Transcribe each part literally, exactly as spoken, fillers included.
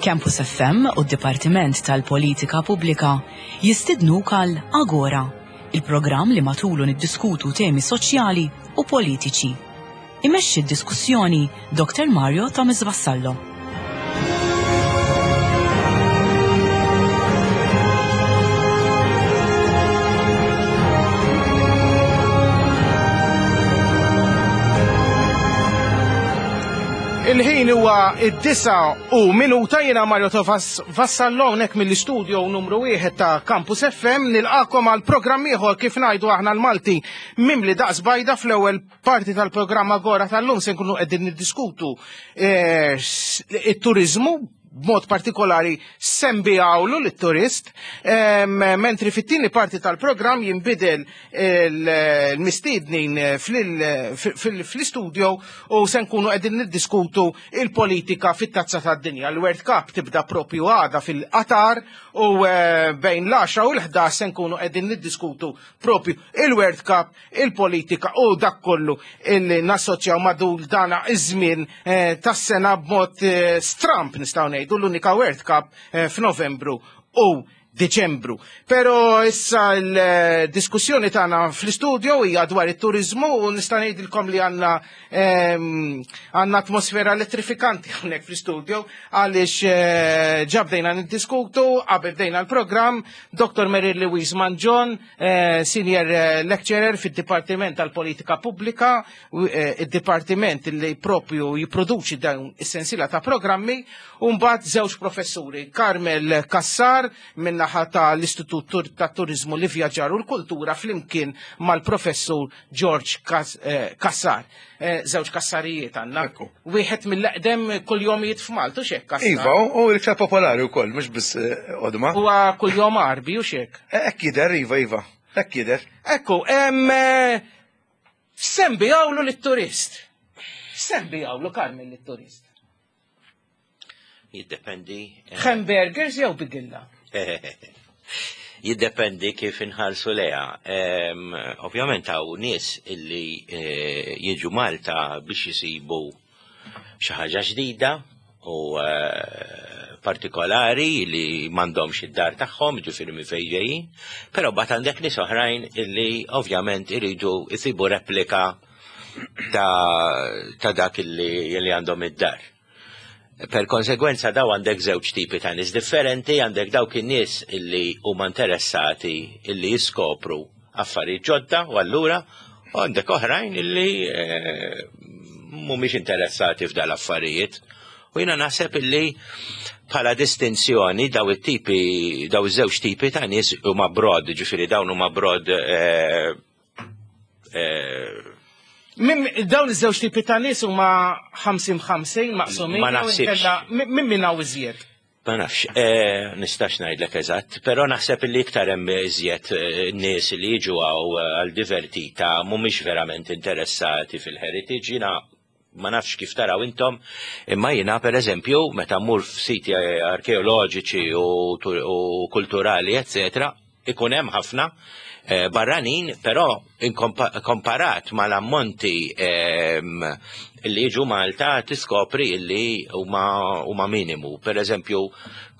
Campus F M u d-Dipartiment tal-Politika Pubblika jistidnuk għal Agora, il-programm li matulu niddiskutu temi soċjali u politiċi. Imexxi d-diskussjoni Doktor Mario Thomas Vassallo. Il-ħin huwa id-disa u minuta. Jiena Mario Thomas Vassallo hawnhekk mill-istudio numru wieħed ta' Campus F M nilqakom għal programm ieħor, kif ngħidu aħna l-Malti, mimli daqs bajda. Fl-ewwel parti tal-programm Agora tal-lum se nkunu qegħdin niddiskutu eh, it-turizmu, b'mod partikolari x'inbigħulu lit-turist, mentri fit-tieni parti tal-programm jinbidel il-mistednin fl-istudio u se nkunu qegħdin niddiskutu il-politika fit-tazza tad-dinja. L-World Cup tibda propju għada fil-Qatar u eh, bejn l-għaxra u l-ħdax se nkunu qegħdin niddiskutu propju il-World Cup, il-politika u dak kollu illi nassoċjaw madul dana iż-żmien eh, tas-sena b'mod eh, stramp, nistgħu ngħidu, l-unika World Cup f'Novembru u Deċembru. Pero issa l-diskussjoni tagħna fl-istudio hija dwar it-turizmu u nista' ngħidilkom li għandna ehm, għandna atmosfera elettrifikanti hawnhekk fl-istudio għaliex eh, ġa bdejna niddiskutu qabel bdejna l-programm. Doktor Mary Louise Mangion, eh, senior eh, lecturer fid-Dipartiment tal-Politika Pubblika, id-dipartiment li propju jipproduċi dawn is-sensiela ta' programmi, u mbagħad żewġ professuri, Carmel Cassar min-naħa tal-Istitut ta' Turizmu, l-Ivvjaġġar u l-Kultura flimkien mal-professur George eh, Cassar. Eh, żewġ Kassarijiet għandna. Wieħed mill-eqdem kunjomijiet f'Malta, u xek Cassar. Iva, u l-iktar popolari wkoll, mhux biss eh, qodma. Huwa kunjom Għarbi, u xek. Hekk jidher, iva, iva. Hekk jidher. Ekku, x'inbigħulu lit-turist? X'inbigħulu, Carmel, lit-turist? Jiddependi. Hamburgers jew bigilla? Jiddependi kif inħarsu lejha. Ovvjament hawn nies illi eh, jiġu Malta biex jisibu xi ħaġa ġdida u eh, partikolari li m'għandhomx id-dar tagħhom, ġifieri minn fejn ġejjin, però mbagħad għandek nies oħrajn illi ovvjament iridu jsibu replika ta', ta dak illi, illi għandhom id-dar. Per konsegwenza daw għandek żewġ tipi ta' nies differenti, għandek dawk in-nies illi huma interessati illi jiskopru affarijiet ġodda u allura u għandek oħrajn illi eh, mhumiex interessati f'dal affarijiet. U jiena naħseb illi bħala distinzjoni daw it-tipi, daw iż-żewġ tipi ta' nies huma broad, ġifieri dawn huma broad eh, eh, Min dawn iż-żewġ tipi ta' nies huma ħamsin ħamsin maqsumin? Ma jew naħsibx. inkella Min min hawn iżjed? Ma nafx, eh, nistax ngħidlek eżatt, però naħseb li iktar hemm iżjed eh, nies li jiġu hawn eh, għal divertita, mhumiex verament interessati fil-heritage. Jiena ma nafx kif taraw intom, imma jiena per eżempju meta mmur f'siti arkeoloġiċi u, tu- u kulturali, eccetera, ikun hemm ħafna eh, barranin, però inkompa- komparat mal-ammonti ehm, li jiġu Malta tiskopri illi huma huma minimu. Per eżempju,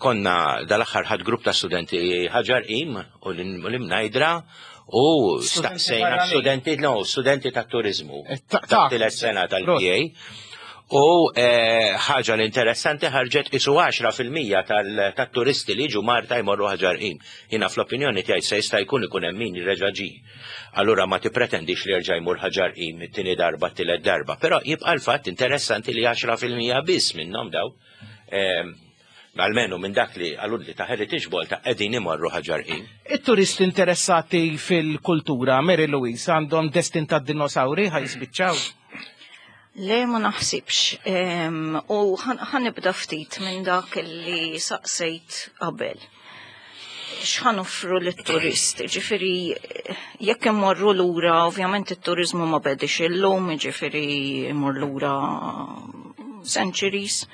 konna dal-aħħar ħadt grupp ta' studenti Ħaġar Qim u l-Imnajdra u Studenti staqsejna barranin. studenti, no, studenti ta' turizmu. Eh, ta' Ta' tielet sena tal-P A. U eh, ħaġa l-interessanti ħarġet isu għaxra fil-mija tal-turisti li jiġu Malta jmorru Ħaġar Qim. Jiena fl-opinjoni tiegħi se jista' jkun ikun hemm min reġa' ġie. Allura ma tippretendix li jerġa' jmur Ħaġar Qim it-tieni darba, t-tielet darba. Però jibqa' l-fatt interessanti li għaxra fil-mija biss minnhom daw, eh, almenu minn dak li għallu li ta' Heritage Malta, qegħdin imorru Ħaġar Qim. It-turisti interessati fil-kultura, Mary Louise, għandhom destin ta' dinosauri ħa jispiċċaw. Le, ma naħsibx. Em, U ħa nibda ftit minn dak li saqsejt qabel. X'ħa noffru lit-turist? Ġifieri, jekk immorru lura, ovvjament it-turizmu ma bedix illum, ġifieri immur lura centuries,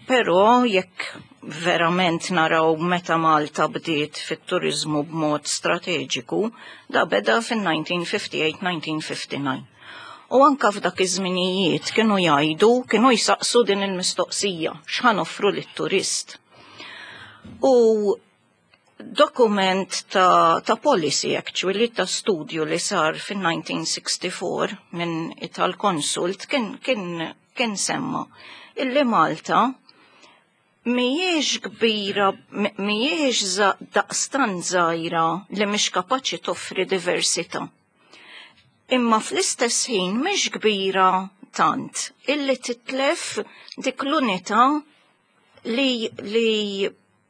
però jekk verament naraw meta Malta bdiet fit-turizmu b'mod strateġiku, da beda fin-elf disa' mija ħamsa u ħamsin-elf disa' mija ħamsa u disgħin. U anka f'dak iż-żminijiet kienu jgħidu, kienu jsaqsu din il-mistoqsija, x'ħa noffru lit-turist. U dokument ta', ta' policy actually, ta' studju li sar fin-elf disa' mija u sitta u sittin minn Italconsult kien, kien, kien semma illi Malta mhijiex kbira, mhijiex daqstan żgħira li mhix kapaċi toffri diversità. Imma fl-istess ħin mhix kbira tant illi titlef dik l-unità li, li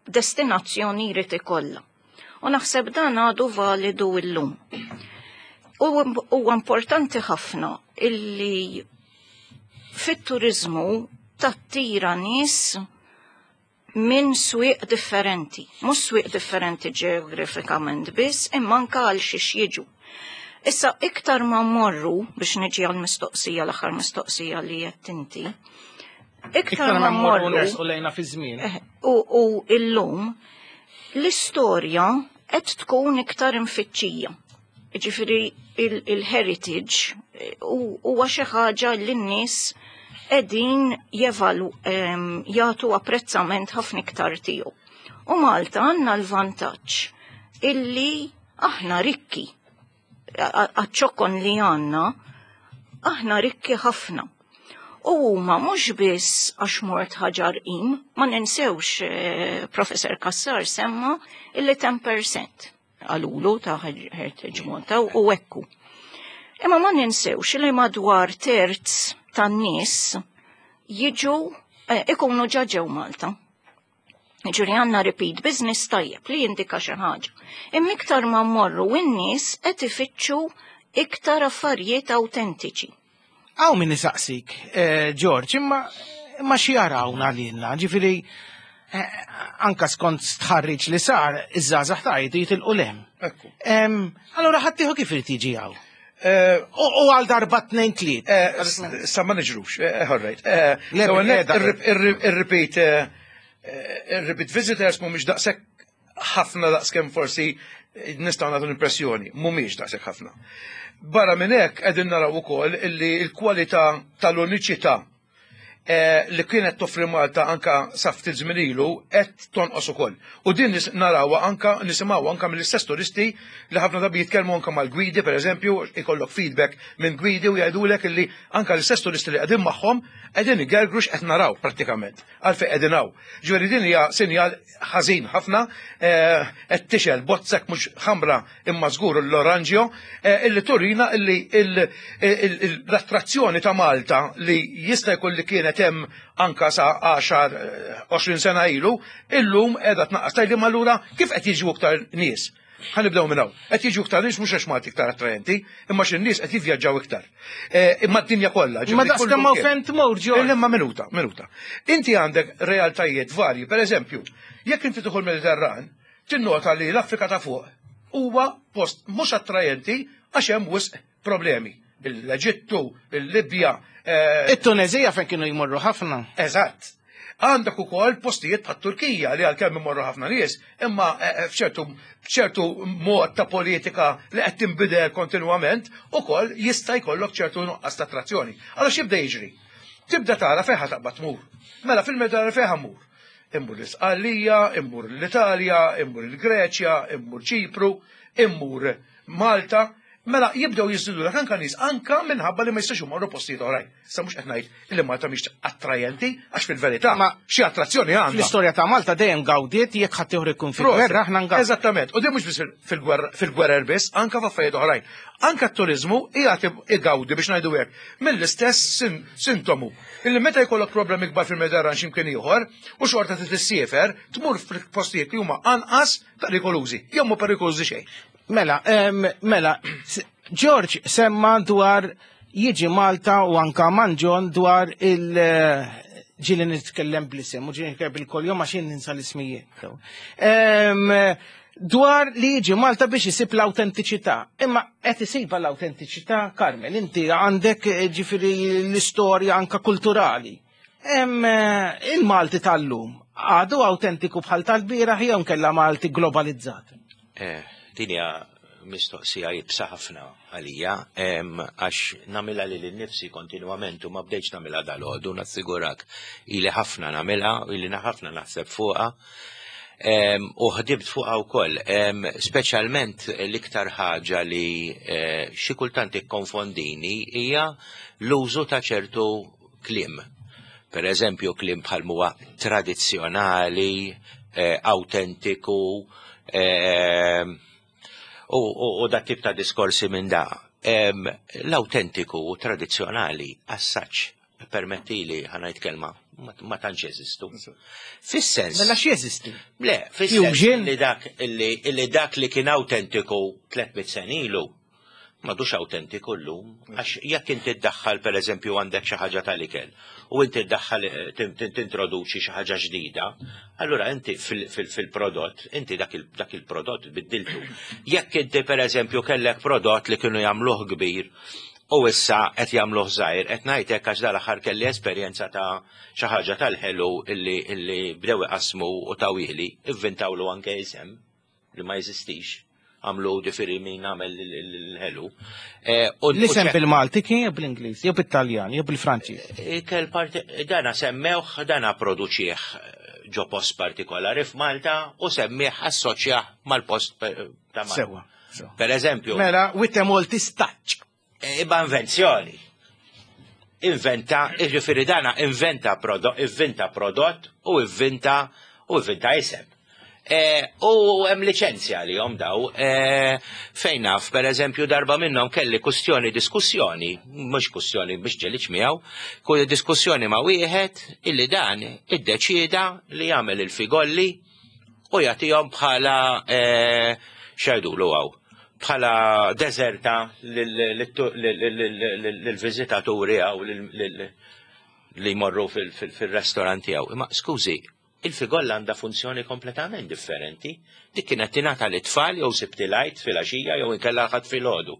destinazzjoni jrid ikollha. U naħseb dan għadu validu illum. U huwa importanti ħafna illi fit-turizmu tattira nies minn swieq differenti. Mhux swieq differenti ġeografikament biss, imma anka għal xiex jiġu. Issa iktar ma mmorru biex niġi għal mistoqsija, l-aħħar mistoqsija li qed inti. Iktar ma mmorru nersqu lejna fi żmien. Eh, U, u illum l-istorja qed tkun iktar imfittxija. Ġifieri il-heritage eh, huwa xi ħaġa li n-nies qegħdin jevalu em, jagħtu apprezzament ħafna iktar tiegħu. U Malta għandna l-vantaġġ illi aħna rikki. Għaċ-ċokon li għandna, aħna rikki ħafna. U huma mhux biss għax mort Ħaġar Qim, ma ninsewx eh, Professor Cassar semma illi għaxra fil-mija għalulu ta' Heritage Malta u ekku. Imma ma ninsewx li madwar terz tan-nies jiġu eh, ikunu ġa ġew Malta. Ġifieri għandna repeat business tajjeb li jindika xi ħaġa. Imma iktar ma mmorru n-nies qed ifittxu iktar affarijiet autentiċi. Hawn min isaqsik, eh, George, imma imma xi jarawna lilna, ġifieri eh, anka skont stħarriġ li sar, iż-żgħażagħ tajtu jitilqu 'l hemm. Ekku. Em, Allura ħaddieħor kif irid jiġi hawn? Eh, U u għal darba tnejn tliet. eh, s- Sa ma niġrux, eh, all right. Eh, Le, l-ewwel nett, bil-qiegħda. ir- ir- Ir-repeat eh, eh, ir-repeat visitors mhumiex daqshekk ħafna daqskemm forsi nistgħu nagħtu l-impressjoni, mhumiex daqshekk ħafna. Barra minn hekk qegħdin naraw ukoll illi l-kwalità tal-uniċità eh, li kienet toffri Malta anka sa ftit żmien ilu qed tonqos ukoll. U din nis- narawha anka nisimgħu anka mill-istess turisti li ħafna drabi jitkellmu anka mal-gwidi pereżempju, ikollok feedback minn gwidi u jgħidulek illi anka l-istess turisti li qegħdin magħhom qegħdin igergru x'qed naraw prattikament għalfejn qegħdin hawn. Ġifieri din hija sinjal ħażin ħafna eh, qed tixgħel bozzek mhux ħamra imma żgur l-oranġjo eh, illi turina illi il- il- il- l-attrazzjoni ta' Malta li jista' jkun li kienet hemm anka sa għaxar eh, għoxrin sena ilu, illum qiegħda tnaqqas. Tgħidli ma allura kif qed jiġu iktar nies? Ħa nibdew minn hawn. Qed jiġu iktar nies mhux għax Malta iktar attraenti, imma x'in-nies qed jivvjaġġaw iktar. Eh, Imma d-dinja kollha. Ma ġifieri daqs kullu kemm hawn kien. fejn tmur, George. Imma minuta, minuta. Inti għandek realtajiet varji, per eżempju, jekk inti tidħol Mediterran, tinnota li l-Afrika ta' fuq huwa post mhux attrajenti għax hemm wisq problemi. L-Eġittu, il-Libja, eh, It-Tunezija fejn kienu jmorru ħafna. Eżatt. Għandek ukoll postijiet bħat Turkija li għalkemm imorru ħafna nies, imma eh, eh, f'ċertu f'ċertu mod ta' politika li qed tinbidel kontinwament, ukoll jista' jkollok ċertu nuqqas ta' attrazzjoni. Allora x'jibda jiġri? Tibda tara fejn ħa taqbad tmur. Mela fil-Mediterran fejn ħa mmur? Immur l-Isqallija, immur l-Italja, immur il-Greċja, immur Ċipru, immur Malta. Mela jibdew jiżdidu dak anka nies anka minħabba li ma jistax imorru postijiet oħrajn. Issa mhux qed ngħid li Malta mhix attrajenti għax fil-verità Ma- xi attrazzjoni għandha. Fl-istorja ta' Malta dejjem gawdiet jekk ħadd ieħor ikun fil-gwerra aħna ngawdu. Eżattament. U din mhux biss fil-gwerra fil-gwerer biss, anka f'affarijiet oħrajn. Anka t-turizmu qiegħed igawdi biex ngħidu hekk mill-istess sin- sintomu. Illi meta jkollok problemi kbar fil-Mediterran x'imkien ieħor u xorta trid issiefer, tmur fil-postijiet li huma anqas perikolużi, jew mhu perikolużi xejn. Mela, em, mela, s- George semma dwar jiġi Malta u anka Manġon dwar il- eh, ġieli nitkellem bl-isem u ġieli nitkellem bil-kuljom għax jien ninsa l-ismijiet. Em, Dwar li jiġi Malta biex isib l-autentiċità. Imma qed isibha l-autentiċità, Carmel, inti għandek eh, ġifieri l-istorja anka kulturali. Em, eh, Il-Malti tal-lum għadu autentiku bħal tal-bieraħ jew kella Malti globalizzat. Eh, Din hija mistoqsija iebsa ħafna għalija, em, għax nagħmilha lili nnifsi kontinuament u ma bdejtx nagħmilha dalgħodu, nassigurak ili ħafna nagħmilha, ili ħafna naħseb fuqha. Em, U ħdibt fuqha wkoll, em, speċjalment l-iktar ħaġa li eh, xi kultant ikkonfondini hija l-użu ta' ċertu kliem. Per eżempju, kliem bħal huwa tradizzjonali, eh, autentiku, eh, u, u, u dat tip ta' diskorsi minn da. Em, L-autentiku u tradizzjonali assaċ permettili ħa ngħid kelma ma, ma tantx jeżistu. Fis-sens. Mela x'jeżisti? Le, fis-sens Fusion? li dak li, li dak li kien autentiku tliet mitt sena ilu m'għadux autentiku llum, għax jekk inti ddaħħal per eżempju għandek xi ħaġa tal-ikel u inti ddaħħal eh, tin- tin- tintroduċi xi ħaġa ġdida, allura inti fil- fil- fil-prodott, inti dak il- dak il-prodott biddiltu. Jekk inti per eżempju kellek prodott li kienu jagħmluh kbir u issa qed jagħmluh żgħir, qed ngħidlek għax dal-aħħar kelli esperjenza ta' xi ħaġa tal-ħelu illi illi bdew iqasmu u tawili, ivvintawlu anke isem li ma jeżistix, għamlu ġifieri min għamel l-ħelu. Eh, u- L-isem u ċe- bil-Malti kien jew bl-Ingliż, jew bit-Taljan, jew bil-Franċiż. Ikel parti, dana semmewh, dana produċieħ ġo post partikolari f'Malta u semmih assoċjah mal-post pe- ta' Malta. Sewa. sewa. Per eżempju, Mela, with a Maltese touch. Iba invenzjoni. Inventa, ġifieri dana inventa prodott, inventa prodott u inventa u inventa isem. E, u hemm liċenzja li jom daw, e, fejn naf, per eżempju, darba minnhom kelli kustjoni diskussjoni, mhux kustjoni biex ġeliċ miegħu, ku diskussjoni ma' wieħed illi dan iddeċieda li jagħmel il-figolli u jagħtihom bħala e, x'jgħidulu hawn bħala deżerta lill-viżitaturi għaw li jmorru fil-restoranti għaw. Imma skużi, il-figolla għandha funzjoni kompletament differenti. Dik kienet tingħata lit-tfal jew Sibt il-Għid fil-għaxija jew inkella Ħadd filgħodu.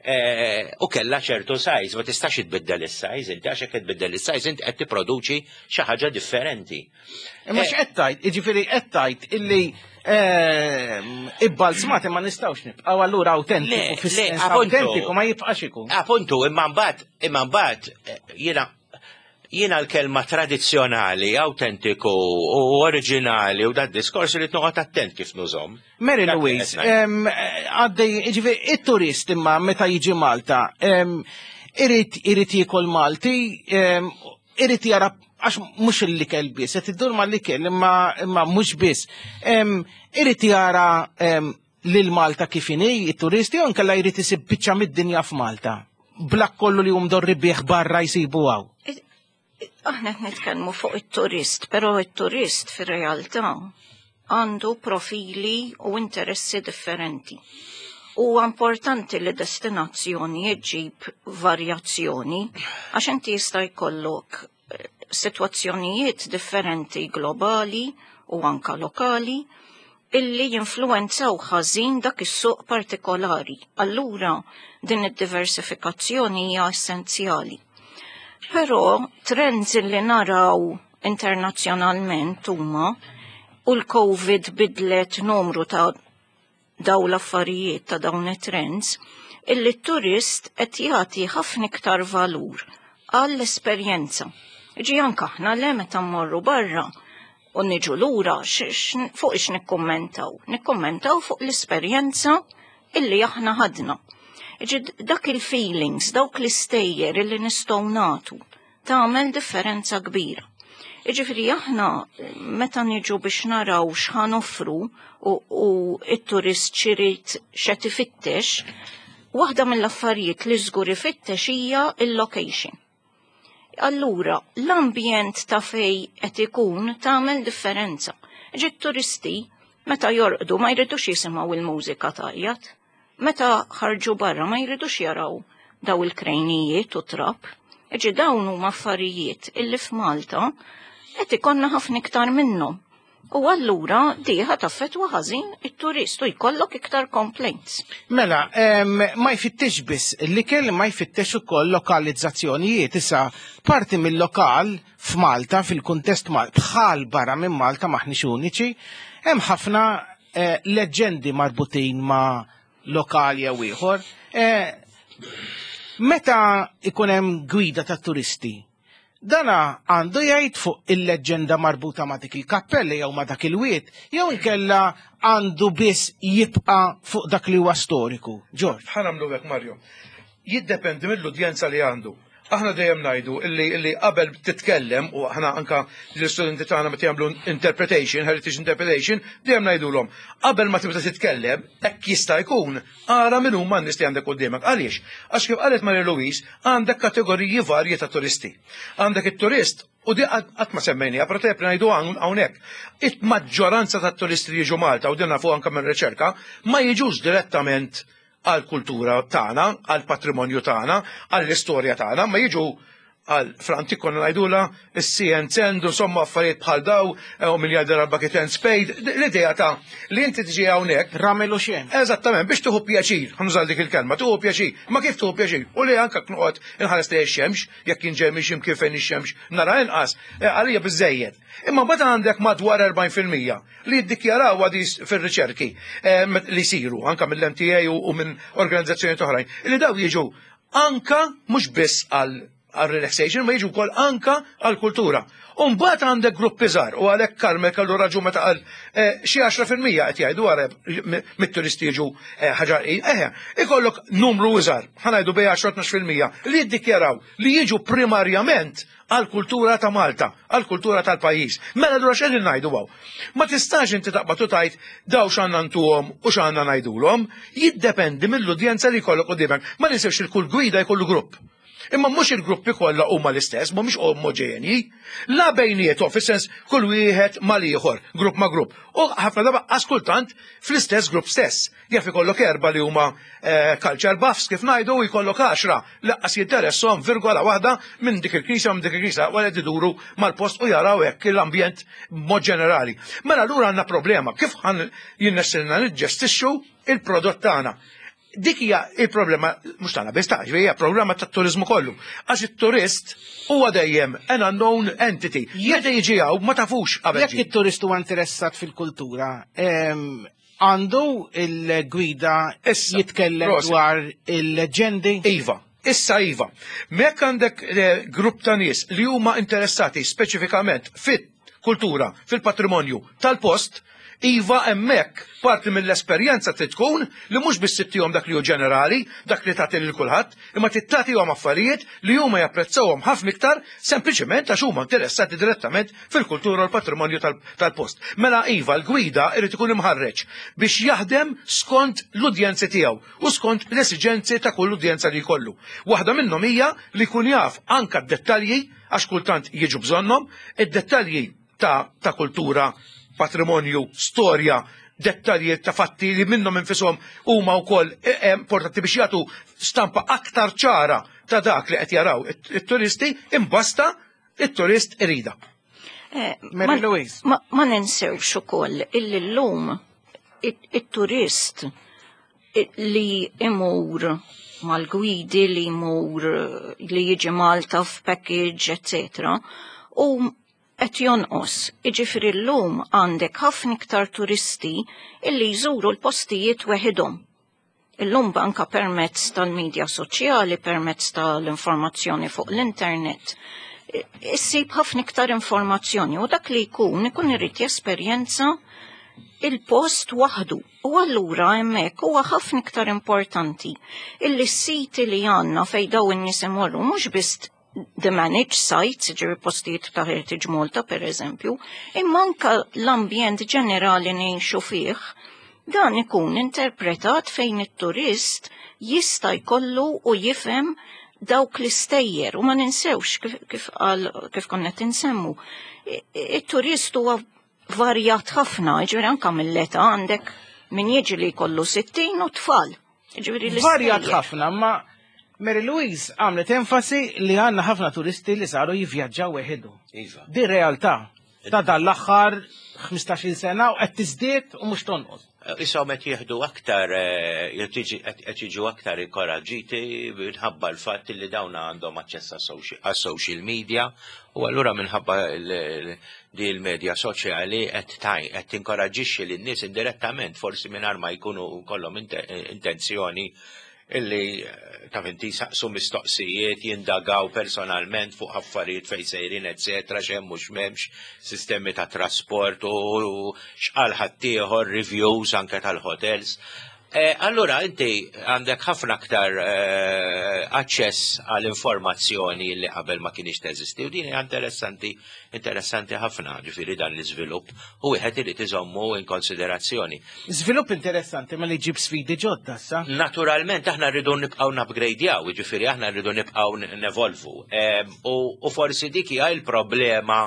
Eh, U kella ċertu size, ma tistax tbiddel is-size, inti għax hekk tbiddel is-size inti qed tipproduċi xi ħaġa differenti. Imma Eh, x'qed tgħid? Jiġifieri qed tgħid illi ehm, ibbalzmati ma nistgħux nibqgħu allura autentiku Le, le, fis-sens appuntu. autentiku ma jibqax ikun. Appuntu, imma mbagħad, imma mbagħad eh, jiena jiena l-kelma tradizzjonali, autentiku u oriġinali u dat diskors li noqgħod attent kif nużhom. Mary Dak li Louise, qed ngħid. em, għaddej, ġifieri, it-turist imma meta jiġi Malta, em, irid irid jiekol Malti, em, irid jara għax mhux l-ikel biss, qed iddur ma l-ikel imma imma mhux biss. Em, Irid jara em, lil Malta kif inhi it-turisti jew inkella jrid isib biċċa mid-dinja f'Malta. B'dak kollu li hum dorri bih barra jsibu hawn. Aħna qed nitkellmu fuq it-turist, però it-turist fir-realtà għandu profili u interessi differenti. U importanti li destinazzjoni ġġib varjazzjoni, għax inti jista' jkollok eh, situazzjonijiet differenti globali u anka lokali illi jinfluenzaw ħażin dak is-suq partikolari. Allura din id-diversifikazzjoni hija essenzjali. Però trends li naraw internazzjonalment huma u l-Covid bidlet numru ta' daw l-affarijiet ta' dawn it-trends, illi t-turist qed jagħti ħafna iktar valur għall-esperjenza. Ġi anke aħna le meta mmorru barra u niġu lura fuq ix nikkummentaw. Nikkummentaw fuq l-esperjenza illi aħna ħadna. Ġi dak il-feelings, dawk l-istejjer illi nistgħu nagħtu tagħmel differenza kbira. Iġifiri aħna meta niġu biex naraw x'ħa noffru u, u it-turist x'irid x'qed ifittex, waħda mill-affarijiet li żgur ifittex hija il-location. Allura, l-ambjent ta' fej qed ikun tagħmel differenza. Ġi turisti meta jorqdu ma jridux jisimgħu il-mużika tajjat. Meta ħarġu barra ma jridux jaraw daw il-krejnijiet u trab. Ġi dawn huma affarijiet illi f'Malta qed ikollna ħafna iktar minnhom. U allura diħa taffetwa ħażin it-turist u jkollok iktar complaints. Mela, em, ma jfittex biss l-ikel, ma jfittex ukoll lokalizzazzjonijiet. Issa, parti mill-lokal f'Malta, fil-kuntest Mal bħal barra minn Malta, maħniex uniċi, hemm ħafna eh, leġendi marbutin ma' lokal jew ieħor. Eh, meta ikun hemm gwida ta' turisti, dana għandu jgħid fuq il-leġenda marbuta ma' dik il-kappella jew ma' dak il-wied, jew inkella għandu biss jibqa' fuq dak li huwa storiku. George. Ħa nagħmlu hekk, Mario. Jiddependi mill-udjenza li għandu. Aħna dejjem ngħidu illi illi qabel titkellem, u aħna anka l-istudenti tagħna meta jagħmlu interpretation, heritage interpretation, dejjem ngħidulhom qabel ma tibda titkellem, hekk jista' jkun, ara min huma n-nies li għandek quddiemek. Għaliex? Għax kif qalet Maria Louise, għandek kategoriji varji ta' turisti. Għandek it-turist, u di qatt ma semmejniha, però tajjeb ngħidu hawnhekk. Il-maġġoranza tat-turisti li jiġu Malta, u din nafu anke minn riċerka, ma jiġux direttament għal-kultura tagħna, għal-patrimonju tagħna, għall-istorja tagħna, ma jiġu għal fl-antik konna ngħidula is-sea and sand, insomma affarijiet bħal daw, u min jgħidha bucket and spade, l-idea ta' li inti tiġi hawnhekk. Ramel u xejn. Eżattament, biex tieħu pjaċir, ħa nuża dik il-kelma, tieħu pjaċir. Ma kif tieħu pjaċir? U li anka noqgħod inħares li x-xemx, jekk inġej minn x'imkien fejn ix-xemx nara inqas, eh, għalija biżejjed. Imma mbagħad għandek madwar erbgħin fil-mija li jiddikjaraw għadi fir-riċerki eh, li jsiru anka mill-M T A u minn organizzazzjoni oħrajn, li daw jiġu anka mhux biss għal għal relaxation, ma jiġu wkoll anka għal kultura. Umbagħad għandek gruppi żgħar, u għalhekk Carmel kellu raġun meta qal eh, xi għaxra fil-mija qed jgħidu għareb mit-turisti jiġu eh, ħaġar. Eħe, ikollok numru iżgħar, ħa ngħidu bejn għaxra tnax fil-mija li jiddikjaraw li jiġu primarjament għal kultura ta' Malta, għal kultura tal-pajjiż. Mela allura x'qegħdin ngħidu hawn? Ma tistax inti taqbad u tgħid daw x'għandna ntuhom u x'għandna ngħidulhom, jiddependi mill-udjenza li jkollok quddiemek. Ma ninsewx il-kull gwida jkollu grupp. Imma mhux il-gruppi kollha huma l-istess, mhumiex omoġenji. La bejniethom, fis-sens kull wieħed mal-ieħor, grupp ma' grupp. U ħafna darba kultant fl-istess grupp stess. Jaf ikollok erba' li huma eh, culture buffs kif ngħidu, u jkollok għaxra lanqas jinteressahom virgola waħda minn dik il-knisja minn dik il-knisja, wara iduru mal-post u jaraw hekk l-ambjent mod ġenerali. Mela allura għandna problema kif ħa jirnexxilna niġġestixxu il-prodott tagħna. Dik hija il-problema mhux tagħna biss, ta' hija problema tat-turiżmu kollu. Għax it-turist huwa dejjem an unknown entity. Meta jiġi hawn ma tafux qabel. Jekk it-turist huwa interessat fil-kultura, em, għandu il-gwida Issa, jitkellem prosit. dwar il-leġendi? Iva, issa iva. Mek għandek eh, grupp ta' nies li huma interessati speċifikament fit-kultura, fil-patrimonju tal-post, iva, hemmhekk parti mill-esperjenza trid tkun li mhux biss ittihom dak li hu ġenerali, dak li tagħti lil kulħadd, imma tagħtihom affarijiet li huma japprezzawhom ħafna iktar sempliċement għax huma interessati direttament fil-kultura u l-patrimonju tal- tal-post. Mela iva, l-gwida irid ikun imħarreġ biex jaħdem skont l-udjenzi tiegħu u skont l-esiġenzi ta' kull udjenza li jkollu. Waħda minnhom hija li jkun jaf anka d-dettalji, għax kultant jiġu bżonnhom, id-dettalji ta', ta' kultura, patrimonju, storja, dettalji ta' fatti li minnhom infisom huma wkoll eh, eh, importanti biex jagħtu stampa aktar ċara ta' dak li qed jaraw it- it-turisti, imbasta it-turist irida. Eh, Mary ma- Louise. Ma, ma ninsewx ukoll illi llum it- it-turist i- li imur mal-gwidi, li imur li jiġi Malta f'package, et cetera. U qed jonqos. Iġifieri llum għandek ħafna iktar turisti illi jżuru l-postijiet weħidhom. Illum anka permezz tal-medja soċjali, permezz tal-informazzjoni fuq l-internet, i- issib ħafna iktar informazzjoni u dak li jkun ikun irid jesperjenza il-post waħdu. U allura hemmhekk huwa ħafna iktar importanti illi s-siti li għandna fej daw in-nies imorru, mhux biss the managed sites, ġifieri postijiet ta' Heritage Malta per eżempju, imma anka l-ambjent ġenerali ngħixu fih, dan ikun interpretat fejn it-turist jista' jkollu u jifhem dawk l-istejjer, u ma ninsewx kif, kif, qal, kif konna tinsemmu. I- It-turist huwa varjat ħafna, ġifieri anka mill-età għandek min jiġi li jkollu sittin u tfal. Ġifieri l-istejjer. Varjat ħafna, ma Mary Louise għamlet enfasi li għandna ħafna turisti li saru jivvjaġġaw weħidhom. Iva. Di realtà ta' dan l-aħħar ħmistax-il sena u qed tiżdied u mhux tonqos. Isom qed jieħdu aktar, eh, qed jiġu aktar inkoraġġiti minħabba l-fatt li dawn għandhom aċċess għas-social media u allura minħabba di l-medja soċjali qed qed tinkoraġġixxi lin-nies indirettament, forsi mingħajr ma jkunu kollhom intenzjoni, illi eh, ta' inti saqsu mistoqsijiet, jindagaw personalment fuq affarijiet fejn sejrin, eccetera, x'hemm mhux m'hemmx, sistemi ta' trasport u x'qal ħaddieħor, reviews anke tal-hotels. Eh, allura inti għandek ħafna aktar eh, aċċess għall informazzjoni li qabel ma kienx teżisti u din hija interessanti, interessanti ħafna, ġifieri dan l-iżvilupp u wieħed irid iżommu in konsiderazzjoni. Żvilupp interessanti ma li ġib sfidi ġodda sa. Naturalment aħna rridu nibqgħu nupgradejaw, ġifieri aħna rridu nibqgħu nevolvu. U forsi dik hija l-problema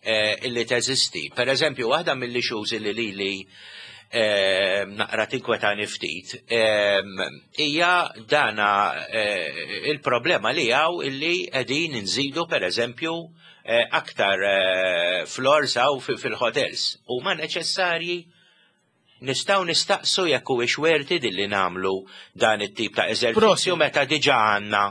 eh, illi teżisti. Per eżempju, waħda mill-issues illi lili naqra tinkwetani ftit hija dana eh, il-problema li hawn illi qegħdin nżidu, per eżempju, eh, aktar eh, floors hawn fil-hotels. Huma neċessarji? Nistgħu nistaqsu jekk huwiex worth it illi nagħmlu dan it-tip ta' eżerċizzju meta diġà għandna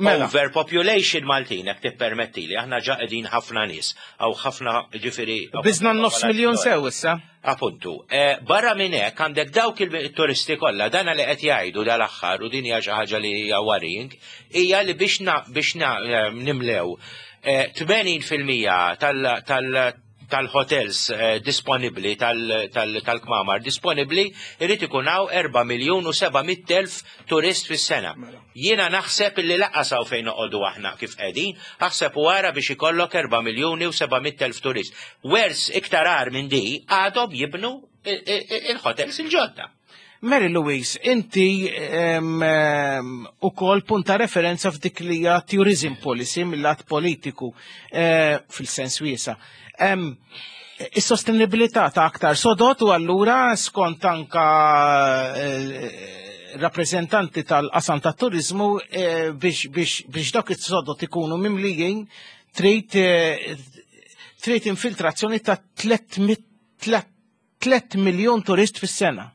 Mela. overpopulation Maltin, jekk tippermettili, aħna ġa qegħdin ħafna nies, aw ħafna, ġifieri. Biżna nofs miljon sew issa. Appuntu. Eh, barra minn hekk għandek dawk il-turisti kollha, dana li qed jgħidu dal-aħħar, u din hija xi ħaġa li hija worrying, hija li biex na, biex na, eh, nimlew eh, tmenin fil-mija tal, tal tal-hotels eh, disponibli, tal-kmamar disponibli, irrid ikun hawn erba' miljun u seba' mitt elf turist fis-sena. Mela. Jiena naħseb illi lanqas hawn fejn noqogħdu aħna kif qegħdin, aħseb u ara biex ikollok erba' miljuni u seba' mitt elf turist. Wers iktar agħar minn di, għadhom jibnu il-hotels il-ġodda. Mary Louise, inti u kol punta referenza f'dik li hija tourism policy mill-lat politiku eh, fil-sens wiesa. Is-sostenibilità ta' aktar sodot u allura skont anka eh, rappresentanti tal-qasam ta' turizmu eh, biex, biex, biex dawk is-sodot ikunu mimlijin trid trid infiltrazzjoni ta' tliet miljon turist fis-sena.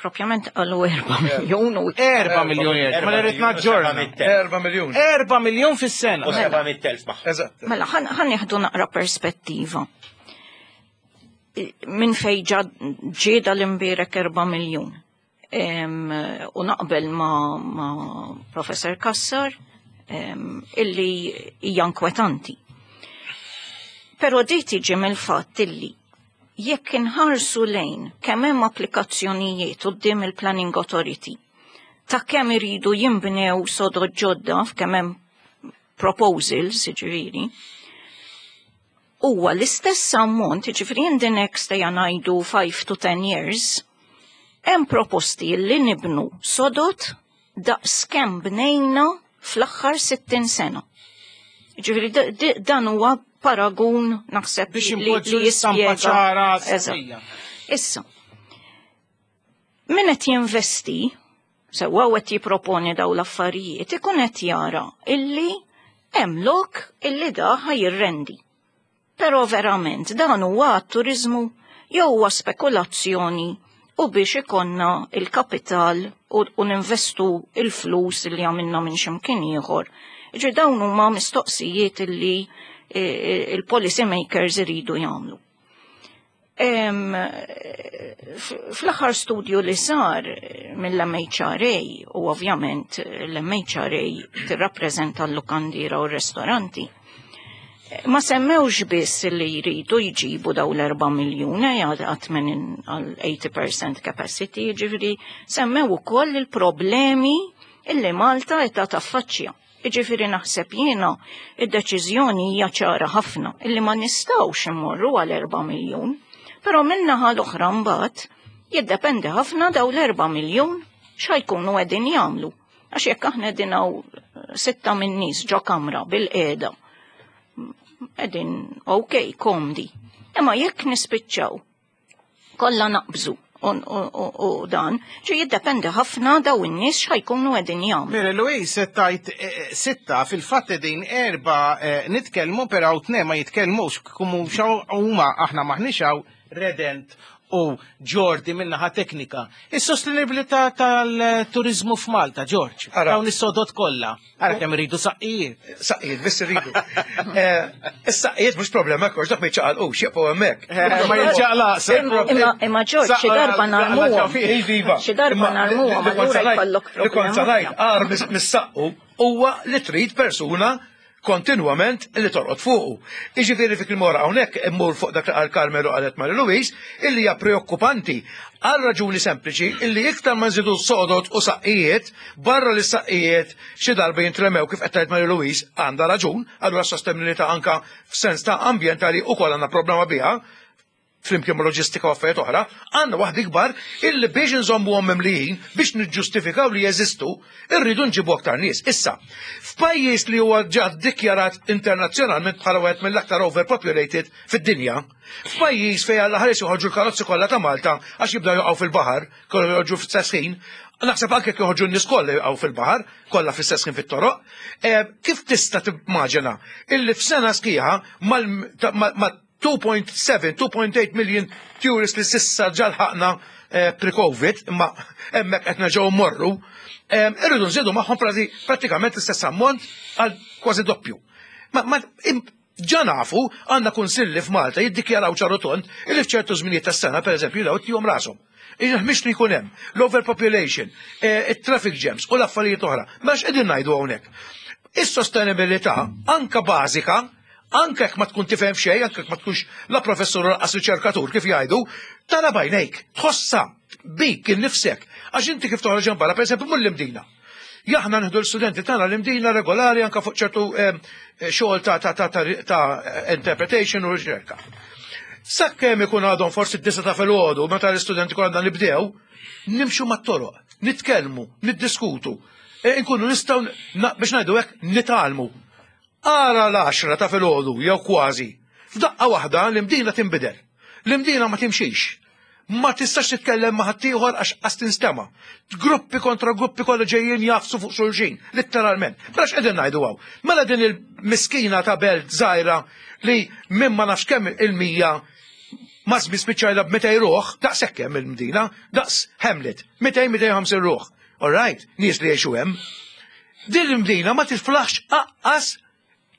Propjament għallu erba' miljon u Erba' miljon, ma rrid naġġorna. Erba' miljon. Erba' miljon fis-sena. U seba' mitt elf magħha. Eżatt. Mela, ħa nieħdu naqra perspettiva. Minn fej ġieda l-imbierek erba' miljon? U naqbel ma, ma Professor Kassar illi hija inkwetanti. Pero di tiġi mill-fatt illi jekk inħarsu lejn kemm hemm applikazzjonijiet quddiem il-Planning Authority ta' kemm iridu jinbnew sodod ġodda, f'kemm hemm proposals, ġifieri, huwa l-istess ammont, ġifieri in the next, ejja ngħidu, five to ten years, hemm proposti li nibnu sodod daqs kemm bnejna fl-aħħar sittin sena. Ġifieri dan huwa paragun naħseb biex li impoġġu l-istampa ċara. Eżatt. Issa, min qed jinvesti, sewwa qed jipproponi daw l-affarijiet, ikun qed jara illi hemm lok illi da ħa jirrendi. Però verament dan huwa turizmu jew huwa spekulazzjoni u biex ikonna il-kapital u, u ninvestu il-flus li għamilna minn ximkien ieħor? Ġi dawn huma mistoqsijiet illi eh, il-policy makers iridu jagħmlu. Em, f- Fl-aħħar studju li sar mill-M H R A, u ovvjament l-M H R A tirrappreżenta l-lukandira u r-restoranti, ma semmewx biss li jridu jġibu daw l-erba' miljuni għat għal eighty percent capacity, ġifiri semmew ukoll il-problemi illi Malta qed taffaċċja. Ġifiri naħseb jiena id-deċiżjoni hija ċara ħafna illi ma nistgħux immorru għal erba' miljun, però min-naħa l-oħra mbagħad jiddependi ħafna daw l-erba' miljun x'ħajkunu qegħdin jagħmlu. Għax jekk aħna qegħdin hawn sitta minn nies ġo kamra bil-qiegħda, qegħdin ok, komdi. Imma jekk nispiċċaw kollha naqbżu u dan, ġi jiddependi ħafna daw in-nies x'ħajkunu qegħdin jagħmlu. Mary Louise, tajt eh, sitta fil-fatt din erba eh, nitkellmu però tnejn ma jitkellmux kumu huma aħna m'aħniex hawn Redent u Jordi minnaħa teknika. Is-sostenibilità tal-turizmu f'Malta, George. Dawn is-sodod kollha. Ara kemm iridu saqqijiet. Saqqijiet, biss iridu. Eh, is-saqqijiet mhux problema hekk, dak ma jiċċaqalqux, jibqgħu hemmhekk. Eh, ma jiċċaqlaq. Imma George, xi darba narmuhom. Iva. Xi darba narmuhom, allura jkollok Li kont problema. ngħid agħar mis-saqqu huwa li trid persuna kontinwament li torqod fuqu. Iġifieri fik il-mora hawnhekk immur fuq dak li qal Carmelo qalet Mary Louise, illi hija preokkupanti għal raġuni sempliċi illi iktar ma nżidu sodod u saqqijiet, barra li saqqijiet xi darba jintremew kif qed tgħid Mary Louise għandha raġun, allura sostenibilità anka f'sens ta' ambjentali ukoll għandna problema biha, flimkien ma' loġistika u affarijiet oħra, għandna waħda ikbar illi biex nżommuhom mimlijin biex niġġustifikaw li jeżistu, irridu nġibu aktar nies. Issa, f'pajjiż li huwa ġa ddikjarat internazzjonalment bħala wieħed mill-aktar overpopulated fid-dinja, f'pajjiż fejn alla ħares joħorġu l-karozzi kollha ta' Malta għax jibdew joqgħu fil-baħar, kollu joħorġu f'istess ħin, naħseb anke jekk joħorġu n-nies kollha joqgħu fil-baħar, kollha fl-istess ħin fit-toroq, eh, kif tista' timmaġina illi f'sena sħiħa mal ma' two point seven, two point eight million tourists li s'issa ġa lħaqna eh, pre-Covid, imma hemmhekk qed nerġgħu mmorru, eh, irridu nżidu magħhom pratikament l-istess ammont għal kważi doppju. Ma, ma ġa nafu għandna kunsilli f'Malta jiddikjaraw ċar u tond illi f'ċertu żminijiet tas-sena, pereżempju, daw tihom rashom. Mhix li jkun hemm l-overpopulation, eh, it-traffic jams u l-affarijiet oħra. Ma x'qegħdin ngħidu hawnhekk? Is-sostenibilità anka bażika, anke jekk ma tkun tifhem xejn, anke jekk ma tkunx la professur lanqas riċerkatur kif jgħidu, tara b'għajnejk, tħossa bik innifsek. Għax inti kif toħroġ barra, pereżempju, mur l-Imdina. Aħna nieħdu l-studenti tagħna l-Imdina regolari anke fuq ċertu eh, xogħol ta' ta' ta' ta' interpretation u riċerka. Sakkemm ikun għadhom forsi d-disgħa ta' filgħodu meta l-istudenti kollha nibdew, nimxu mat-toroq, nitkellmu, niddiskutu, e, nkunu nistgħu biex ngħidu hekk nitgħallmu. Ara l-għaxra ta' filgħodu jew kważi. F'daqqa waħda l-Imdina tinbidel. L-Imdina ma timxix. Ma tistax titkellem ma' ħaddieħor għax qas tinstema'. Gruppi kontra gruppi kollha ġejjin jagħfsu fuq xulxin, letteralment. Mela x'qegħdin ngħidu hawn? Mela din il-miskina ta' belt żgħira li minn ma nafx kemm il-mija ma spiċċajna b'mitejn ruħ, daqs hemm il-Mdina, daqs Hamlet, mitejn, mitejn u ħamsin ruħ. All right, nies li jgħixu hemm. Din il-Mdina ma tiflaħx aqqas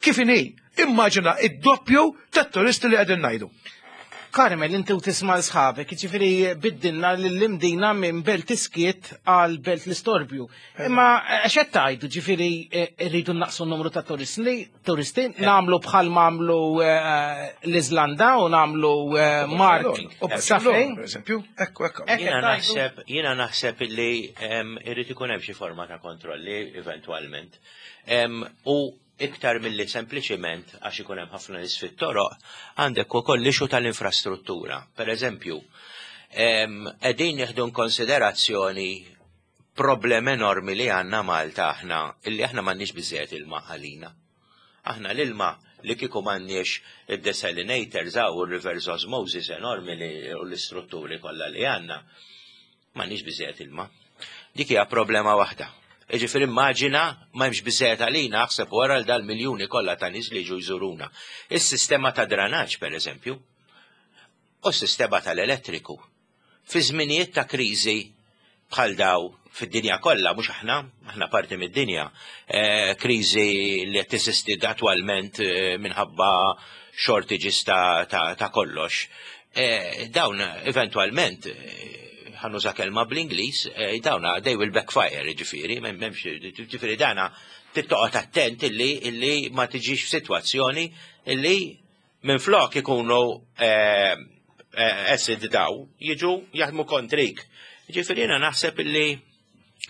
kif inhi. Immaġina id-doppju tat-turisti li qegħdin ngħidu. Carmel, inti u tisma' sħabek, ġifieri biddilna l-Imdina minn belt iskiet għal belt l-istorbju. Imma x'qed tgħidu, ġifieri rridu naqsu n-numru ta' turisti, turisti nagħmlu bħal m'għamlu l-Iżlanda u nagħmlu Mark. U Barcellona, per eżempju, ekku, ekku. Jiena naħseb, jiena naħseb illi irrid ikun hemm xi forma ta' kontrolli eventwalment. U iktar milli sempliċiment għax ikun hemm ħafna nies fit-toroq, għandek ukoll l-issue tal-infrastruttura. Per eżempju, qegħdin nieħdu konsiderazzjoni problem enormi li għandna Malta aħna, illi aħna m'għandniex biżejjed ilma għalina. Aħna l-ilma li kieku m'għandniex id-desalinators u reverse osmosis enormi li u l-istrutturi kollha li għandna, m'għandniex biżejjed ilma. Dik hija problema waħda. Ġifieri immaġina ma hemmx biżejjed għalina, aħseb wara l dal-miljuni kollha ta' nies li ġu jżuruna. Is-sistema ta' dranaġġ, per eżempju, u s-sistema tal-elettriku. Fi żminijiet ta' kriżi bħal daw fid-dinja kollha, mhux aħna, aħna parti mid-dinja, eh, kriżi li qed teżisti attwalment eh, minħabba shortages ta', ta, ta kollox. Eh, dawn eventwalment, ħa nuża kelma bl-Ingliż, dawna they will backfire, ġifieri, m'hemmx, ġifieri dana trid toqgħod attent illi illi ma tiġix f'sitwazzjoni illi minn flok ikunu asset daw, jiġu jaħdmu kontrik. Ġifieri jiena naħseb illi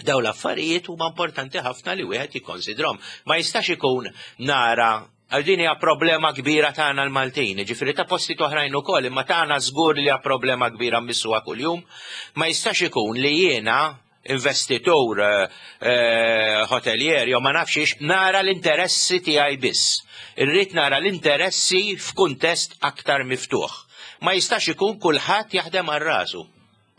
daw l-affarijiet huma importanti ħafna li wieħed jikkonsidrom. Ma jistax ikun nara għal din hija problema kbira tagħna l-Maltin, ġifieri ta' posti oħrajn ukoll, imma tagħna żgur li hija problema kbira mmissuha kuljum. Ma jistax ikun li jiena investitur, eh, hotelier, jew ma nafx nara l-interessi tiegħi biss. Irrid nara l-interessi f'kuntest aktar miftuħ. Ma jistax ikun kulħadd jaħdem għal rasu.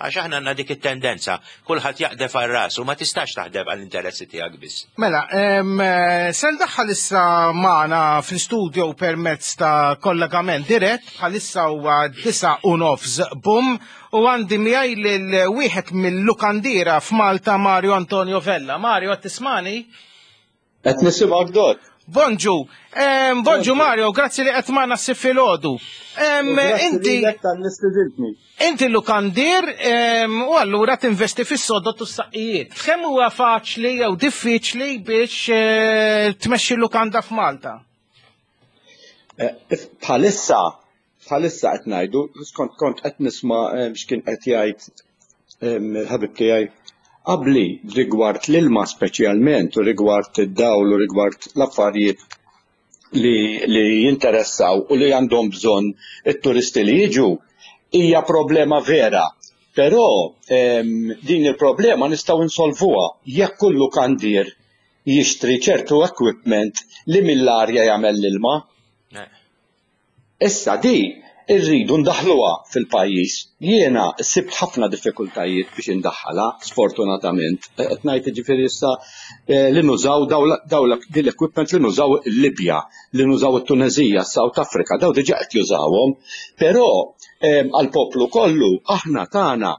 Għax aħna għandna dik it-tendenza, kulħadd jaqdef għal rasu, ma tistax taħdem għall-interessi tiegħek biss. Mela, em, eh, se ndaħħal issa magħna fl-studio permezz ta' kollegament dirett, bħalissa huwa disa u nofs bum, u għandi miegħi lil wieħed mill-lukandiera f'Malta, Mario Antonio Vella. Mario, qed tismani? Qed nisimgħek, Dot. Bonġu, em, bonġu Mario, grazzi li qed magħna s-filgħodu. Inti tal-istedintni. Inti lukandier em, u allura tinvesti fis-sodot u s-saqqijiet. Kemm huwa faċli jew diffiċli biex eh, tmexxi lukanda f'Malta? Eh, bħalissa, bħalissa qed ngħidu, skont kont qed nisma' eh, x'kien qed jgħid em, il-ħabib tiegħi qabli rigward l-ilma speċjalment u rigward id-dawl u rigward l-affarijiet li, li jinteressaw u li għandhom bżonn it-turisti li jiġu, hija problema vera. Però em, din il-problema nistgħu insolvuha jekk kull lukandier jixtri ċertu equipment li mill-arja jagħmel l-ilma. Eh. Issa di irridu ndaħluha fil-pajjiż. Jiena sibt ħafna diffikultajiet biex indaħħalha, sfortunatament. Qed ngħid, ġifieri issa eh, li nużaw daw din l-equipment li nużaw il-Libja, li nużaw it-Tunezija, South Africa, daw diġà qed jużawhom. Però għall-poplu kollu aħna tagħna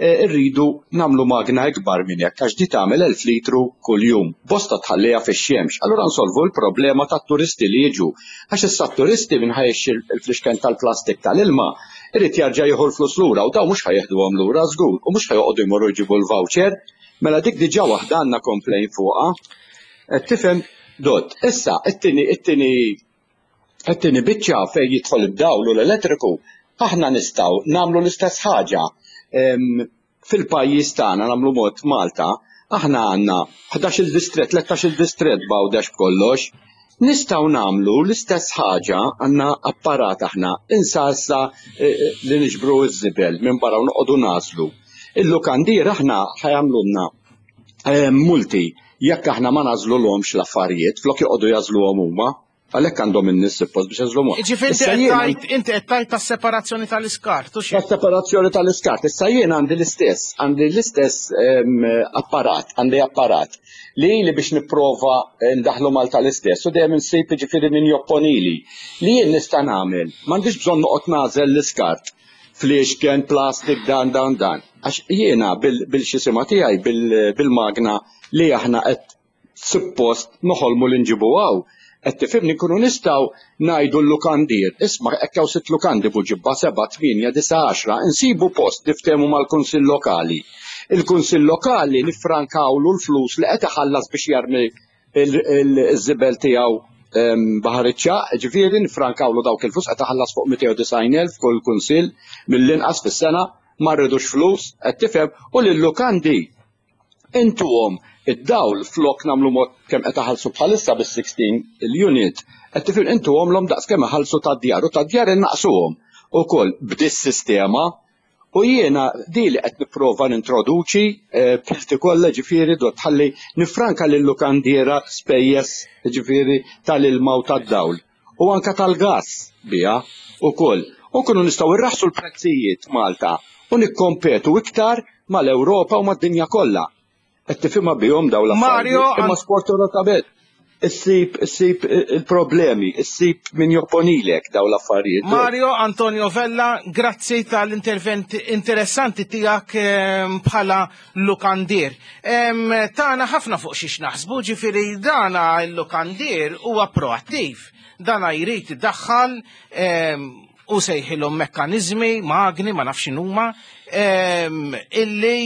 eh, irridu nagħmlu magna ikbar minn hekk, għax di tagħmel elf litru kuljum. Bosta tħalliha fix-xemx. Allura nsolvu l-problema tat-turisti li jiġu. Għax issa t-turisti minn ħa jixtri il-flixken tal-plastik tal-ilma irid jarġa' jieħu l-flus lura u daw mhux ħa jeħduhom lura żgur u mhux ħa joqogħdu jmorru jġibu l-voucher. Mela dik diġà waħda għandna complain fuqha. Qed tifhem, Dot? Issa, it-tieni it-tieni it-tieni biċċa fejn jidħol id-dawl u l-elettriku, aħna nistgħu nagħmlu l-istess ħaġa. Em, Fil-pajjiż tagħna, nagħmlu mod Malta, aħna għandna ħdax-il distret, tlettax-il distret b'Għawdex b'kollox. Nistgħu nagħmlu l-istess ħaġa, għandna apparat aħna, insa issa eh, eh, li niġbru ż-żibel minn barra u noqogħdu nagħżlu. Il-lukandier aħna ħa jagħmlulna eh, multi jekk aħna ma nagħżlulhomx l-affarijiet, flok joqogħdu jagħżluhom huma, għalhekk għandhom in-nies suppost biex jagħżluhom. Ġifieri inti Issa qed jiena- tgħid inti qed tgħid tas-separazzjoni tal-iskart, u xi? Tas-separazzjoni tal-iskart. Issa jien għandi l-istess, għandi l-istess em, apparat, għandi apparat li li biex nipprova ndaħlu Malta l-istess u dejjem insib, ġifieri, min jopponili. Li jien nista' nagħmel, m'għandix bżonn noqgħod nagħżel l-iskart fliexken, plastik, dan, dan, dan. Għax jiena bil-xisima tiegħi bil-magna li aħna qed suppost noħolmu li nġibu hawn. Qed tifhimni, nkunu nistgħu ngħidu l-lukandier, isma', hekk hawn sitt lukandi Buġibba, seba', tmienja, disa', għaxra, insibu post, niftehmu mal-Kunsill Lokali. Il-Kunsill Lokali nifrankawlu l-flus li qed iħallas biex jarmi il-żibel tiegħu em, Baħar iċ-Ċagħaq, ġifieri nifrankawlu dawk il-flus, qed iħallas fuq mitejn u disgħin elf kull kunsill mill-inqas fis-sena, ma rridux flus, qed tifhem, u lil-lukandi intuhom id-dawl flok nagħmlu mod kemm qed iħallsu bħalissa bis-sittax il-unit, qed tifhem, intuhom l daqs kemm iħallsu tad-djar u tad-djar innaqsuhom ukoll b'dis sistema. U jiena di li qed nipprova nintroduċi eh, b'ħilti kollha, ġifieri, Dot, ħalli nifranka lil-lukandiera spejjeż, ġifieri, tal-ilma u tad-dawl u anka tal-gas biha ukoll. U nkunu nistgħu irraħsu l-prezzijiet Malta u nikkompetu iktar mal-Ewropa u mad-dinja kollha. Qed tifhimha bihom dawn l-affarijiet. Mario, Imma sfortunatament issib issib il-problemi, issib min jopponilek dawn l-affarijiet. Mario Antonio Vella, grazzi tal-intervent interessanti tiegħek ehm, bħala lukandier. Em, Tana ħafna fuq xiex naħsbu, ġifieri dana il-lukandier huwa proattiv. Dana jrid iddaħħal em, u sejħilhom mekkanizmi, magni, ma nafx huma, em, illi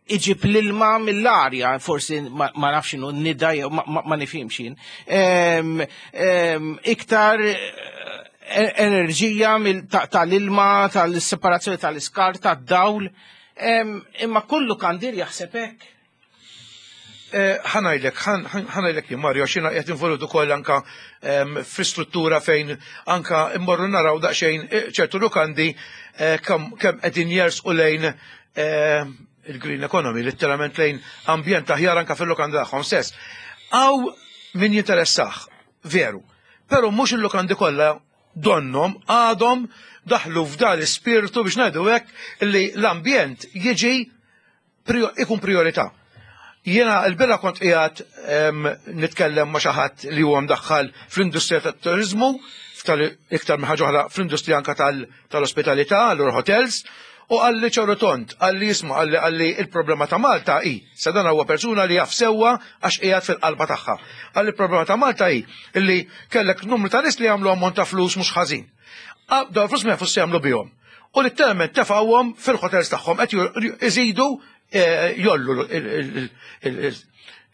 iġib l-ilma mill-arja, forsi ma ma nafx inhu nida jew ma, ma, ma nifhimx jien. Em, em, iktar eh, enerġija mill- ta- tal-ilma, tal-separazzjoni tal-iskart, tad-dawl. Em, Imma kull lukandier jaħseb hekk. Eh, ħa ngħidlek, ħa ngħidlek jien, Mario, xina qed involut ukoll anka em, fi struttura fejn anka immorru naraw daqsxejn eh, ċertu lukandi eh, kemm kemm qegħdin jersqu lejn eh, il-green economy, letteralment lejn ambjent aħjar anka fil-lukanda tagħhom stess. Hawn min jinteressah, veru, però mhux il-lukandi kollha Donnom għadhom daħlu f'dan l-ispirtu, biex ngħidu hekk, li l-ambjent jiġi ikun priorità. Jiena l-bieraħ kont qiegħed nitkellem ma' xi ħadd li huwa mdaħħal fl-industrija tat-turizmu, iktar minn ħaġa oħra fl-industrija anka tal-ospitalità, l hotels, u qalli ċar u tond, qalli jisma', qalli qalli il-problema ta' Malta hi, sa dan huwa persuna li jaf sewwa għax qiegħed fil-qalba tagħha. Qalli il-problema ta' Malta hi illi kellek numru ta' nies li jagħmlu ammont ta' flus mhux ħażin. Dawn flus ma jafux jagħmlu bihom. U letteralment tefgħuhom fil-hotels tagħhom, qed iżidu eh, jgħollu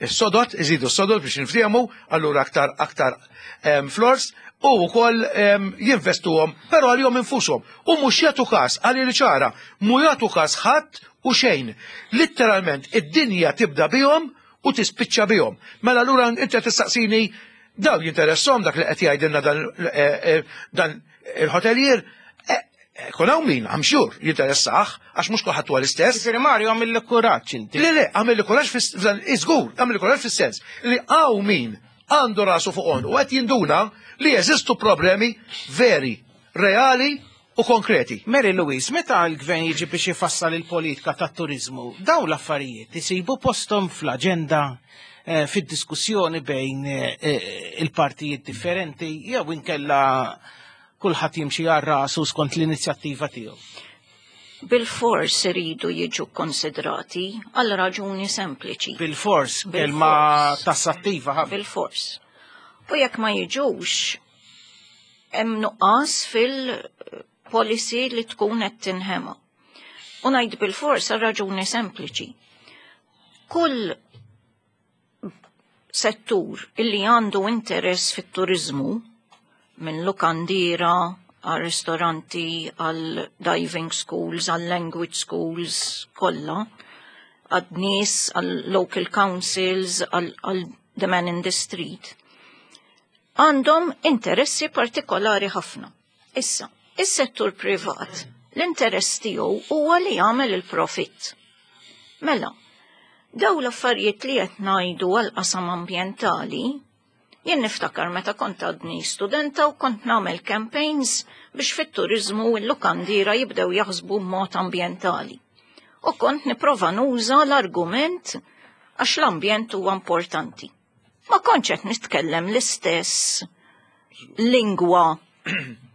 is-sodod, iżidu s-sodod biex niftiehmu, allura aktar aktar floors, u wkoll jinvestuhom, però għalihom infushom. U mhux jagħtu każ, għalli li ċara, mhu jagħtu każ ħadd u xejn. Literalment id-dinja tibda bihom u tispiċċa bihom. Mela allura inti tistaqsini, daw jinteressom dak li qed jgħidilna dan eh, eh, dan il-hotelier? Kun hawn min, I'm sure, jinteressah, għax mhux kulħadd huwa l-istess. Ġifieri Mario, għamilli kuraġġ inti. Le, le, għamilli kuraġġ fis iżgur, għamilli kuraġġ fis-sens li hawn min għandu rasu fuq u qed jinduna li jeżistu problemi veri, reali u konkreti. Mary Louise, meta l-gvern jiġi biex ifassal il-politika tat-turizmu, daw l-affarijiet isibu postom fl-aġenda, eh, fid-diskussjoni bejn eh, il-partijiet differenti, jew inkella kulħadd jimxi għal rasu skont l-inizjattiva tiegħu? Bil-fors iridu jiġu konsidrati għal raġuni sempliċi. Bil-fors, kelma tassattiva ħafna. Bil-fors. U jekk ma jiġux, hemm nuqqas fil-policy li tkun qed tinħema. U ngħid bil-fors għal raġuni sempliċi. Kull settur illi għandu interess fit-turizmu, minn lukandiera, għal ristoranti, għal diving schools, għal language schools, kollha, għad nies, għal local councils, għal, għal the man in the street, għandhom interessi partikolari ħafna. Issa, is-settur privat, l-interess tiegħu huwa li jagħmel il-profitt. Mela, daw l-affarijiet li qed ngħidu għal qasam ambjentali, jien niftakar meta kont għadni studenta u kont nagħmel campaigns biex fit-turizmu l-lukandiera jibdew jaħsbu b'mod ambjentali. U kont nipprova nuża l-argument għax l-ambjent huwa importanti. Ma kontx qed nitkellem l-istess lingwa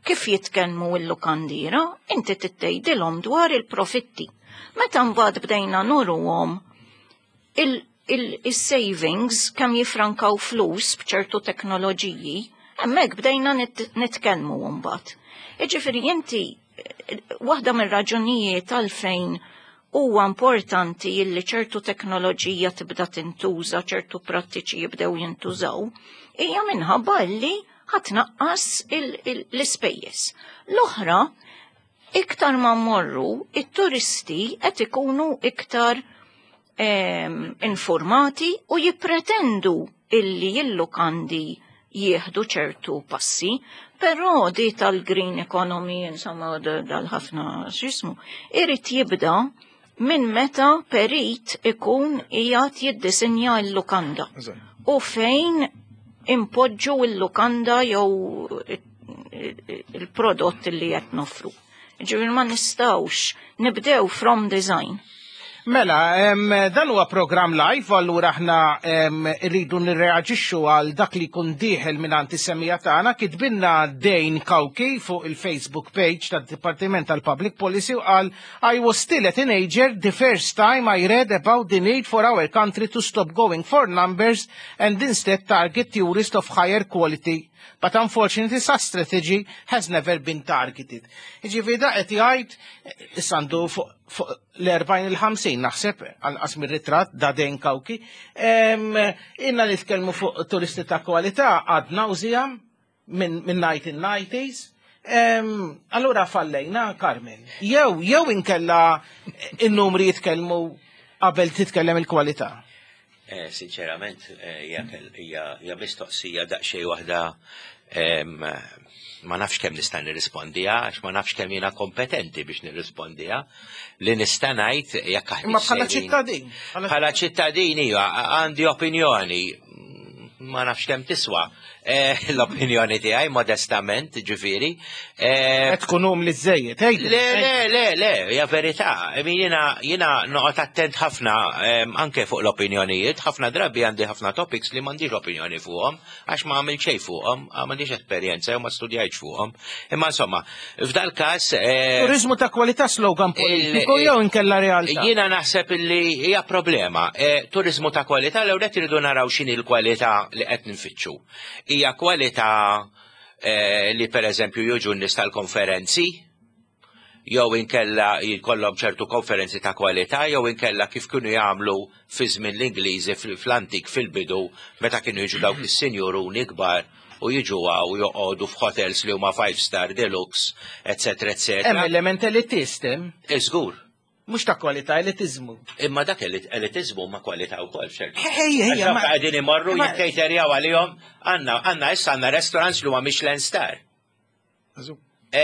kif jitkellmu l-lukandiera, inti tgħidilhom dwar il-profitti. Meta mbagħad bdejna nuruhom il-savings, kemm jifrankaw flus b'ċertu teknoloġiji, hemmhekk bdejna nitkellmu mbagħad. Jiġifieri inti, waħda mir-raġunijiet għalfejn huwa importanti illi ċertu teknoloġija tibda tintuża, ċertu prattiċi jibdew jintużaw, hija minħabba li ħa tnaqqas l-ispejjeż. L-oħra, iktar ma mmorru, it-turisti qed ikunu iktar informati u jippretendu illi il-lukandi jieħdu ċertu passi, però di tal-green economy, insomma, dal-ħafna xismu, irid jibda minn meta perit ikun qiegħed jiddisinja l-lukanda. U fejn impoġġu l-lukanda jew il-prodott li qed nofru. Ġifieri ma nistgħux nibdew from design. Mela, em, dan huwa program live, allura aħna em, rridu nirreaġixxu għal dak li jkun dieħel minn is-semmiegħa tagħna. Kitbilna Dane Kauki fuq il-Facebook page tad-Dipartiment tal-Public Policy u qal: "I was still a teenager the first time I read about the need for our country to stop going for numbers and instead target tourists of higher quality. But unfortunately, such strategy has never been targeted." Ġifieri da qed jgħid, issa għandu fuq fuq l-erbgħin il-ħamsin naħseb, anqas mir-ritratt da Dane Kauki. Em, Inna nitkellmu fuq turisti ta' kwalità għad nauseam minn min nineteen nineties. Em, Allura fallejna, Carmen. Jew jew inkella in-numri jitkellmu qabel titkellem il-kwalità. Eh, Sinċerament, eh, hija kell- hija hija mistoqsija daqsxejn waħda em, ma nafx kemm nista' nirrispondiha għax ma nafx kemm jiena kompetenti biex nirrispondiha. Li nista' ngħid jekk aħna Imma bħala sejrin- ċittadin. Bħala ċittadin, iva, għandi opinjoni. Ma nafx kemm tiswa. Eh, L-opinjoni tiegħi modestament, ġifieri. Eh, Qed tkun umli żejjed, Le, le, le, le, hija verità. I mean, Jiena jiena noqgħod attent ħafna em, anke fuq l-opinjonijiet, ħafna drabi għandi ħafna topics li m'għandix opinjoni fuqhom, għax ma għamilt xejn fuqhom, m'għandix esperjenza jew ma studjajtx fuqhom. Imma insomma, f'dal każ eh, Turizmu ta' kwalità slogan politiku jew inkella realtà. Jiena naħseb illi hija problema. E, turizmu ta' kwalità l qed iridu naraw x'inhi l-kwalità li qed nfittxu. Hija kwalità eh, li pereżempju jiġu n-nies tal-konferenzi, jew inkella jkollhom ċertu konferenzi ta' kwalità, jew inkella kif kienu jagħmlu fi żmien l-Ingliżi fl-antik fil-bidu meta kienu jiġu dawk is-sinjuruni kbar u jiġu u joqogħdu f'hotels li huma five star deluxe, eccetera, eccetera. Hemm element elitist hemm, Żgur. mhux ta' kwalità, elitizmu. Imma dak elitizmu ma kwalità wkoll ċertu. Ejja, ejja, Għax dawk qegħdin imorru ma- jikkejterjaw għalihom għandna għandna issa għandna restaurants li huma Michelin star. E,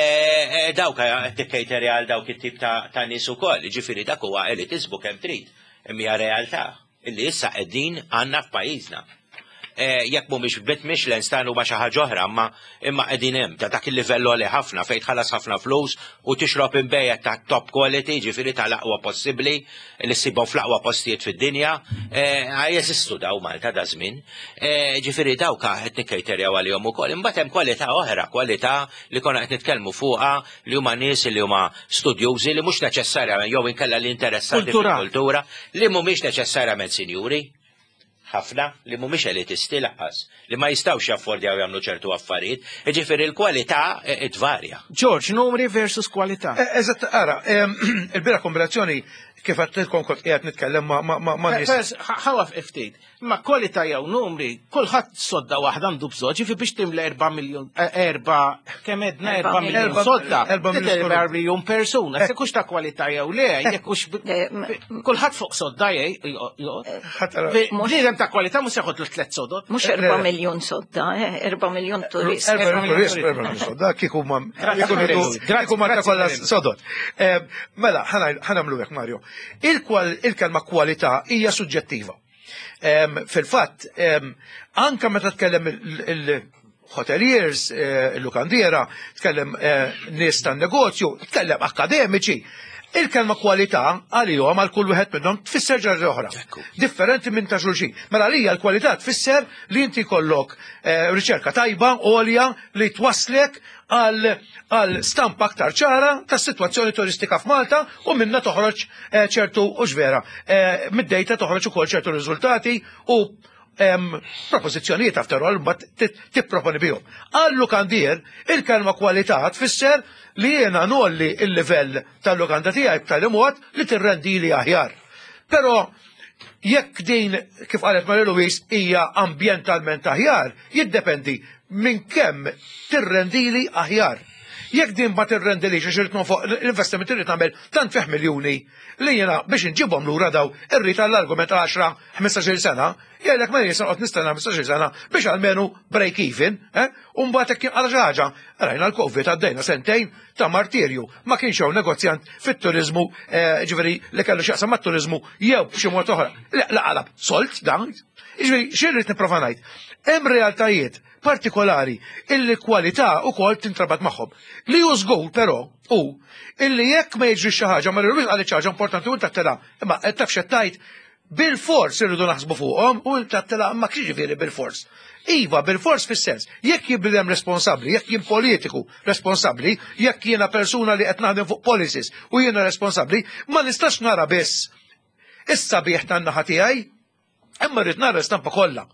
e, dawk qed tikkejterja għal dawk it-tip ta' ta' nies ukoll, ġifieri dak huwa elitizmu kemm trid. Imma hija realtà illi issa qegħdin għandna f'pajjiżna. E, Jekk mhumiex bit Michelin star huma xi ħaġa oħra, imma imma qegħdin hemm ta' dak il-livell għoli ħafna fejn tħallas ħafna flus u tixrob inbejjed ta' top quality, ġifieri tal-aqwa possibbli li ssibhom fl-aqwa postijiet fid-dinja, e, jeżistu daw Malta da żmien. E, Ġifieri dawk qed nikkejterjaw għalihom ukoll. Imbagħad hemm kwalità oħra, kwalità li konna qed nitkellmu fuqha li huma nies li huma studjużi li mhux neċessarjament jew inkella li interessati Kultura. fil-kultura li mhumiex neċessarjament sinjuri ħafna li mhumiex elitisti lanqas, li ma jistgħux jaffordjaw jagħmlu ċertu affarijiet, jiġifieri l-kwalità eh, tvarja. George, numri versus kwalità. Eh, Eżatt, ara, em, il-bieraħ kombinazzjoni kif għedtilkom kont qiegħed nitkellem ma' ma' ma' ma' nies. Fers, ħawaf ftit. Ma kwalità jew numri, kulħadd sodda waħda għandu bżonn, ġifi biex timla erba' miljun, eh, erba' kemm edna Erba' erba' miljun Erba' sodda. erba' miljun Erba' sodda. miljun persuna. Se kux ta' kwalità jew le, jekk hux Eh, m- kulħadd fuq sodda jgħid. Ħadd ara- Bniedem ta' kwalità mhux jaħodlu tliet sodod. Mhux erba' miljun sodda, eh, erba' miljun turist. Erba' Erba' miljun turist, miljun erba' miljun sodda, kieku ma Grazzi, kieku Mario. kieku ma Grazzi, kollha Mario. sodod. Eh, Mela, ħa nagħmlu hekk Mario. Il-kwal- Il-kelma kwalità hija suġġettiva. Em, Fil-fatt, em, anka meta tkellem il-hoteliers, eh, il-lukandiera, tkellem eh, nies tan-negozju, tkellem akademiċi. Il-kelma kwalità għalihom għal kull wieħed minnhom tfisser ġarri oħra. Ekku. Differenti minn ta' xulxin. Mela għalija l-kwalità tfisser li inti jkollok eh, riċerka tajba, għolja li twaslek għal għal stampa aktar ċara ta' situazzjoni turistika f'Malta u minna toħroġ eh, ċertu u vera. Eh, Mid-dejta toħroġ ukoll ċertu riżultati u em, propożizzjonijiet after all mbagħad ti- tipproponi bihom. Għal lukandier il-kelma kwalità tfisser li jiena ngħolli il-livell tal-lukanda tiegħi b'tali mod li tirrendi li aħjar. Però jekk din, kif qalet Maria Louise, hija ambjentalment aħjar, jiddependi minn kemm tirrendili aħjar. Jekk din ma tirrendilix għax irrid nonfoq l-investiment irrid nagħmel tant fih miljuni li jiena biex inġibhom lura daw irrid għall-argument għaxra ħmistax-il sena, jgħidlek ma jien noqgħod nistenna ħmistax-il sena biex almenu break even, eh? U mbagħad hekk jinqala xi ħaġa, rajna l-Covid għaddejna sentejn ta' martirju, ma kienx hawn negozjant fit-turizmu, eh, ġifieri li kellu x'jaqsam mat-turizmu jew b'xi mod oħra. La la qalab solt dan. Ġifieri xi rrid nipprova ngħid. Hemm realtajiet partikolari illi kwalità ukoll tintrabat magħhom. Li hu żgur però hu illi jekk ma jiġri xi ħaġa, ma rridux għal xi ħaġa importanti u tattela, imma qed taf x'qed tgħid, bil-fors irridu naħsbu fuqhom u tattela ma ġifieri bil-fors. Iva, bil-fors fis-sens, jekk jien bniedem responsabbli, jekk jien politiku responsabbli, jekk jiena persuna li qed naħdem fuq policies u jiena responsabbli, ma nistax nara biss is-sabiħ tan-naħa tiegħi, imma rrid nara l-istampa kollha.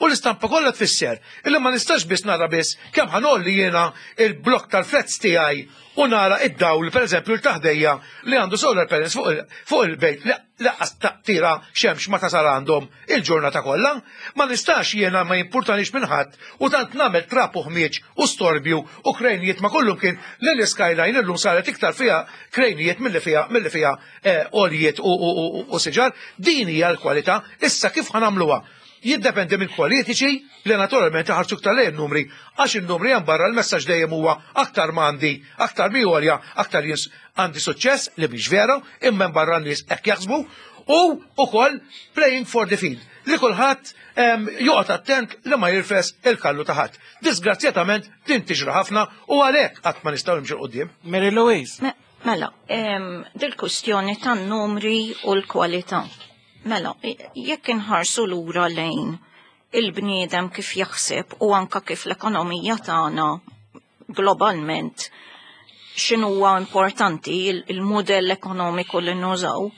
U l-istampa kollha tfisser illi ma nistax biss nara biss kemm ħa ngħolli jiena il-blok tal-flats tiegħi u nara id-dawl, pereżempju l-taħdejja li għandu solar panels fuq il- fuq il-bejt li lanqas taqtira xemx ma tasal għandhom il-ġurnata kollha. Ma nistax jiena ma jimpurtanix minn ħadd u tant nagħmel trap u ħmieġ u storbju u krejnijiet ma kollum kien li l-skyline illum saret iktar fiha krejnijiet milli fiha milli fiha eh, għoljiet u, u, u, u siġar. Din hija l-kwalità. Issa kif ħa nagħmluha? Jiddependi minn politiċi li naturalment iħarsu iktar lejn numri, għax in-numri hemm barra l-messaġġ dejjem huwa aktar m'għandi, aktar mi għolja, aktar jien għandi suċċess, li mhix vera, imma hemm barra n-nies hekk jaħsbu, u ukoll playing for the field, li kulħadd em, joqgħod attent li ma jirfes il-kallu ta' ħadd. Disgrazzjatament din tiġri ħafna u għalhekk qatt ma nistgħu nimxu 'l quddiem. Mary Louise. Me- Mela, em, dil-kustjoni tan-numri u l-kwalità. Mela, i- jekk inħarsu lura lejn il-bniedem kif jaħseb u anka kif l-ekonomija tagħna globalment x'inhuwa importanti il- il-mudell ekonomiku li nużaw,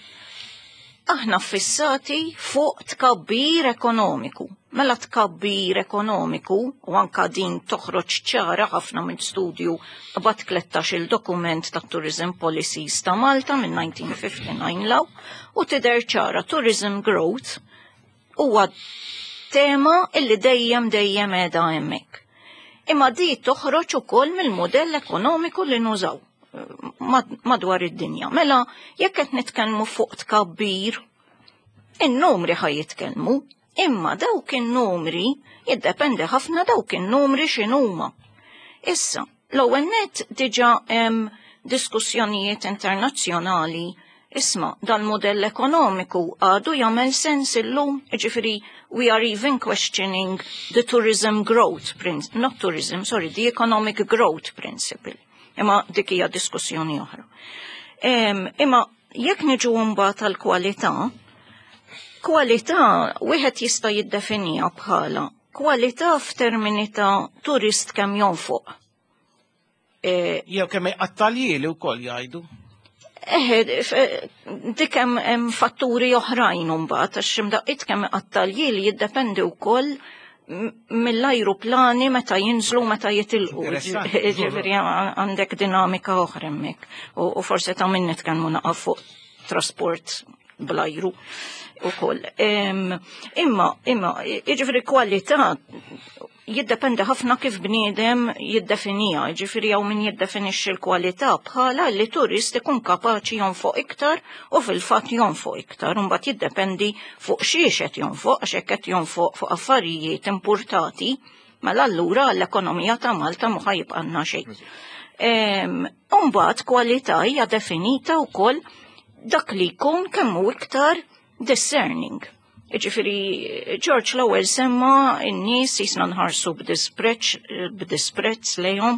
aħna fissati fuq tkabbir ekonomiku. Mela tkabbir ekonomiku, u anka din toħroġ ċara ħafna minn studju bat tlettax il-dokument ta' Tourism Policies ta' Malta minn elf disa' mija u ħamsa u disgħin 'l hawn, u tidher ċara tourism growth huwa tema illi dejjem dejjem qiegħda hemmhekk. Imma di toħroġ ukoll mill-modell ekonomiku li nużaw eh, mad- madwar id-dinja. Mela, jekk qed nitkellmu fuq tkabbir, in-numri ħa jitkellmu, imma dawk in-numri jiddependi ħafna dawk in-numri x'inhuma. Issa, l-ewwel net diġà hemm diskussjonijiet internazzjonali. Isma, dal-modell ekonomiku għadu jagħmel sens illum, ġifieri we are even questioning the tourism growth, prin- not tourism, sorry, the economic growth principle. Imma dik hija diskussjoni oħra. Em, imma jekk niġu mbagħad tal-kwalità, kwalità wieħed jista' jiddefinija bħala kwalità f'termini ta' turist kemm jonfoq. E, Jew kemm iqatta' ljieli wkoll jgħidu. Eħe, f- dik hemm hemm fatturi oħrajn imbagħad għax imdaqqiet kemm iqatta' ljieli jiddependi wkoll m- mill-ajruplani meta jinżlu, meta jitilqu. Interessanti. Ġifieri għandek dinamika oħra hemmhekk. U u forsi ta' min nitkellmu naqaf fuq trasport bl-ajru ukoll. Em, Imma, imma, jiġifieri kwalità jiddependi ħafna kif bniedem jiddefinija, ġifieri hawn min jiddefinixxi l-kwalità bħala li turist ikun kapaċi jonfoq iktar u fil-fatt jonfoq iktar, imbagħad jiddependi fuq xiex qed jonfoq, għax hekk qed jonfoq fuq affarijiet importati, mela allura l-ekonomija ta' Malta mhu ħa jibqalna xejn. Em, Imbagħad kwalità hija definita wkoll dak li jkun kemm hu iktar discerning. Ġifieri, George l-ewwel semma n-nies jisna nħarsu b'disprezz b'disprezz lejhom,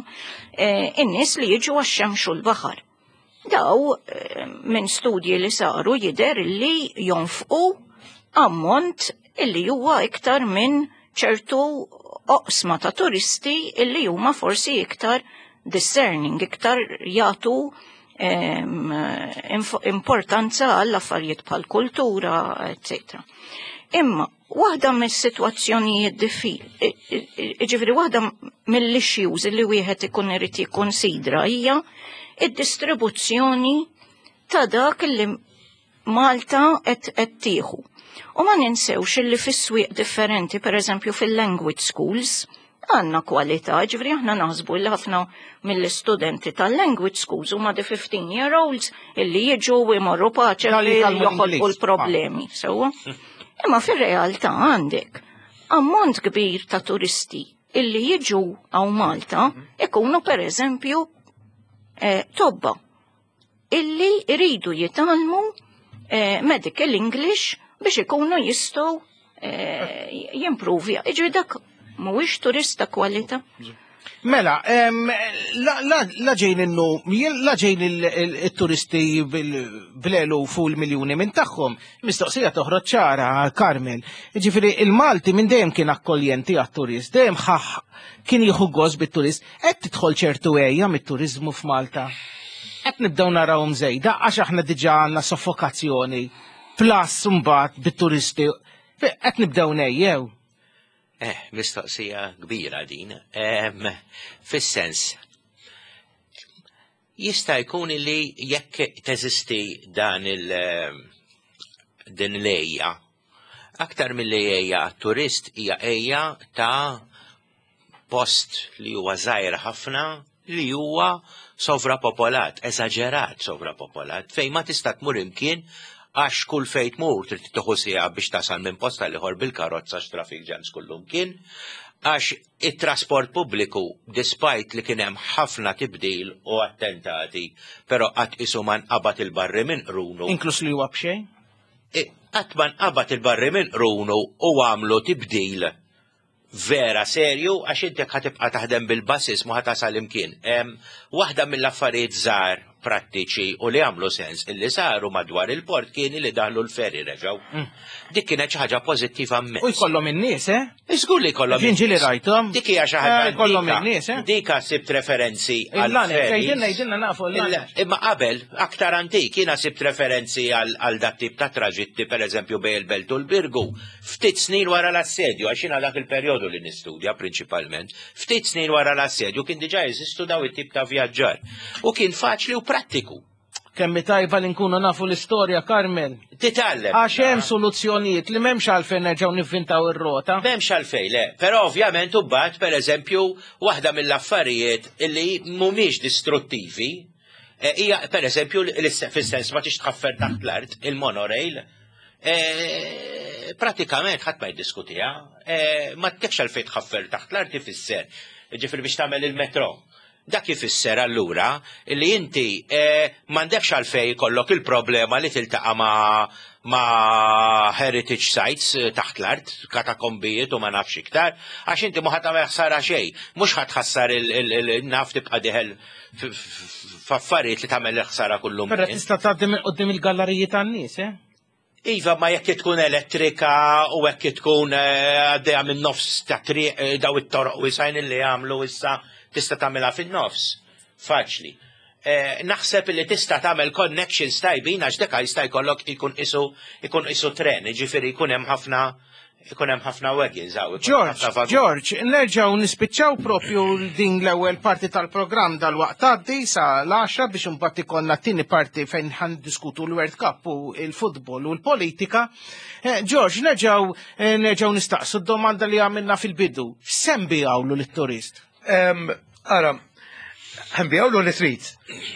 eh, in-nies li jiġu għax-xemx u l-baħar. Daw eh, minn studji li saru jidher li jonfqu ammont illi huwa iktar minn ċertu oqsma ta' turisti illi huma forsi iktar discerning, iktar jagħtu em, inf- importanza għall affarijiet bħal kultura, eccetera. Imma, waħda mis-sitwazzjonijiet diffi, ġifieri waħda mill-issues li wieħed ikun irid jikkonsidra hija id-distribuzzjoni ta' dak li Malta qed qed tieħu. U ma ninsewx illi fis-swieq differenti, per eżempju fil-language schools, għandna kwalità, ġifieri aħna naħsbu li ħafna mill-istudenti tal-language schools huma the fifteen year olds illi jiġu u jmorru paċe Dal li jitgħallmu joħolqu l-Ingliż. l-problemi, sewwa. Imma fir-realtà għandek ammont kbir ta' turisti illi jiġu hawn Malta ikunu per eżempju eh, tobba illi iridu jitgħallmu eh, medical English biex ikunu jistgħu eh, jimprovja. Iġri dak mhuwiex turista kwalità. Mela, em, la, la, la ġejn innu, la ġejn il-turisti bl-eluf u l-miljuni minn tagħhom, mistoqsija toħroġ ċara, Carmel. Ġifieri il-Malti minn dejjem kien akkoljenti għat-turist, dejjem ħaħ kien jieħu gost bit-turist, qed tidħol ċertu għeja mit-turizmu f'Malta. Qed nibdew narawhom żejda għax aħna diġà għandna soffokazzjoni plus mbagħad bit-turisti. Qed nibdew nejjew. Eh, mistoqsija kbira din. Em, Fis-sens, jista' jkun li jekk teżisti dan il din l-għeja, aktar mill-li għeja turist hija għeja ta' post li huwa żgħir ħafna, li huwa sovrapopolat, eżaġerat sovrapopolat, fejn ma tista' tmur imkien Għax kull fejn tmur trid tieħu siegħa biex tasal minn post għal ieħor bil-karozza, traffic jams kullum kien. Għax it-trasport pubbliku, despite li kien hemm ħafna tibdil u attentati, però qatt isu ma nqabad il-barri minn qrunu. Inklus li huwa b'xejn? Qatt ma nqabad il-barri minn qrunu u għamlu tibdil vera serju, għax inti ħa tibqa' taħdem bil-buses, ma ħa tasal imkien. Waħda mill-affarijiet żgħar prattiċi u li għamlu sens illi saru madwar il-port kien li daħlu l-ferry reġgħu. Mm. Dik kienet xi ħaġa pożittiva immens. U jkollhom in-nies, eh? Żgur li jkollhom. Jien ġieli rajthom. Dik hija xi ħaġa. Eh, jkollhom in-nies, eh? Dika sibt referenzi għal Jgħidilna nafu. Imma qabel, aktar antik, jiena sibt referenzi għal dat tip ta' traġitti, per eżempju, bejn il-Belt u l-Birgu. Ftit snin wara l-assedju, għax jiena dak il-perjodu li nistudja prinċipalment, ftit snin wara l-assedju kien diġà jeżistu daw it-tip ta' vjaġġar. U kien faċli u prattiku. Kemm tajba li nkunu nafu l-istorja, Carmen. Titgħallem. Għax hemm soluzzjonijiet li m'hemmx għalfejn nerġgħu nivvintaw ir-rota. M'hemmx għalfejn, le. Però ovvjament imbagħad, pereżempju, waħda mill-affarijiet illi mhumiex distruttivi eh, hija pereżempju fis-sens ma tix tħaffer taħt l-art il-monorail. Eh, pratikament ħadd ma jiddiskutiha, eh, ma tekx għalfejn tħaffer taħt l-art ifisser. Ġifieri biex tagħmel il-metro. Dak ifisser allura li inti eh, m'għandekx għalfejn jkollok il-problema li tiltaqa' ma' ma' heritage sites eh, taħt l-art, katakombijiet u ma nafx iktar, għax inti mhu ħa tagħmel ħsara xejn, mhux ħa tħassar il-naf tibqa' dieħel f'affarijiet li tagħmel ħsara kullum. Però tista' tgħaddi minn quddiem il-galleriji tan-nies, eh? Iva, ma jekk tkun elettrika u jekk tkun eh, għaddejja minn nofs ta' triq, eh, daw it-toroq wisgħin li għamlu issa, tista' tagħmilha fin-nofs. Faċli. Eh, naħseb li tista' tagħmel connections tajbin, għax deka jista' jkollok ikun isu ikun isu tren, jiġifieri jkun hemm ħafna ikun hemm ħafna wagons hawn. Ikun hemm George, ħafna vaguni. George, nerġgħu nispiċċaw propju din l-ewwel parti tal-programm dal-waqt tgħaddi sa l-għaxra biex imbagħad ikollna t-tieni parti fejn ħa niddiskutu l-World Cup u l-futbol u l-politika. Eh, George, nerġgħu eh, nerġgħu nistaqsu d-domanda li għamilna fil-bidu. X'se nbigħulu lit-turist? Em, Ara, ħa nbigħulu li trid.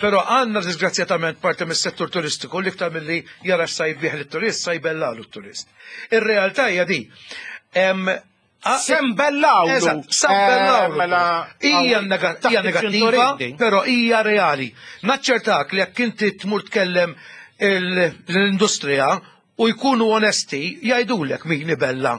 Però għandna disgrazzjatament parti mis-settur turistiku li iktar milli jara x'sa jbigħ lit-turist, sa jbellalu t-turist. Ir-realtà hija di. Em, a- Se nbellawlu. Eżatt, sa nbellawlu. Eh, mela, Hija nega- taħt hija negattiva, il-ċintorin. però hija reali. Naċċertak li jekk inti tmur tkellem il- l-industrija u jkunu onesti, jgħidulek min ibella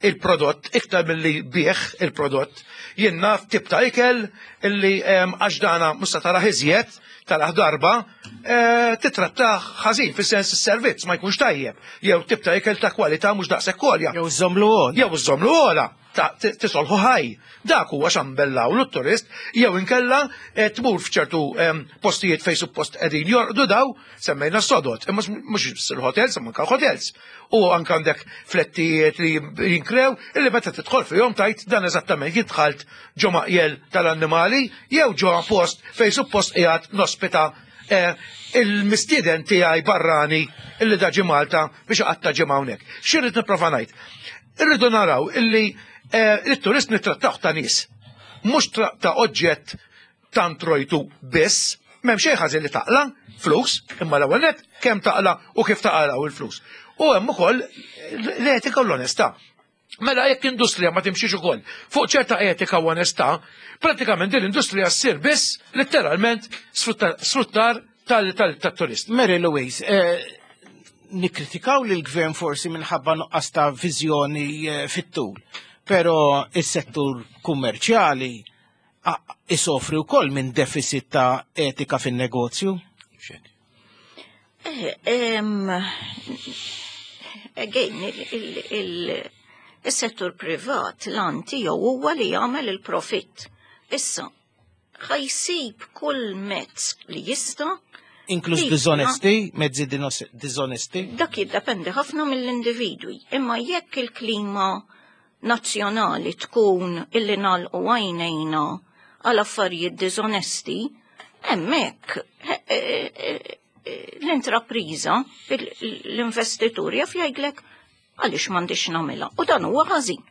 il-prodott iktar milli jbigħ il-prodott. Jien naf tip ta' ikel illi em, għax dana mhux se tara iżjed tara darba eh, titrattah ħażin fis-sens is-servizz ma jkunx tajjeb. Jew tip ta' ikel ta' kwalità mhux daqshekk għolja. Jew żomlu għol. Jew żomlu għola, ta' t- tisolħu ħaj. Dak huwa x'nbellaw lit-turist, jew inkella eh, tmur f'ċertu em, postijiet fejn suppost qegħdin jorqdu daw, semmejna s-sodod, imma mhux biss il-hotels, imma anke l-hotels. U anke għandek flettijiet li jinkrew, illi meta tidħol fihom tajt dan eżattament jidħalt ġo maqjel tal-annimali jew ġo post fejn suppost qiegħed nospita eh, il-mistieden tiegħi barrani illi da ġie Malta biex iqatta' ġimgħa hawnhekk. X'irrid nipprova ngħid? Irridu naraw illi eh, il-turist nittrattawh ta' nies, mhux tra- ta' oġġett tant rojtu biss, m'hemm xejn ħażin li taqla flus, imma l-ewwel nett kemm taqla u kif taqla u l-flus. U hemm ukoll l-etika u l-onestà. Mela jekk industrija ma timxiex ukoll fuq ċerta etika u onestà, pratikament din l-industrija ssir biss letteralment sfruttar sfruttar tal-turist. Mary Louise, eh, nikkritikaw li l-gvern forsi minħabba nuqqas ta' viżjoni eh, fit-tul, pero is-settur kummerċjali ah, isofri wkoll minn deficit ta' etika fin-negozju. Eh, em, again, il- il- il- il-settur privat l-għan tiegħu huwa li jagħmel il-profitt. Issa, ħa jsib kull mezz li jista' Inkluż Iva. diżonesti, mezzi dinos- diżonesti. Dak jiddependi ħafna mill-individwi. Imma jekk il-klima nazzjonali tkun illi nagħlqu għajnejna għal affarijiet diżonesti, hemmhekk eh, eh, eh, l-intrapriża, il- l-investitur jaf jgħidlek għaliex m'għandix nagħmilha. U dan huwa ħażin.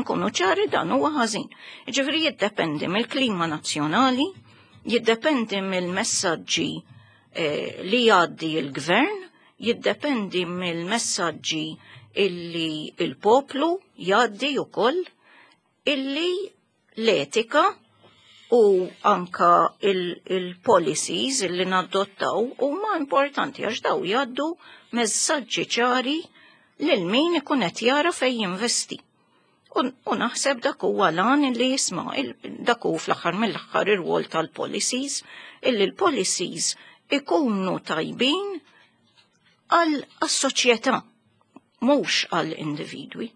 Nkunu ċari, dan huwa ħażin. Ġifieri jiddependi mill-klima nazzjonali, jiddependi mill-messaġġi eh, li jgħaddi il-gvern, Jiddependi mill-messaġġi illi il-poplu jgħaddi ukoll illi l-etika u anka il-policies il illi nadottaw huma importanti għax daw jgħaddu messaġġi ċari lil min ikun qed jara fejn jinvesti. U, u naħseb dak huwa lan li jisma' dak hu fl-aħħar mill-aħħar ir-rwol tal-policies illi l-policies ikunu tajbin għal soċjetà mhux għal individwi.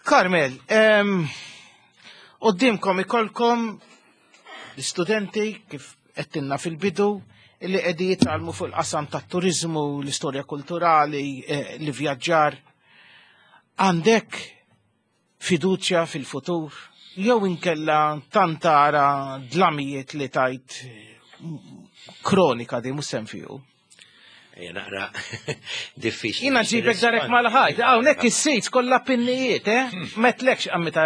Carmel, qudiemkom ikollkom l-istudenti kif għedtilna fil-bidu li qegħdin jitgħallmu fuq il-qasam tat-turizmu, l-istorja kulturali, eh, l-vjaġġar. Għandek fiduċja fil-futur? Jew inkella tantara dlamijiet li tajt kronika di mhux fiju? Ejja naqra diffiċli. Jiena ġibek darek mal-ħajt, hawnhekk is-sejt kollha pinnijiet, eh? Metlekx għammita.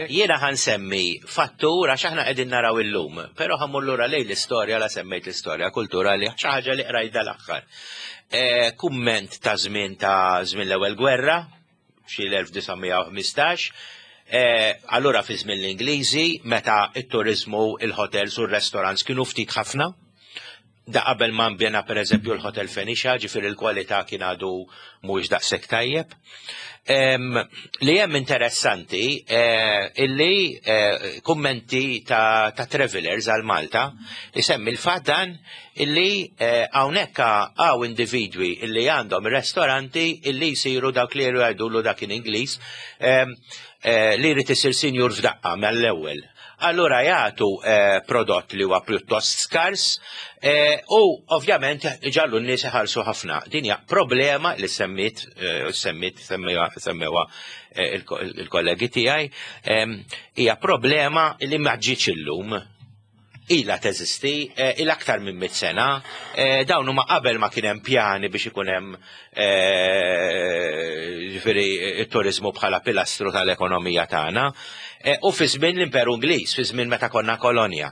Jiena ħa nsemmi fattur għax aħna qegħdin naraw illum, però ħa mmur lura lejn l-istorja la semmejt l-istorja kulturali xi ħaġa li qrajt dal-aħħar. Eh, kumment ta' żmien ta' żmien l-ewwel gwerra, xi l-elf disa' mija u ħmistax, eh, allura fi żmien l-Ingliżi meta it-turizmu, il-hotels u r-restaurants kienu ftit ħafna, da qabel ma nbena per eżempju l-Hotel Phoenicia, ġifieri l-kwalità kien għadu mhuwiex daqshekk tajjeb. Em, li hemm interessanti eh, illi eh, kummenti ta', ta travelers għal Malta isemmi l-fatt dan illi eh, hawnhekk hawn individwi illi għandhom ristoranti illi jsiru dak li jgħidulu dak in Ingliż em, eh, li jrid isir sinjur f'daqqa mill-ewwel. Allura jagħtu eh, prodott li huwa pjuttost skars eh, u ovvjament ġallu n-nies iħallsu ħafna. Din hija problema li semmit eh, semmit semmewa semmewa eh, il-kollegi tiegħi em, hija problema li ma ġietx illum, ila teżisti, eh, il aktar minn mit sena, eh, dawn huma qabel ma kien hemm pjani biex ikun hemm eh, ġifieri it-turizmu bħala pilastru tal-ekonomija tagħna, eh, u fi żmien l-Imperu Ingliż, fi żmien meta konna kolonja.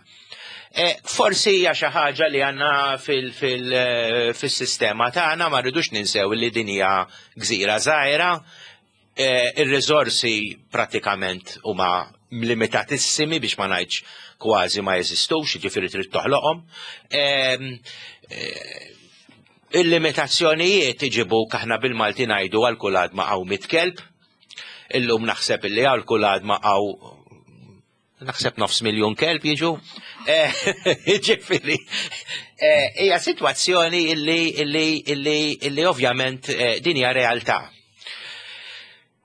Eh, Forsi hija xi ħaġa li għandna fil-sistema tagħna. Ma rridux ninsew li din hija gżira żgħira, eh, ir-riżorsi pratikament huma limitatissimi biex ma ngħidx kważi ma jeżistux, ġifieri trid toħloqhom. Em, eh, Il-limitazzjonijiet iġibu aħna bil-Malti ngħidu għal kull għadma hawn mitt kelb. Illum naħseb illi għal kull għadma hawn naħseb nofs miljon kelb jiġu. Eh, Ġifieri, eh, hija sitwazzjoni illi illi illi illi ovvjament eh, din hija realtà.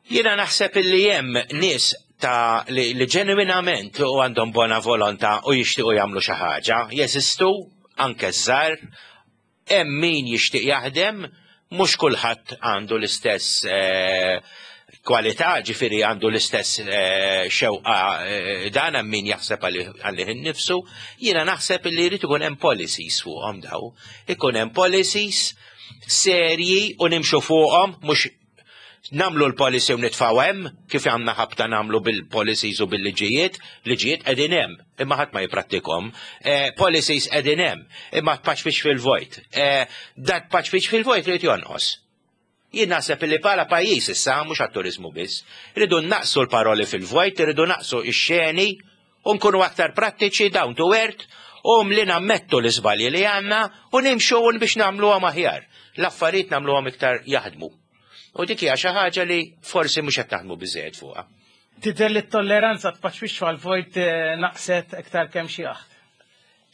Jiena naħseb illi hemm nies ta' li, li ġenwinament u għandhom bona volontà u jixtiequ jagħmlu xi ħaġa, jeżistu anke żgħar, hemm min jixtieq jaħdem, mhux kulħadd għandu l-istess eh, kwalità, ġifieri għandu l-istess eh, xewqa eh, dan hemm min jaħseb għalih innifsu. Jiena naħseb li jrid ikun hemm policies fuqhom daw. Ikun hemm policies serji u nimxu fuqhom, mhux namlu l-policy u nitfaw hemm kif għandna ħabta namlu bil-policies u bil-liġijiet, liġijiet qegħdin hemm, imma ħadd ma jipprattikhom. Eh, policies qegħdin hemm, imma tpaċpiċ fil-vojt. Eh, dak paċpiċ fil-vojt irid jonqos. Jien naħseb li bħala pajjiż issa mhux għat-turizmu biss, rridu naqsu l-paroli fil-vojt, rridu naqsu ix-xeni u nkunu aktar prattiċi, down to earth, u li nammettu l-iżbalji li għandna u nimxu biex nagħmluhom aħjar. L-affarijiet nagħmluhom iktar jaħdmu. U dik hija xi ħaġa li forsi mhux qed naħdmu biżejjed fuqha. Tidher li t-tolleranza tpaċpix fil-vojt eh, naqset iktar kemm xi aħt.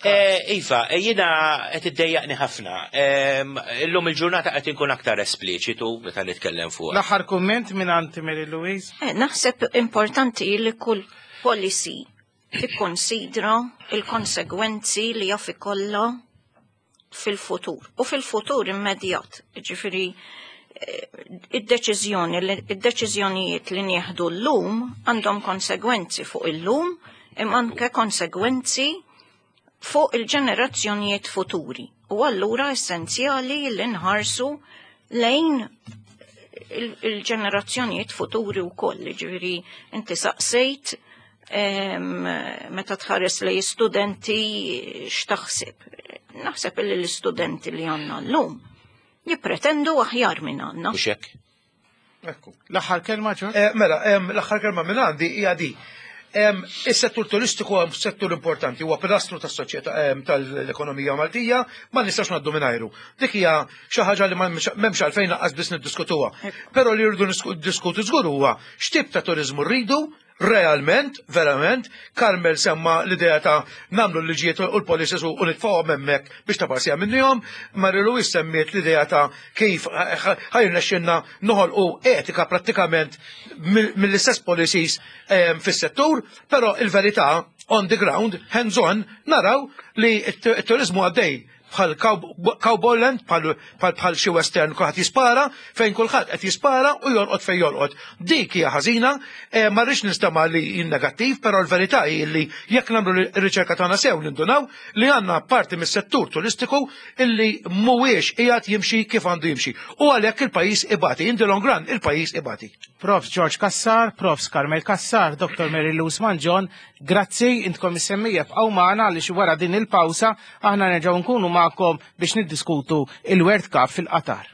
Eh, Iva, eh, jiena qed iddejjaqni ħafna. Em, Illum il-ġurnata qed inkun aktar espliċitu meta nitkellem fuq. L-aħħar kumment minn għand Mary Louise. Eh, Naħseb importanti li kull policy tikkonsidra il-konsegwenzi li jaf ikollha fil-futur. U fil-futur immedjat. Ġifieri, eh, id-deċiżjoni, id-deċiżjonijiet li nieħdu llum għandhom konsegwenzi fuq illum imma anke konsegwenzi fuq il-ġenerazzjonijiet futuri. U allura essenzjali li nħarsu lejn il- il-ġenerazzjonijiet futuri u koll. Ġifieri, inti saqsejt em, meta tħares lejn studenti x'taħseb. Naħseb li l-istudenti li għandna llum jippretendu aħjar minn għandna. Mhux hekk? Ekku. L-aħħar kelma ġo? Eh, Mela, em, l-aħħar kelma minn għandi hija di. Em, Is-settur turistiku huwa settur importanti, huwa pilastru tas-soċjetà em, tal-ekonomija Maltija, ma nistax ngħaddu mingħajru. Dik hija xi ħaġa li ma m'hemmx għalfejn lanqas biss niddiskutuha. Però li rridu nisku- diskutu żgur huwa x'tip ta' turiżmu rridu, realment, verament, Carmel semma l-idea ta' nagħmlu l-liġijiet u l-policies u nitfgħuhom hemmhekk biex ta' parsija minnihom, Mary Louise semmiet l-idea ta' kif ħa jirnexxilna noħolqu etika prattikament mill- mill-istess policies em, fis-settur, però il-verità on the ground, hands on, naraw li t-turizmu għaddej bħal Cowboyland, bħal bħal xi western kulħadd jispara, fejn kulħadd qed jispara u jolqot fejn jolqot. Dik hija ħażina, eh, ma rridx nistema' li jien negattiv, però l-verità hi li jekk nagħmlu r-riċerka tagħna sew nindunaw li għandna parti mis-settur turistiku illi mhuwiex qiegħed jimxi kif għandu jimxi. U għalhekk il-pajjiż ibati, in the long run il-pajjiż ibati. Profs George Cassar, Profs Carmel Cassar, Dottor Mary Lou Mangion, grazzi intkom is-semmija bqgħu magħna għaliex wara din il-pawsa aħna nerġgħu nkunu magħkom biex niddiskutu il-World Cup fil-Qatar.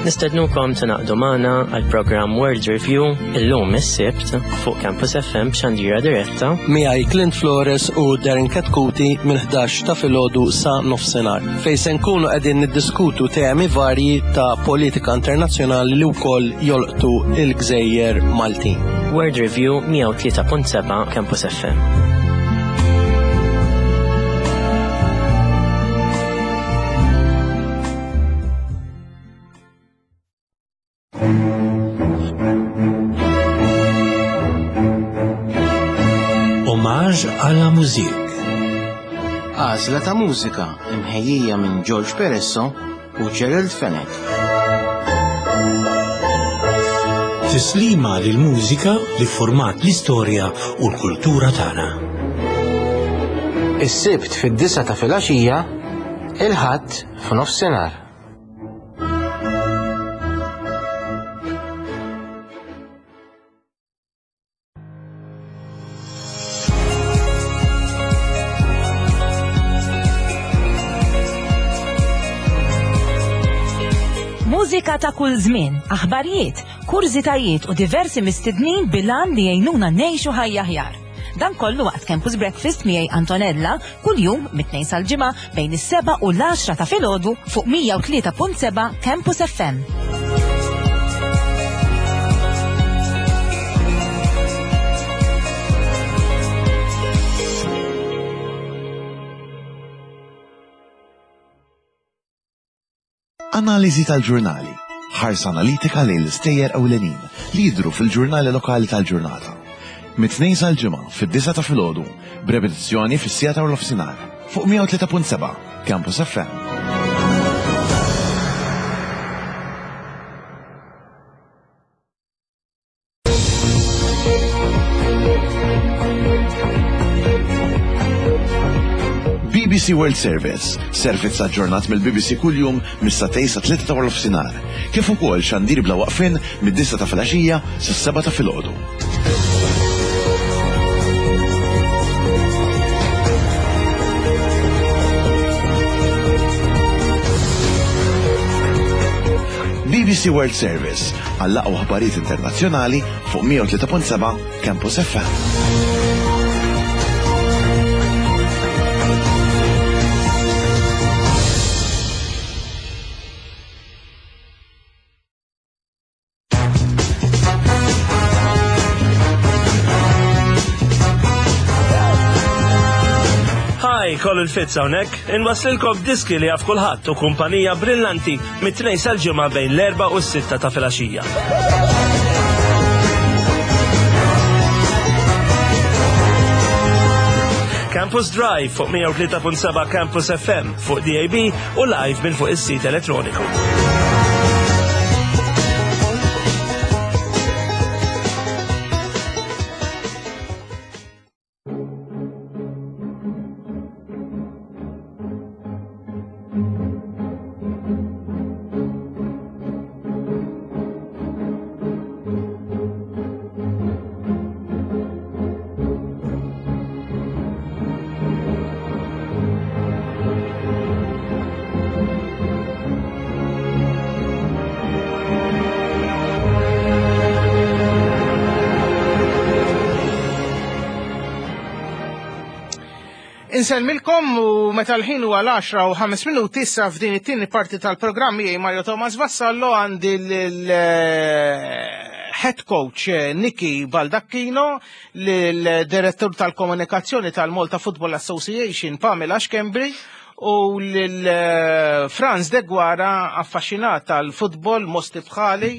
Nistednukom tingħaqdu magħna għal programm World Review illum is-Sibt fuq Campus F M b'xandira diretta miegħi Clint Flores u Darren Katkuti minn ħdax ta' filgħodu sa nofsinhar, fejn se nkunu qegħdin niddiskutu temi varji ta' politika internazzjonali li wkoll jolqtu il-gżejjer Maltin. World Review mija u tlieta punt seba' Campus F M. Hommage à la musique. Għażla ta' mużika imħejjija minn George Peresso u Gerald Fenech. Tislima lil mużika li format l-istorja u l-kultura tagħna. Is-Sibt fid-disgħa ta' filgħaxija, il-Ħadd f'nofsinhar. Mużika ta' kull żmien, aħbarijiet, kurżitajiet u diversi mistednin bil-għan li jgħinuna ngħixu ħajja aħjar. Dan kollu waqt Campus Breakfast miegħi Antonella kuljum mit-Tnejn sal-Ġimgħa bejn is-seba' u l-għaxra ta' filgħodu fuq mija u tlieta punt seba' Campus F M. Analiżi tal-ġurnali. Ħarsa analitika lejn l-istejjer ewlenin li jidru fil-ġurnali lokali tal-ġurnata. Mit-Tnejn sal-Ġimgħa fid-disgħa ta' filgħodu, b'repetizzjoni fis-siegħa ta' nofsinhar fuq mija u tlieta punt seba' Campus F M. B B C World Service, servizz aġġornat mill-B B C kuljum mis-sagħtejn sa tlieta ta' nofsinhar, kif ukoll xandir bla waqfin mid-disgħa ta' filgħaxija sas-sebgħa ta' filgħodu. B B C World Service għall-aqwa aħbarijiet internazzjonali fuq mija u tlieta punt seba' Campus F M. Hi, Colin Fitz hawnhekk, inwaslilkom diski li jaf kulħadd u kumpanija brillanti mit-Tnejn sal-Ġimgħa bejn l-erba' u s-sitta ta' filgħaxija. Campus Drive fuq mija u tlieta punt seba' Campus F M fuq D A B u live minn fuq is-sit elettroniku. Insellmilkom u meta l-ħin huwa l-għaxra u ħames minuti issa f'din it-tieni parti tal-programm miegħi Mario Thomas Vassallo għandi l-head coach Nicky Baldacchino, l-direttur tal-komunikazzjoni tal-Malta Football Association Pamela Schembri u l-Franz Deguara, affaxxinat tal-futbol mosti bħali,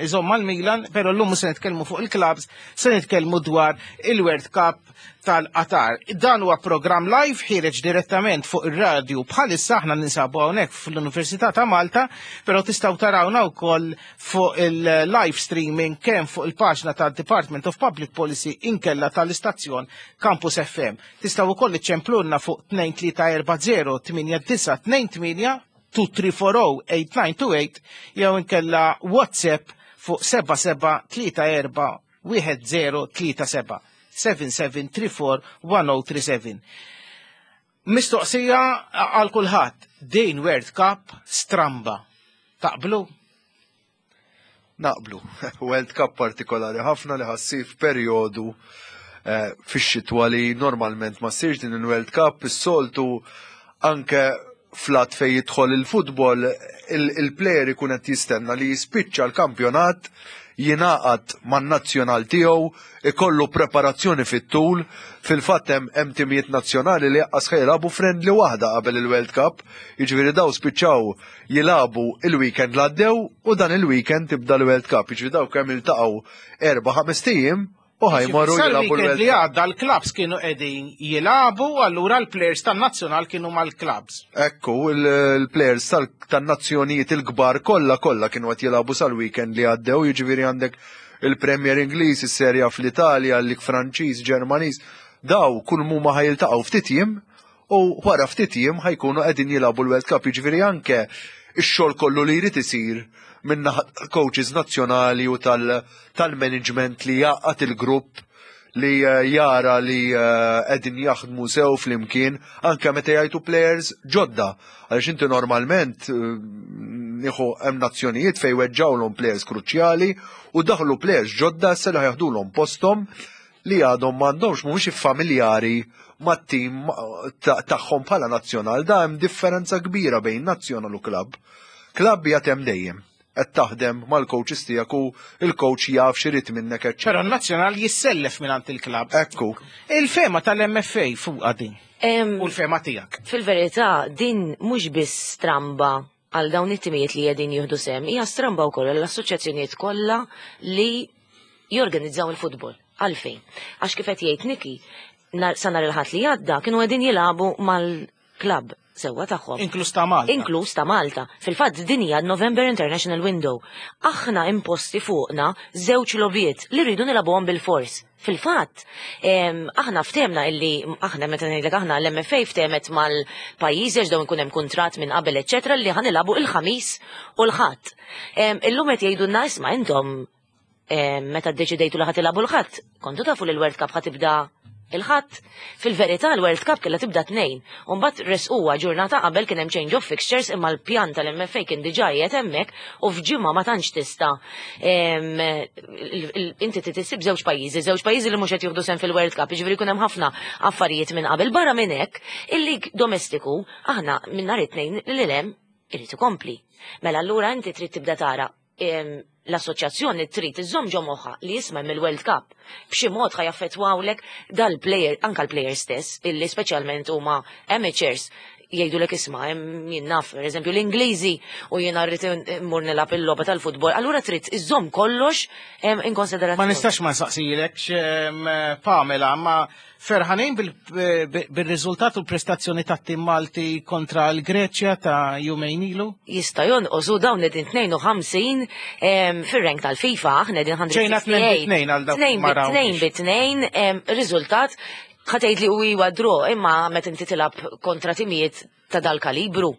iżomm mal-Milan, però llum se nitkellmu fuq il-clubs, se nitkellmu dwar il-World Cup tal-Qatar. Dan huwa programm live ħiereġ direttament fuq ir-radju bħalissa aħna ninsabu hawnhekk fl-Università ta' Malta, però tistgħu tarawna wkoll fuq il-live streaming kemm fuq il-paġna tad-Department of Public Policy inkella tal-istazzjon Campus F M. Tistgħu wkoll iċċemplulna fuq tnejn tlieta erba' zero tmienja disa' tnejn tmienja two three four oh eight nine two eight jew inkella WhatsApp fuq seba' seba' tlieta erba' wieħed zero tlieta seba' seven seven three four one oh three seven. Mistoqsija għal kulħadd, din World Cup stramba. Taqblu? Naqblu. World Cup partikolari ħafna li ħassir f'perjodu, eh, fix-xitwa li normalment ma ssirx din il-World Cup, is-soltu anke flat fej jidħol il-futbol, il-player ikun qed jistenna li jispiċċa l-kampjonat, jingħaqad man-nazzjonal tiegħu, ikollu preparazzjoni fit-tul. Fil-fatt hemm, hemm timijiet nazzjonali li jaqqas ħajlabu friendly waħda qabel il-World Cup, jiġifieri daw spiċċaw jilagħbu il-weekend li għaddew u dan il-weekend tibda l-World Cup, jiġifieri daw kemm iltaqgħu erba' ħames ijiem u ħajmorru Sal jilagħbu weekend l-World li Cup. għadda l-clubs kienu qegħdin jilagħbu, allura l-players tan-nazzjonal kienu mal-clubs. Ekku, il-, il-players tal-, tan-nazzjonijiet il-kbar kollha kollha kienu qed jilagħbu sal-weekend li għaddew, jiġifieri għandek il-Premier Ingliż, is-Serja fl-Italja, l-Lig Franċiż, Ġermaniż, daw kull mhuma ħajiltaqgħu ftit jiem u wara ftit jiem ħajkunu qegħdin jilagħbu l-World Cup, jiġifieri anke ix-xogħol kollu li jrid isir minn naħa coaches nazzjonali u tal-, tal-management li jaqgħad il-grupp li, eh, jara li, eh, qegħdin jaħdmu sew flimkien anke meta jgħidu players ġodda. Għaliex inti normalment, eh, nieħu hemm nazzjonijiet fejn weġġawlhom players kruċjali u daħlu players ġodda issa li ħjaħdulhom posthom li għadhom m'għandhomx, mhumiex familjari mat-tim ta-, tagħhom bħala nazzjonal. Da hemm differenza kbira bejn nazzjonal u klabb. Klabb hija hemm dejjem qed taħdem mal-coaches tiegħek u il-coach jaf x'irid minnek, eċċetera. Però n-nazzjonal jissellef mingħand il-klabb. Ekku. Il-fema tal-M F A fuqha din. Em, U l-fema tiegħek. Fil-verità din mhux biss stramba għal dawn it-timijiet li qegħdin jieħdu sehem, hija stramba wkoll għall-assoċjazzjonijiet kollha li jorganizzaw il-futbol. Għalfejn? Għax kif qed jgħid Nicky, nar-, sa nhar il-Ħadd li għadda kienu qegħdin jilagħbu mal-klabb sewwa tagħhom. Inkluż ta' Malta. Inkluż ta' Malta. Fil-fatt din hija November International Window. Aħna imposti fuqna żewġ logħbiet li rridu nilagħbuhom bil-fors. Fil-fatt, em, aħna ftehmna illi, aħna meta ngħidlek aħna l-M F A ftehmet mal-pajjiżi għax dawn ikun hemm kuntratt minn qabel, eċċetera, li ħanilagħbu il-Ħamis u l-Ħadd. Em, illum qed jgħidulna isma' intom, em, meta ddeċidejtu li ħadd ilagħbu l-Ħadd, kontu tafu li l-World Cup ħa tibda il-Ħadd. Fil-verità l-World Cup kellha tibda tnejn. U mbagħad resquha ġurnata qabel kien hemm change of fixtures imma l-pjan tal-M F A kien diġà qiegħed hemmhekk u f'ġimgħa ma tantx tista', em, il-, il-, inti trid issib żewġ pajjiżi, żewġ pajjiżi li mhux qed jieħdu sehem fil-World Cup, jiġifieri jkun hemm ħafna affarijiet minn qabel. Barra minn hekk, il-lig domestiku aħna minn nhar it-tnejn lil hemm irid ikompli. Mela allura inti trid tibda tara, em, l-assoċjazzjoni trid iżżomm ġo moħħha li jisma' mill-World Cup. B'xi mod ħa jaffettwawlek dal-player, anka l-player stess, illi speċjalment huma amateurs, Jgħidulek isma' hemm jien naf, pereżempju l-Ingliżi u jiena rrid immur nilgħab il-logħba tal-futbol, allura trid iżżomm kollox em, in konsiderazzjoni. Ma nistax ma nsaqsilek, Pamela, ma ferħanin bil-riżultat u l-prestazzjoni ta' tim Malti kontra l-Greċja ta' jumejn ilu? Jista' jonqos u dawn qegħdin tnejn u ħamsin em, fir-rank tal-FIFA, aħna qegħdin Ġejna mija u sitta u sebgħin. tnejn bi tnejn għal dawk Tnejn ma bi tnejn rawniex. bi tnejn, em, riżultat ħa tgħid li u iwa draw, imma meta inti tilgħab kontra timijiet ta' dal-kalibru.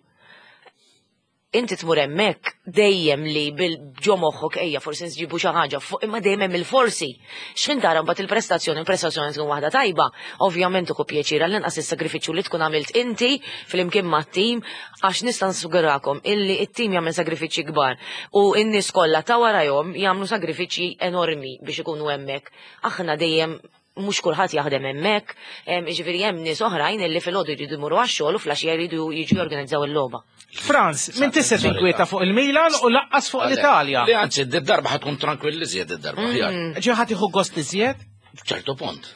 Inti tmur hemmhekk dejjem li bil ġo moħħok ejja forsi nġibu xi ħaġa fuq, imma dejjem hemm il-forsi. X'ħin tara mbagħad il-prestazzjoni, il-prestazzjoni tkun waħda tajba, ovvjament uku pjaċir għall-inqas is-sagrifiċċju li tkun għamilt inti flimkien mat-tim, għax nista' nsuggerakom illi it-tim jagħmel sagrifiċċji kbar u n-nies kollha ta' warajhom jagħmlu sagrifiċċji enormi biex ikunu hemmhekk. Aħna dejjem mhux kulħadd jaħdem hemmhekk, em, jiġifieri hemm nies oħrajn illi filgħodu jridu jmorru għax-xogħol u filgħaxija jridu jiġu jorganizzaw il-logħba. Franz, min tista' tinkwieta fuq il-Milan u lanqas fuq l-Italja? Li anzi, d-darba ħa tkun tranquilli żjed id-darba. Mm. Ħjar. Ġi ħa tieħu gost iżjed? ċertu punt.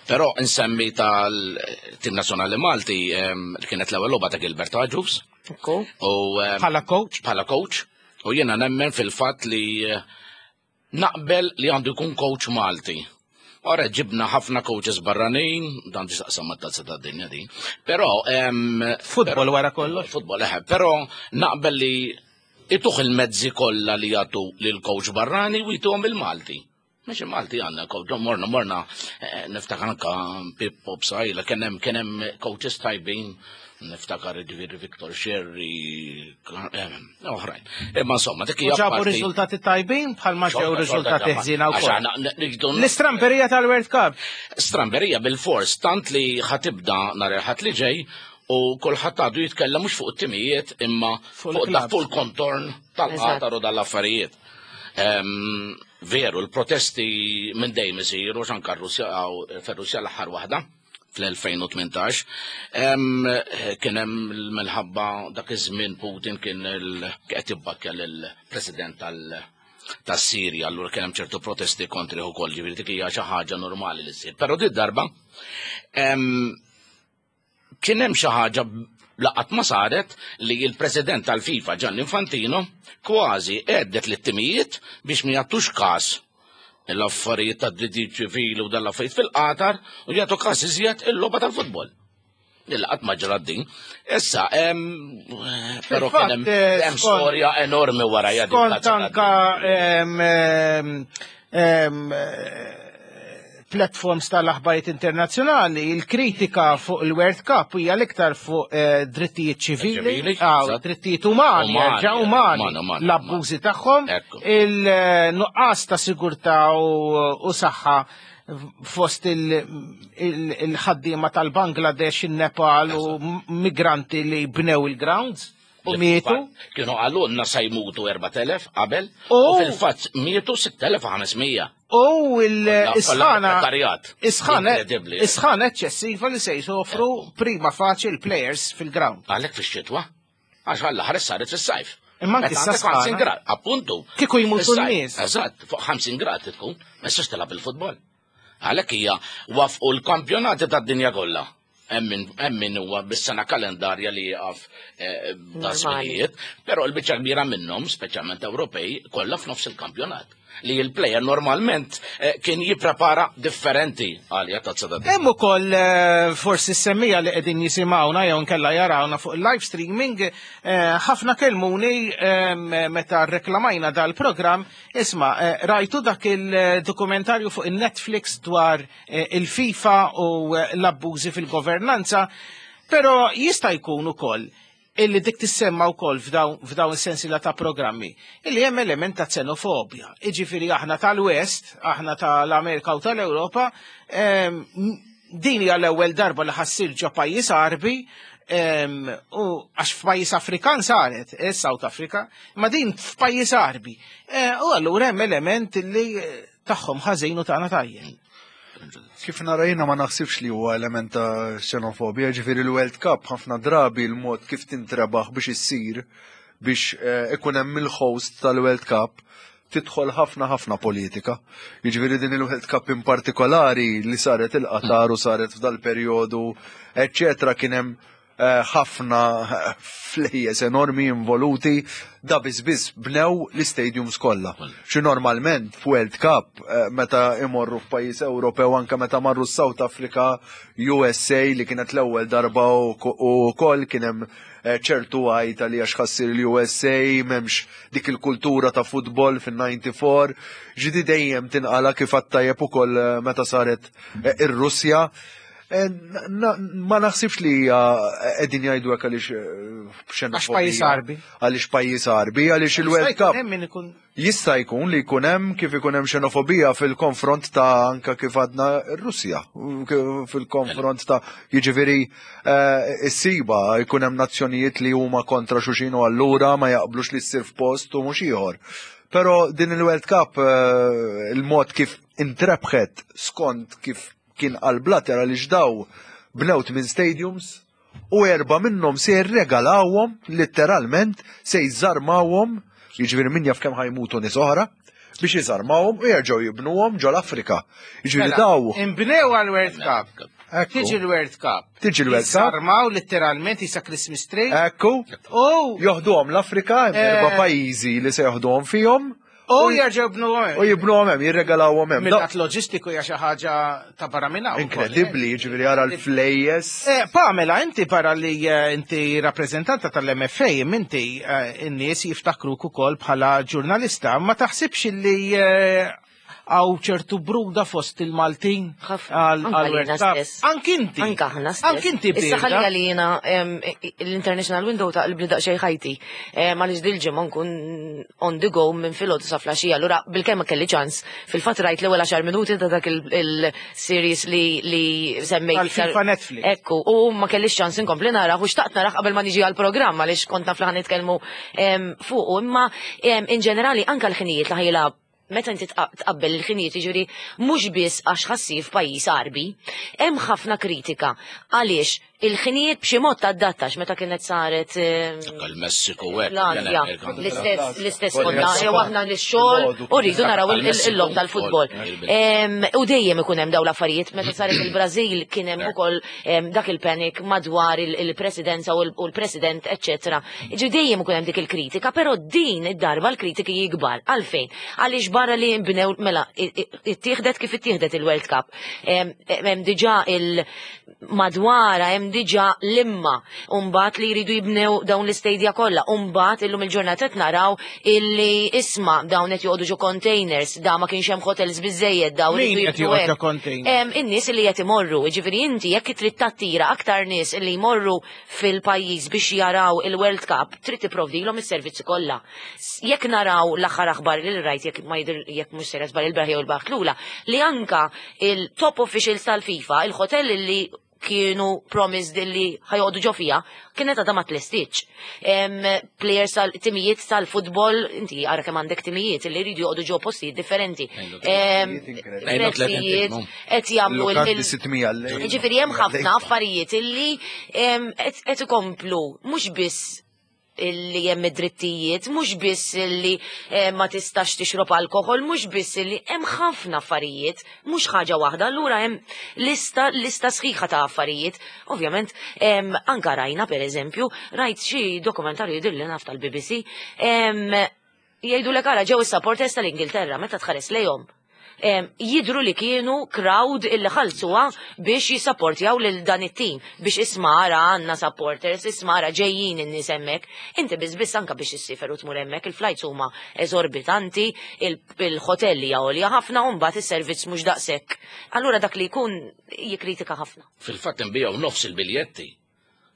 Però insemmi tal-Tim Nazzjonali Malti em, li kienet l-ewwel logħba ta' Gilbert Agius. U em, Bħala coach? Bħala coach. U jiena nemmen fil-fatt li eh, naqbel li għandu jkun coach Malti. Ora ġibna ħafna coaches barranin, dan tistaqsam ma tazza ta' dinja din. Però em, Futbol wara kollox. Futbol, eħe, però naqbel li ituh il-mezzi kollha li jagħtu lil coach barrani u jituhom il-Malti. Mhux il-Malti għandna coach, morna morna eh, niftakar anka Pippo Psaila, kien hemm kien hemm coaches tajbin, niftakar ġifieri Victor Sherry, eh, oħrajn. Imma insomma, dik U hija ġabu parti- riżultati tajbin bħalma ġew Xorta, riżultati xorta ħżiena Għax wkoll. aħna nġdu- L-istramberija tal-World Cup. Stramberija bil-fors, tant li ħa tibda nhar il-Ħadd li ġej u kulħadd għadu jitkellem mhux fuq it-timijiet imma fuq il-clubs. fuq il-kontorn tal-Qatar u dal-affarijiet. Em, Veru, l-protesti minn dejjem isiru anka r-Russja fir-Russja l-aħħar waħda fl-elfejn u tmintax. Em, Kien hemm minħabba dak iż-żmien Putin kien il- qed jibbakkja lill-President tal- tas-Sirja, allura kien hemm ċertu protesti kontri ukoll, ġifieri dik hija xi ħaġa normali li ssir. Però din darba em, kien hemm xi ħaġa laqat ma saret li il-President tal-FIFA Gianni Infantino kważi għeddet lit-timijiet biex ma jagħtux każ l-affarijiet ta' drittijiet ċivili u dal-affarijiet fil-Qatar u jagħtu każ iżjed il-logħba tal-futbol. Il-qatt ma ġrat din. Issa, em, però kien hemm eh, hemm skont- storja enormi wara din Skont tazza anka em, em, em, eh, platforms tal-aħbarijiet internazzjonali, il-kritika fuq il-World Cup hija l-iktar fuq eh, drittijiet ċivili, Ċivili, aw, eżatt. drittijiet umani, Umani, jerġa' umani, umani, umani, l-abbużi tagħhom, Ekku. il-nuqqas ta' sigurtà u u saħħa fost il- il- il-ħaddiema tal-Bangladesh, il-Nepal u migranti li bnew il-grounds u mietu. Kienu qalulna sa jmutu erbat elef qabel U- u fil-fatt mietu sitt elef u ħames mija. U il-isħana prekarjat. Isħana Inkredibbli. Isħana eċċessiva li se jsofru prima faċi il-players fil-ground. Għalhekk fix-xitwa. Għax għall-aħħar saret fis-sajf. Imma anki Meta għandek issa sħana. ħamsin grad, appuntu. Kieku jmutu Fis-sajf. n-nies. Eżatt, fuq ħamsin grad tkun, ma jistax tilgħab il-futbol. Għalhekk hija wafqu l-kampjonati tad-dinja kollha. Hemm min- hemm min huwa bis-sena kalendarja li jaqaf eh, da Normali. żminijiet, però l-biċċa kbira minnhom, speċjalment Ewropej, kollha f'nofs il-kampjonat. Li il-player normalment eh, kien jipprepara differenti għalija tazza tad Hemm ukoll eh, forsi semmija li qegħdin jisimgħuna jew nkella jarawna fuq il-live streaming, eh, ħafna kelmuni eh, meta reklamajna dal-programm, isma' eh, rajtu dak il-dokumentarju fuq il-Netflix dwar eh, il-FIFA u eh, l-abbużi fil-governanza, però jista' jkun ukoll illi dik tissemma wkoll f'dawn f'dawn is-sensiela ta' programmi, illi hemm element ta' xenofobja. Iġifieri aħna tal-West, aħna tal-Amerika u tal-Ewropa, em, din hija l-ewwel darba li ħa ssir ġo pajjiż Arbi, em, u għax f'pajjiż Afrikan saret, eh, South Africa, ma din f'pajjiż Arbi. Eh, U allura hemm element illi eh, tagħhom ħażin u tagħna tajjeb. Kif nara jiena, ma naħsibx li huwa element ta' xenofobija, ġifieri l-World Cup ħafna drabi l-mod kif tintrebaħ biex issir biex eh, ikun hemm il-host tal-World Cup tidħol ħafna ħafna politika. Jiġifieri din il-World Cup in partikolari li saret il-Qatar u saret f'dal perjodu, eccetera, kien hemm eh, ħafna flejjes enormi involuti, da biss biss bnew l-stadiums kollha. Xi normalment f'World Cup eh, meta imorru f'pajjiż Ewropew anke meta marru South Africa, U S A li kienet l-ewwel darba u ukoll kien hemm eh, ċertu għajta li għax ħa ssir l-U S A m'hemmx dik il-kultura ta' futbol fin-disgħa u disgħin. Ġidi dejjem tinqala kif għattajjeb ukoll eh, meta saret eh, ir-Russja. Eh, na- na- Ma naħsibx li hija qegħdin jgħidu hekk għaliex eh, Għax pajjiż Għarbi. Għaliex pajjiż Għarbi, għaliex il-World Jista' jkun Cup hemm min ikun jista' jkun li jkun hemm kif ikun hemm xenofobija fil-konfront ta' anka kif għadna r-Russja, fil-konfront ta' jiġifieri eh, issiba jkun hemm nazzjonijiet li huma kontra xulxin u allura ma jaqblux li ssir f'post u mhux ieħor. Però din il-World Cup eh, il-mod kif intrebħet skont kif kien qal Blatter, għaliex daw bnew minn stadiums u erba minnhom se jirregalawhom letteralment, se jżarmawhom, jiġifieri min jaf kemm ħa jmutu nies oħra biex jiżarmawhom u jerġgħu jibnuhom ġol-Afrika. Jiġifieri Mela, daw inbnew għal-World Cup. Ekku. Tiġi l-World Cup. Tiġi l-World Cup. Sarmaw letteralment jisa Christmas tree. Ekku. U joħduhom l-Afrika, hemm Eh. erba' pajjiżi li se joħduhom fihom U jerġgħu jibnuhom. U jibnuhom hemm, jirregalawhom hemm. Mill-lat loġistiku hija xi ħaġa ta' barra minn hawn. Inkredibbli, jiġifieri ara l-flejjes. Eh, Pamela, inti barra li eh, inti rappreżentanta tal-M F A, inti eh, n-nies jiftakruk ukoll bħala ġurnalista, ma taħsibx li eh, hawn ċertu bruda fost il-Maltin għal Anka għal lina World Cup? stess. Anki inti. Anka aħna stess. Anki inti Issa birda. ħalli għalina em, l-International Window ta' li daqsxejn ħajti. Em, Għaliex dil-ġimgħa nkun on the go minn filgħodu sa filgħaxija. Allura bilkemm ma kelli ċans. Fil-fatt rajt l-ewwel għaxar minuti ta' dak il- il-series li li semmejt. Tal-FIFA Netflix. Ekku, u ma kellix ċans inkompli narah u xtaqt narah qabel ma niġi għal-programm għaliex kont naf li ħa nitkellmu em, fuq. Imma em, in ġenerali anka l-ħinijiet li ħa jilgħab, meta inti tqa- tqabbel il-ħinijiet, jiġifieri mhux biss għax ħa ssir f'pajjiż Għarbi, hemm ħafna kritika għaliex il-ħinijiet b'xi mod tadattax meta kienet saret em, Il-Messiku hekk. l-Azja, l-istess l-istess konna, jew aħna l-xogħol u rridu naraw il- il- il-logħob tal-futbol. Em, U dejjem ikun hemm dawn l-affarijiet, meta saret il-Brażil kien hemm ukoll em, dak il-panic madwar il- il-presidenza u l- u l-president, eċċetera. Ġi dejjem ikun hemm dik il-kritika, però din id-darba l-kritiki jikbar. Għalfejn? Għaliex barra li nbnew mela i- i- ittieħdet kif ittieħdet il-World Cup. Em, Hemm diġà il-madwara, hemm diġà l-imma, u mbagħad li jridu jibnew dawn l-istadia kollha, u mbagħad illum il-ġurnata qed naraw illi isma' dawn qed joqogħdu ġo containers, da ma kienx hemm hotels biżejjed, dawn Min iridu qed jibnu joqgħod ġo hekk. containers? Em, In-nies li qed imorru, jiġifieri inti jekk trid tattira aktar nies li jmorru fil-pajjiż biex jaraw il-World Cup, trid tipprovdilhom is-servizzi kollha. S- Jekk naraw l-aħħar aħbar li rajt, jekk ma jidher jekk mhux sejra żball il-bieraħ jew il-bieraħ lura, li anka il-top officials tal-FIFA, il-hotel li kienu promised li ħa joqogħdu ġo fiha, kienet għadha ma tlestietx. Em, Players tal-timijiet tal-futbol, inti ara kemm għandek timijiet li jridu joqogħdu ġo postijiet differenti. Em, Prezzijiet qed jagħmlu il- Lukandi sitt mija lejl. Ġifieri hemm ħafna affarijiet illi em, qed qed ikomplu mhux biss illi hemm id-drittijiet, mhux biss illi eh, ma tistax tixrob alkohol, mhux biss illi hemm ħafna affarijiet, mhux ħaġa waħda, allura hemm lista lista sħiħa ta' affarijiet. Ovvjament, em, anka rajna pereżempju, rajt xi dokumentarju jidhirli naf tal-B B C, em, jgħidu l ara ġew is-supporters tal-Ingilterra meta tħares lejhom. Em, jidru li kienu crowd illi ħallsuha biex jisapportjaw lil dan it-tim, biex isma' ara għandna supporters, isma' ara ġejjin in-nies hemmhekk. Inti biss biss anka biex issifer u tmur hemmhekk, il-flights huma eżorbitanti, il- il-hotelli għolja ħafna u mbagħad is-servizz mhux daqshekk. Allura dak li jkun jikkritika ħafna. Fil-fatt nbijaw nofs il-biljetti.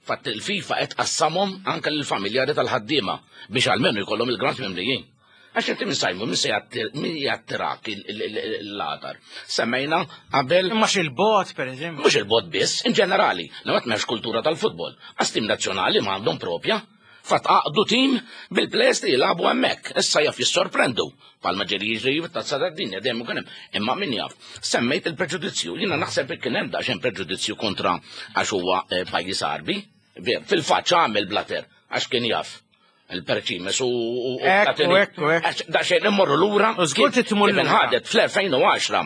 Fatt il-FIFA qed qassamhom anke lill-familjari tal-ħaddiema biex almenu jkollhom il-ground mimlijin. Għax inti minn sajmu, minn se jattir- min jattirak il-ladar. Semmejna qabel. Imma il-bot, per eżempju. Mhux il-bot biss, in ġenerali, li ma m'hemmx kultura tal-futbol. Għax tim nazzjonali ma għandhom propja. Fatt għaqdu tim bil-players li jilagħbu hemmhekk. Issa jaf jissorprendu. Palma ġeri jiġri tazza tad-dinja dejjem ikun hemm. Imma min jaf. Semmejt il-preġudizzju. Jiena naħseb li kien hemm daqsxejn preġudizzju kontra għax huwa eh, pajjiż Għarbi. Ver, fil-fatt għamel Blatter għax kien jaf. Il-Perċimes u u- u Ekku, Platini. ekku, ekku. Għax Daqsxejn immorru lura. U żgur kien- trid tmur kien lura. inħadet fl-elfejn u għaxra.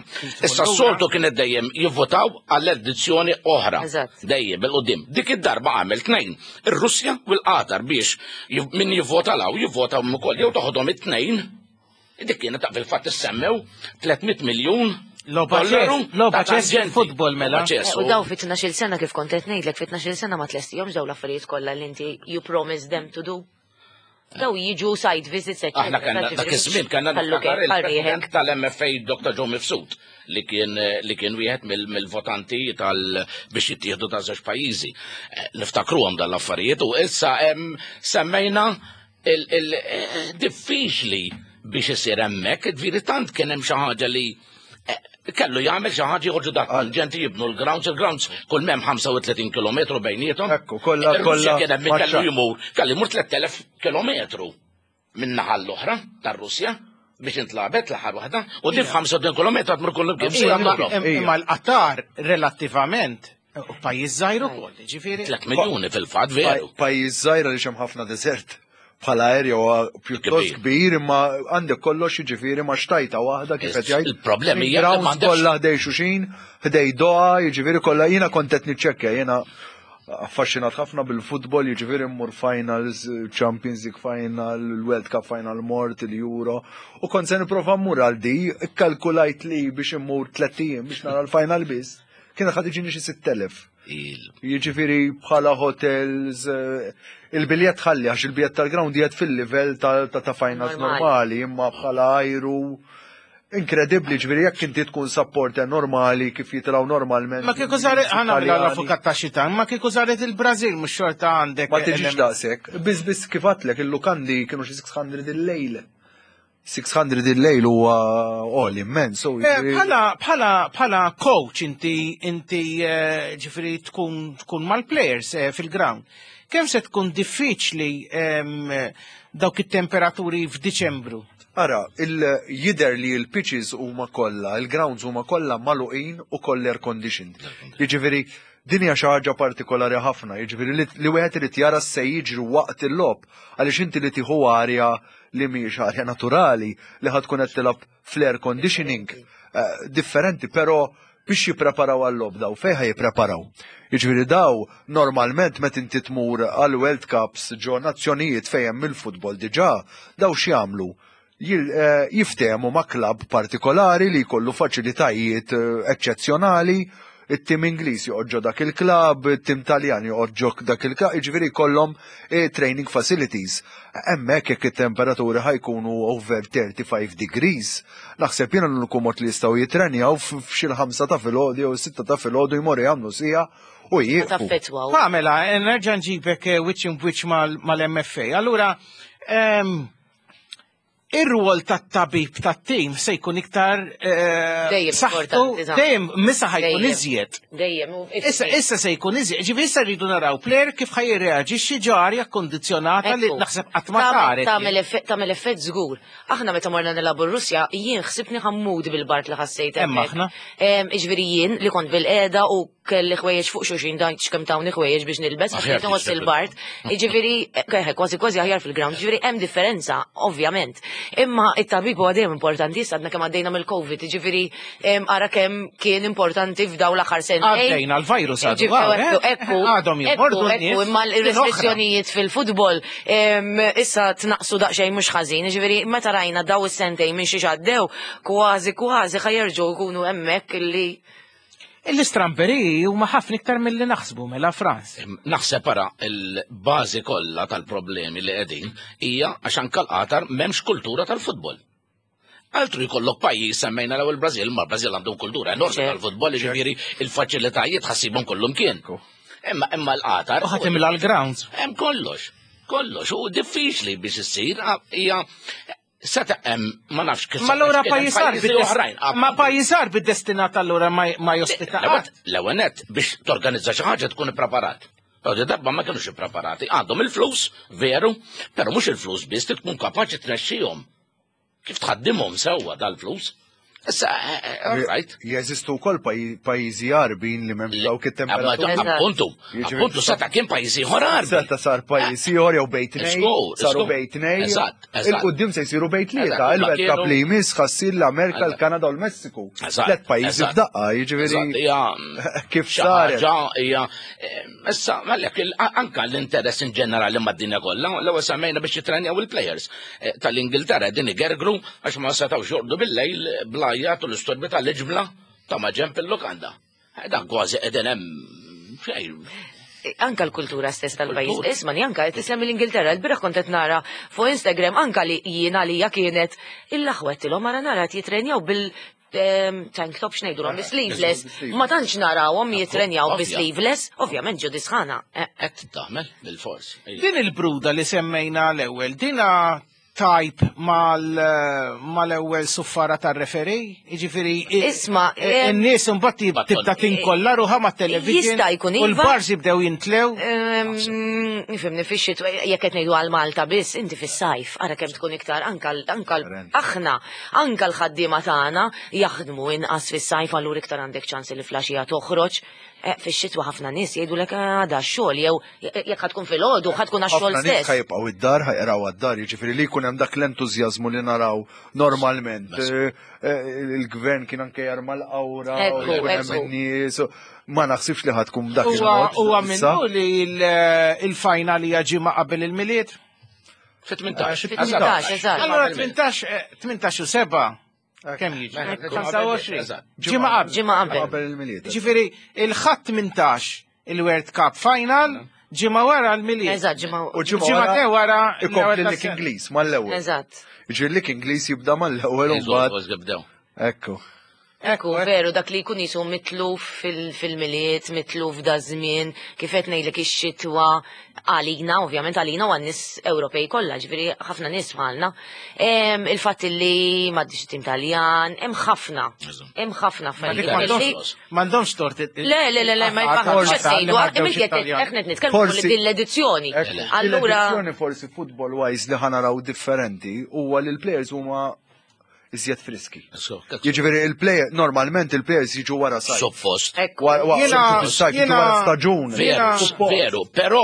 Issa lura. s-soltu kienet dejjem jivvotaw għall-edizzjoni oħra. Eżatt. Dejjem bil-qudiem. Dik id-darba għamel tnejn. Ir-Russja u l-Qatar biex jiv- min jivvota law jivvota ukoll jew toħodhom it-tnejn. Dik kienet ta' fil-fatt issemmew tliet mitt miljun Logħba dollaru ċess, logħba ta' ċess tangenti. futbol mela. Logħba ċess, U daw fit tnax-il sena kif kont qed ngħidlek, fit tnax-il sena ma tlestihomx daw l-affarijiet kollha li inti you promise them to do. Daw jiġu site visits, eccetera. Aħna kellna dak iż-żmien kellna niftakar il-President tal-M F A Doctor Joe Mifsud li kien li kien wieħed mill- mill-votanti tal biex jittieħdu ta' żewġ pajjiżi. Eh, Niftakruhom dan l-affarijiet u issa hemm semmejna il- il- eh, diffiċli biex isir hemmhekk, ġifieri tant kien hemm xi ħaġa li eh, kellu jagħmel xi ħaġa joħorġu dak ġenti jibnu l-grounds, il-grounds kull m'hemm ħamsa u tletin kilometru bejniethom. Ekku, kollha Ir-Russja kollha kien hemm min kellu maċċa. jmur, kellu jmur tlett elef kilometru minn naħa l-oħra tar-Russja biex intlabet l-aħħar waħda u din ħamsa u tletin kilometru tmur kollu kif se Imma jagħmlu. imma l-Qatar relattivament u pajjiż żgħir ukoll, ġifieri. tliet miljuni fil-fatt veru. Pa- Pajjiż żgħir għaliex hemm ħafna desert. Bħala area huwa pjuttost kbir imma għandek kollox jiġifieri ma' xtajta waħda kif qed jgħid. Il-problemi hija li Grounds m'għandekx- kollha ħdej xulxin, ħdej Doha, jiġifieri kollha jiena kont qed niċċekkja, jiena affaxxinat ħafna bil-futbol, jiġifieri mmur finals, Champions League final, il-World Cup final mort, il-Euro, u kont se nipprova mmur għal di, ikkalkulajt li biex immur tlett ijiem biex nara l-final biss, kien ħad iġini xi sitt elef. Jiġifieri bħala hotels, eh, il-biljett ħalli għax il-biljett tal-ground qiegħed fil-livell ta' ta' ta' finals Normali. normali, imma bħala ajru inkredibbli, ġifieri jekk inti tkun supporter normali kif jitilgħu normalment. Ma kieku saret, ħa nagħmel Italjani. l-avukat ta' xitan, ma kieku saret il-Brazil, mhux xorta għandek. Ma tiġix element- daqshekk. Biss biss kif għedtlek il-lukandi kienu xi sitt mija il-lejl. sitt mija il-lejl huwa għoli immens. so Eh, jiġifieri- Bħala, bħala, bħala coach inti, inti eh, ġifieri tkun, tkun mal-players eh, fil-ground. Kemm se tkun diffiċli em, dawk it-temperaturi f'Diċembru? Ara, il-jider li il-pitches huma kollha, il-grounds huma kollha magħluqin u kollha air conditioned. Jiġifieri din hija xi ħaġa partikolari ħafna, jiġifieri li, li wieħed irid jara se jiġri waqt il-logħob għaliex inti li tieħu arja li mhijiex arja naturali li ħad tkun qed tilgħab fl-air conditioning eh, differenti, però biex jippreparaw għal-logħob daw, fejn ħa jippreparaw? Jiġifieri daw normalment meta inti tmur għal World Cups ġo nazzjonijiet fejn hemm il-futbol diġà, daw x'jagħmlu? Jil- eh, jiftehmu ma' klabb partikolari li jkollu faċilitajiet eh, eċċezzjonali, it-tim Ingliż joqgħod ġo dak il-klabb, it-tim Taljan joqgħod ġo dak il-klabb, jiġifieri jkollhom eh, training facilities. Hemmhekk jekk it-temperaturi ħa jkunu over thirty-five degrees, naħseb jiena l-uniku mod li jistgħu jitrenjaw f'xi l-ħamsa ta' filgħodu jew sitta ta' filgħodu jmorru jagħmlu siegħa u jieqfu. Taffetwaw. Pamela, eh, nerġa' nġibek eh, wiċċ wiċċ mal-M F A. Allura, em, ir-rwol tat-tabib tat-tim se jkun iktar eh, Dejjem saħħtu, importanti, ta' dejjem missa ħa jkun Dejjem. iżjed. Dejjem. u- Issa, issa se jkun iżjed. Ġifieri issa rridu naraw player kif ħa jirreaġixxi ġo arja kondizjonata li Ekku. naħseb qatt ma Tagħmel- saret. Tagħmel effett tagħmel effett żgur. Aħna meta morna nilagħbu r-Russja, jien ħsibni ħa mmut bil-bard li ħassejt Hemm hemmhekk. aħna. Em, Iġifieri jien li kont bil-qeda u kelli ħwejjeġ fuq xulxin dan x'kemm tawni ħwejjeġ biex nilbes, għax Aħjar kont inħoss tixtieq. il-bard. Iġifieri, eh, kważi kważi aħjar fil-ground, ġifieri hemm differenza, ovvjament. Imma it-tabib huwa dejjem importanti, issa għadna kemm għaddejna mill-Covid, ġifieri em, ara kemm kien importanti f'daw l-aħħar sentejn. Għaddejna l-virus għadu. Ġifieri, għaw, eh? Ekku, Għadhom ekku, jimordu ekku, n-nies. imma l-restrizzjonijiet fil-futbol em, issa tnaqsu daqsxejn mhux ħażin, ġifieri meta rajna daw is-sentejn minn xi għaddew, kważi kważi ħa jerġgħu jkunu hemmhekk illi L-istramberi huma ħafna iktar mill-li naħsbu mela Frans. Naħseb ara il-bażi kollha tal-problemi li qegħdin hija għax anke l-Qatar m'hemmx kultura tal-futbol. Altru jkollok pajjiż semmejna l-ewwel Brażil, ma Brażil għandhom kultura enormi tal-futbol, jiġifieri il-faċilitajiet ħassibhom kollhom kien. Imma imma l-Qatar. U ħa timla l-grounds. Hemm kollox, kollox, u diffiċli biex issir hija seta' hemm ma nafx kif. Ma allura kien hemm pajjiż għar pajjiżi oħrajn. Ma pajjiż għar bid-destinat allura ma ma jospita qatt. L-ewwel nett biex torganizza xi ħaġa tkun ippreparat. Di darba ma kienux ippreparati. Għandhom il-flus, veru, però mhux il-flus biss, trid tkun kapaċi tnexxihom. Kif tħaddimhom sewwa dal-flus? Issa, eh, eh, all right. Jeżistu wkoll paj- pajjiżi Għarbin li m'hemmx dawk it-temperaturi. Appuntu, appuntu, seta kien pajjiżi ieħor Għarbi. Seta sar pajjiż ieħor jew bejn tnejn, Żgur, saru żgur. bejn tnejn. Eżatt, eżatt. Il-qudiem se jsiru bejn tlieta, Eżatt, il-World ma Cup kienu- li jmiss ħa ssir l-Amerika, l-Kanada u l-Messiku. Eżatt, Tliet pajjiżi eżatt. f'daqqa, jiġifieri Eżatt, hija kif xi saret. ħaġa hija eh, issa għalhekk il- anka l-interess in ġenerali mad-dinja kollha, l-ewwel semmejna biex jitrenjaw il-players Eh, tal-Ingilterra din igergru għax ma setgħux jorqdu bil-lejl bl-għajjat u l-istorbi tal-iġmla ta' maġenb il-lukanda. Eh, Dan kważi qegħdin hemm xejn. Anka l-kultura stess tal-pajjiż. Kultura. Isma' ni anka qed isemmi l-Ingilterra, l-bieraħ kont qed nara fuq Instagram anka li jiena li kienet il-aħwettilhom ara nara qed jitrenjaw bil ehm, tank top x'ngħidulhom bi sleeveless. Ma tantx narawhom jitrenjaw bi Ovvja. sleeveless, ovvjament ġo disħana. Eh, Qed tagħmel bil-fors. Din il-bruda li semmejna l-ewwel, dina tajb mal- mal-ewwel suffara tar-referee, jiġifieri Isma, eh, in-nies imbagħad tib- tibda tinkolla ruħha mat-television Jista' jkun u iva. l-bars jibdew jintlew. Ehm, Nifhimni fix-xitwa jekk qed ngħidu għal Malta biss, inti fis-sajf, ara kemm tkun iktar anka l- anka l- aħna, anka l-ħaddiema tagħna jaħdmu inqas fis-sajf allura iktar għandek ċans li flaxija toħroġ. Eh, Fix-xitwa ħafna nies jgħidulek għada x-xogħol jew jekk ħa tkun filgħodu ħa tkun għax-xogħol Ħafna nies stess. ħa jibqgħu id-dar, ħa jqraw għad-dar, jiġifieri li jkun hemm dak l-entużjażmu li naraw normalment. Eh, eh, Il-gvern kien anke jarma l-qawra, u Ekku, jkun hemm ekku. in-nies. u- Ma naħsibx li ħa tkun b'dak Huwa il-mod. huwa issa. minnu li l- il-final hija ġimgħa qabel il-Milied. Fit-tmintax. Fit-tmintax, eżatt. Allora tmintax eh, tmintax u seba' kemm jiġi? ħamsa u għoxrin. Eżatt. Ġimgħa qabel. Ġimgħa qabel. Qabel il-Milied. Ġifieri il-Ħadd tmintax il-World Cup final, ġimgħa wara l-Milied. Eżatt, ġimgħa U ġimgħa Ġimgħa wara ikompli l-ewwel l-lig tas-sena. Ingliż mal-ewwel. Eżatt. Jiġifieri l-lig Ingliż jibda mal-ewwel u mbagħad. Kważi bdew. Ekku. Ekku, veru, dak li jkun jisu mitluf fil- fil-Milied, mitluf da żmien, kif qed ngħidlek ix-xitwa għalina, ovvjament għalina u għan-nies Ewropej kollha, ġifieri ħafna nies bħalna. Em, Il-fatt li m'għaddix tim Taljan, hemm ħafna, hemm ħafna Ma dik affarijiet. li- m'għandhomx m'għandhomx tort. Le, le, le, le, ma jfaħħamx qed ngħidu, għax qed aħna qed nitkellmu fuq Forsi- din l-edizzjoni. Ekku. Allura, L-edizzjoni forsi football wise li ħa naraw differenti huwa li l-players huma iżjed friski. Jiġifieri il-player normalment il-players jiġu wara sajf. Suppost. Wara wara- Jiena- fis-sajf jiġu jiena- wara staġun. Veru, Suppost. veru, però,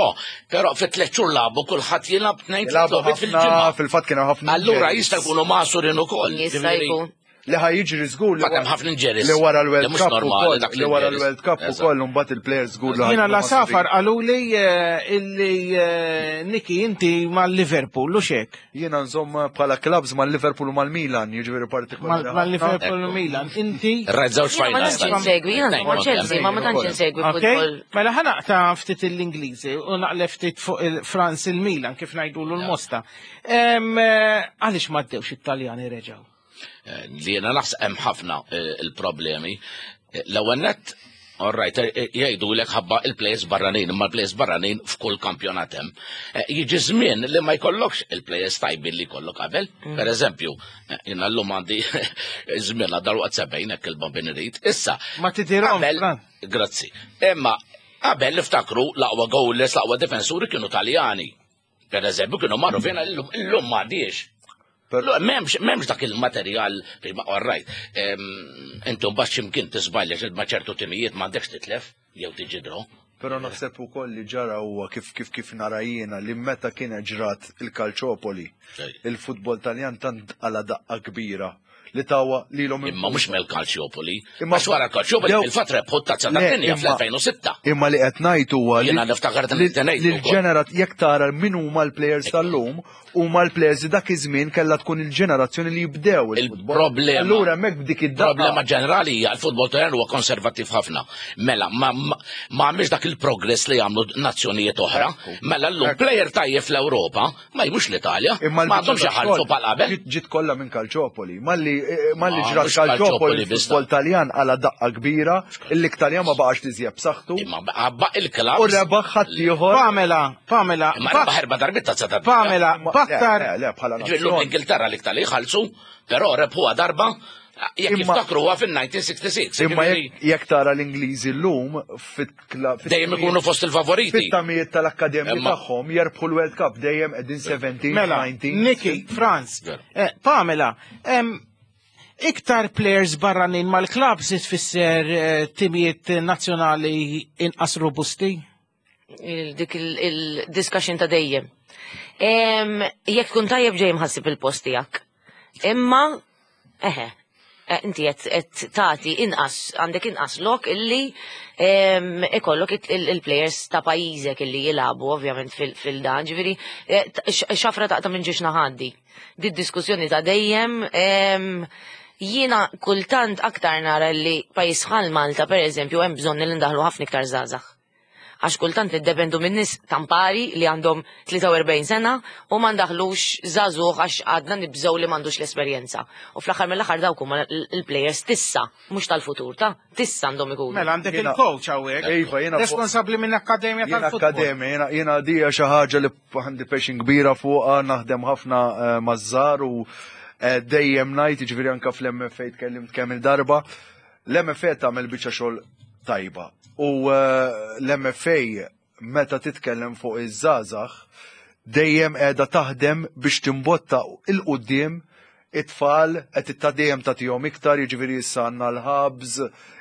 però fit tliet xhur lagħbu kulħadd jilgħab tnejn Jilagħbu tliet logħbiet ħafna, fil-ġimgħa. fil-fatt kien hemm ħafna Allura injuries. jista' jkunu magħsurin ukoll. jista' Ġifieri, jkun. Li ħa jiġri żgur li Fatt hemm ħafna injuries. li wara l-World Li mhux Cup normali ukoll, dak li wara l-injuries. l-World Cup Eżatt. ukoll mbagħad il-players żgur li Jiena ħa jkunu la safar magħsurin. qaluli eh, illi eh, Niki inti mal-Liverpool u xek. Jiena nżomm bħala clubs mal-Liverpool u mal-Milan, jiġifieri partikolari. Mal-Liverpool u Milan. Inti. Rajt żewġ Jiena ma finals. tantx insegwi, jiena nżomm ma' Chelsea, ma ma tantx insegwi Ok, futbol. mela ħa naqta' ftit l-Ingliżi u naqleb ftit fuq il-Frans il-Milan kif ngħidulu l-Mosta. Em, eh, Għaliex ma ddewx it-Taljani reġgħu? Eh, Li jiena naħseb hemm ħafna eh, il-problemi. Eh, L-ewwel nett, all right, eh, jgħidu lek ħabba il-players barranin, imma l-players barranin f'kull kampjonat hemm. Eh, Jiġi żmien li ma jkollokx il-players tajbin li jkollok qabel. Per eżempju, eh, jiena llum għandi żmien għal dalwaqt sebgħin hekk il-bambin irid. Issa, Ma tidirhom, qabel, Fran. grazzi. Imma qabel niftakru l-aqwa goalers, l-aqwa difensuri kienu Taljani. Per eżempju, kienu marru fejn illum illum m'għadix. Lu- M'hemmx m'hemmx dak il-materjal, prima, all right. Em, Intom bax ximkien tiżbalja xi ma ċertu timijiet m'għandekx titlef jew tiġi draw. Però naħseb ukoll li ġara huwa kif kif kif nara jiena li meta kien ġrat il-Calciopoli, il-futbol Taljan tant għala daqqa kbira li tawa lilhom Imma mhux mill-Calciopoli. Imma- Għax wara Calciopoli Dew- fil-fatt rebħu t-tazza Le, tad-dinja imma- fl-elfejn u sitta. Imma li qed ngħid huwa li Jiena niftakar li tenejt li ukoll. l-ġenerat jekk tara min huma l-players tal-lum huma l-players li dak iż-żmien kellha tkun il-ġenerazzjoni li jibdew il-futbol. Il-problema. Allura hemmhekk b'dik id-daqqa. Problema ġenerali hija l-futbol Taljan huwa konservattiv ħafna. Mela, ma ma ma għamilx dak il-progress li jagħmlu nazzjonijiet oħra. Mela llum player tajjeb fl-Ewropa ma jmux l-Italja. Imma Ma għandhomx l-biċċa iħallsu tax-xogħol bħal qabel. ġiet- Ġiet kollha minn Calciopoli. Malli eh, malli Ah, ġrat mhux Calciopoli Calciopoli biss. il-futbol Taljan għala daqqa kbira, il-Taljan ma baqax li żjeb b'saħħtu. Imma baq il-klabs. U rebaħ ħaddieħor. Pamela, Pamela, Imma rebaħ erba' darbiet tazza tad-dinja. Pamela, Ma- baktar. Le, le, bħala Ġifieri llum nazzjon. l-Ingilterra l-iktar li jħallsu, però rebħuha darba jekk Imma- jiftakruha fin-elf disa' mija u sitta u sittin. Imma jekk jekk tara l-Ingliżi llum fit-kla- fit- Dejjem ikunu fost il-favoriti. fit-tamijiet tal-akkademji Imma- tagħhom jerbħu l-World Cup dejjem qegħdin seventeen, Mela, nineteen. Niki, Franz, Veru. eh, Pamela, em, Iktar players barranin mal-klabs tfisser eh, timijiet nazzjonali inqas robusti? Il- Dik il-discussion ta' dejjem. Em, Jekk tkun tajjeb ġej mħassib il-post tiegħek. Imma, eħe, eh, inti qed qed tagħti inqas għandek inqas lok illi em, ikollok it- il- il-players ta' pajjiżek illi jilagħbu ovvjament fil- fil-dan, ġifieri eh, t- x- xafra taqta' minn ġiex naħaddi. Di diskussjoni ta' dejjem em, jiena kultant aktar nara li pajjiż bħal Malta pereżempju hemm bżonn li ndaħlu ħafna iktar żgħażagħ għax kultant niddependu minn nies tampari li għandhom tlieta u erbgħin sena u ma ndaħlux żagħżugħ għax għadna nibżgħu li m'għandux l-esperjenza. U fl-aħħar mill-aħħar dawk huma l-players t'issa, mhux tal-futur, ta' t'issa għandhom ikunu. Mela għandek il-coach hawnhekk. Iva, jiena fuq- Responsabbli minn akkademja Jiena tal-futbol. akkademja, jiena jiena dija xi ħaġa li għandi passion kbira fuqha, naħdem ħafna eh, maż-żgħar u eh, dejjem ngħid, jiġifieri anke fl-M F A tkellimt kemm il-darba. L-M F A tagħmel biċċa xogħol tajba. U eh, l-M F A meta titkellem fuq iż-żgħażagħ dejjem qiegħda taħdem biex timbotta 'l quddiem it-tfal, qed dejjem tagħtihom iktar, jiġifieri issa għandna l-hubs,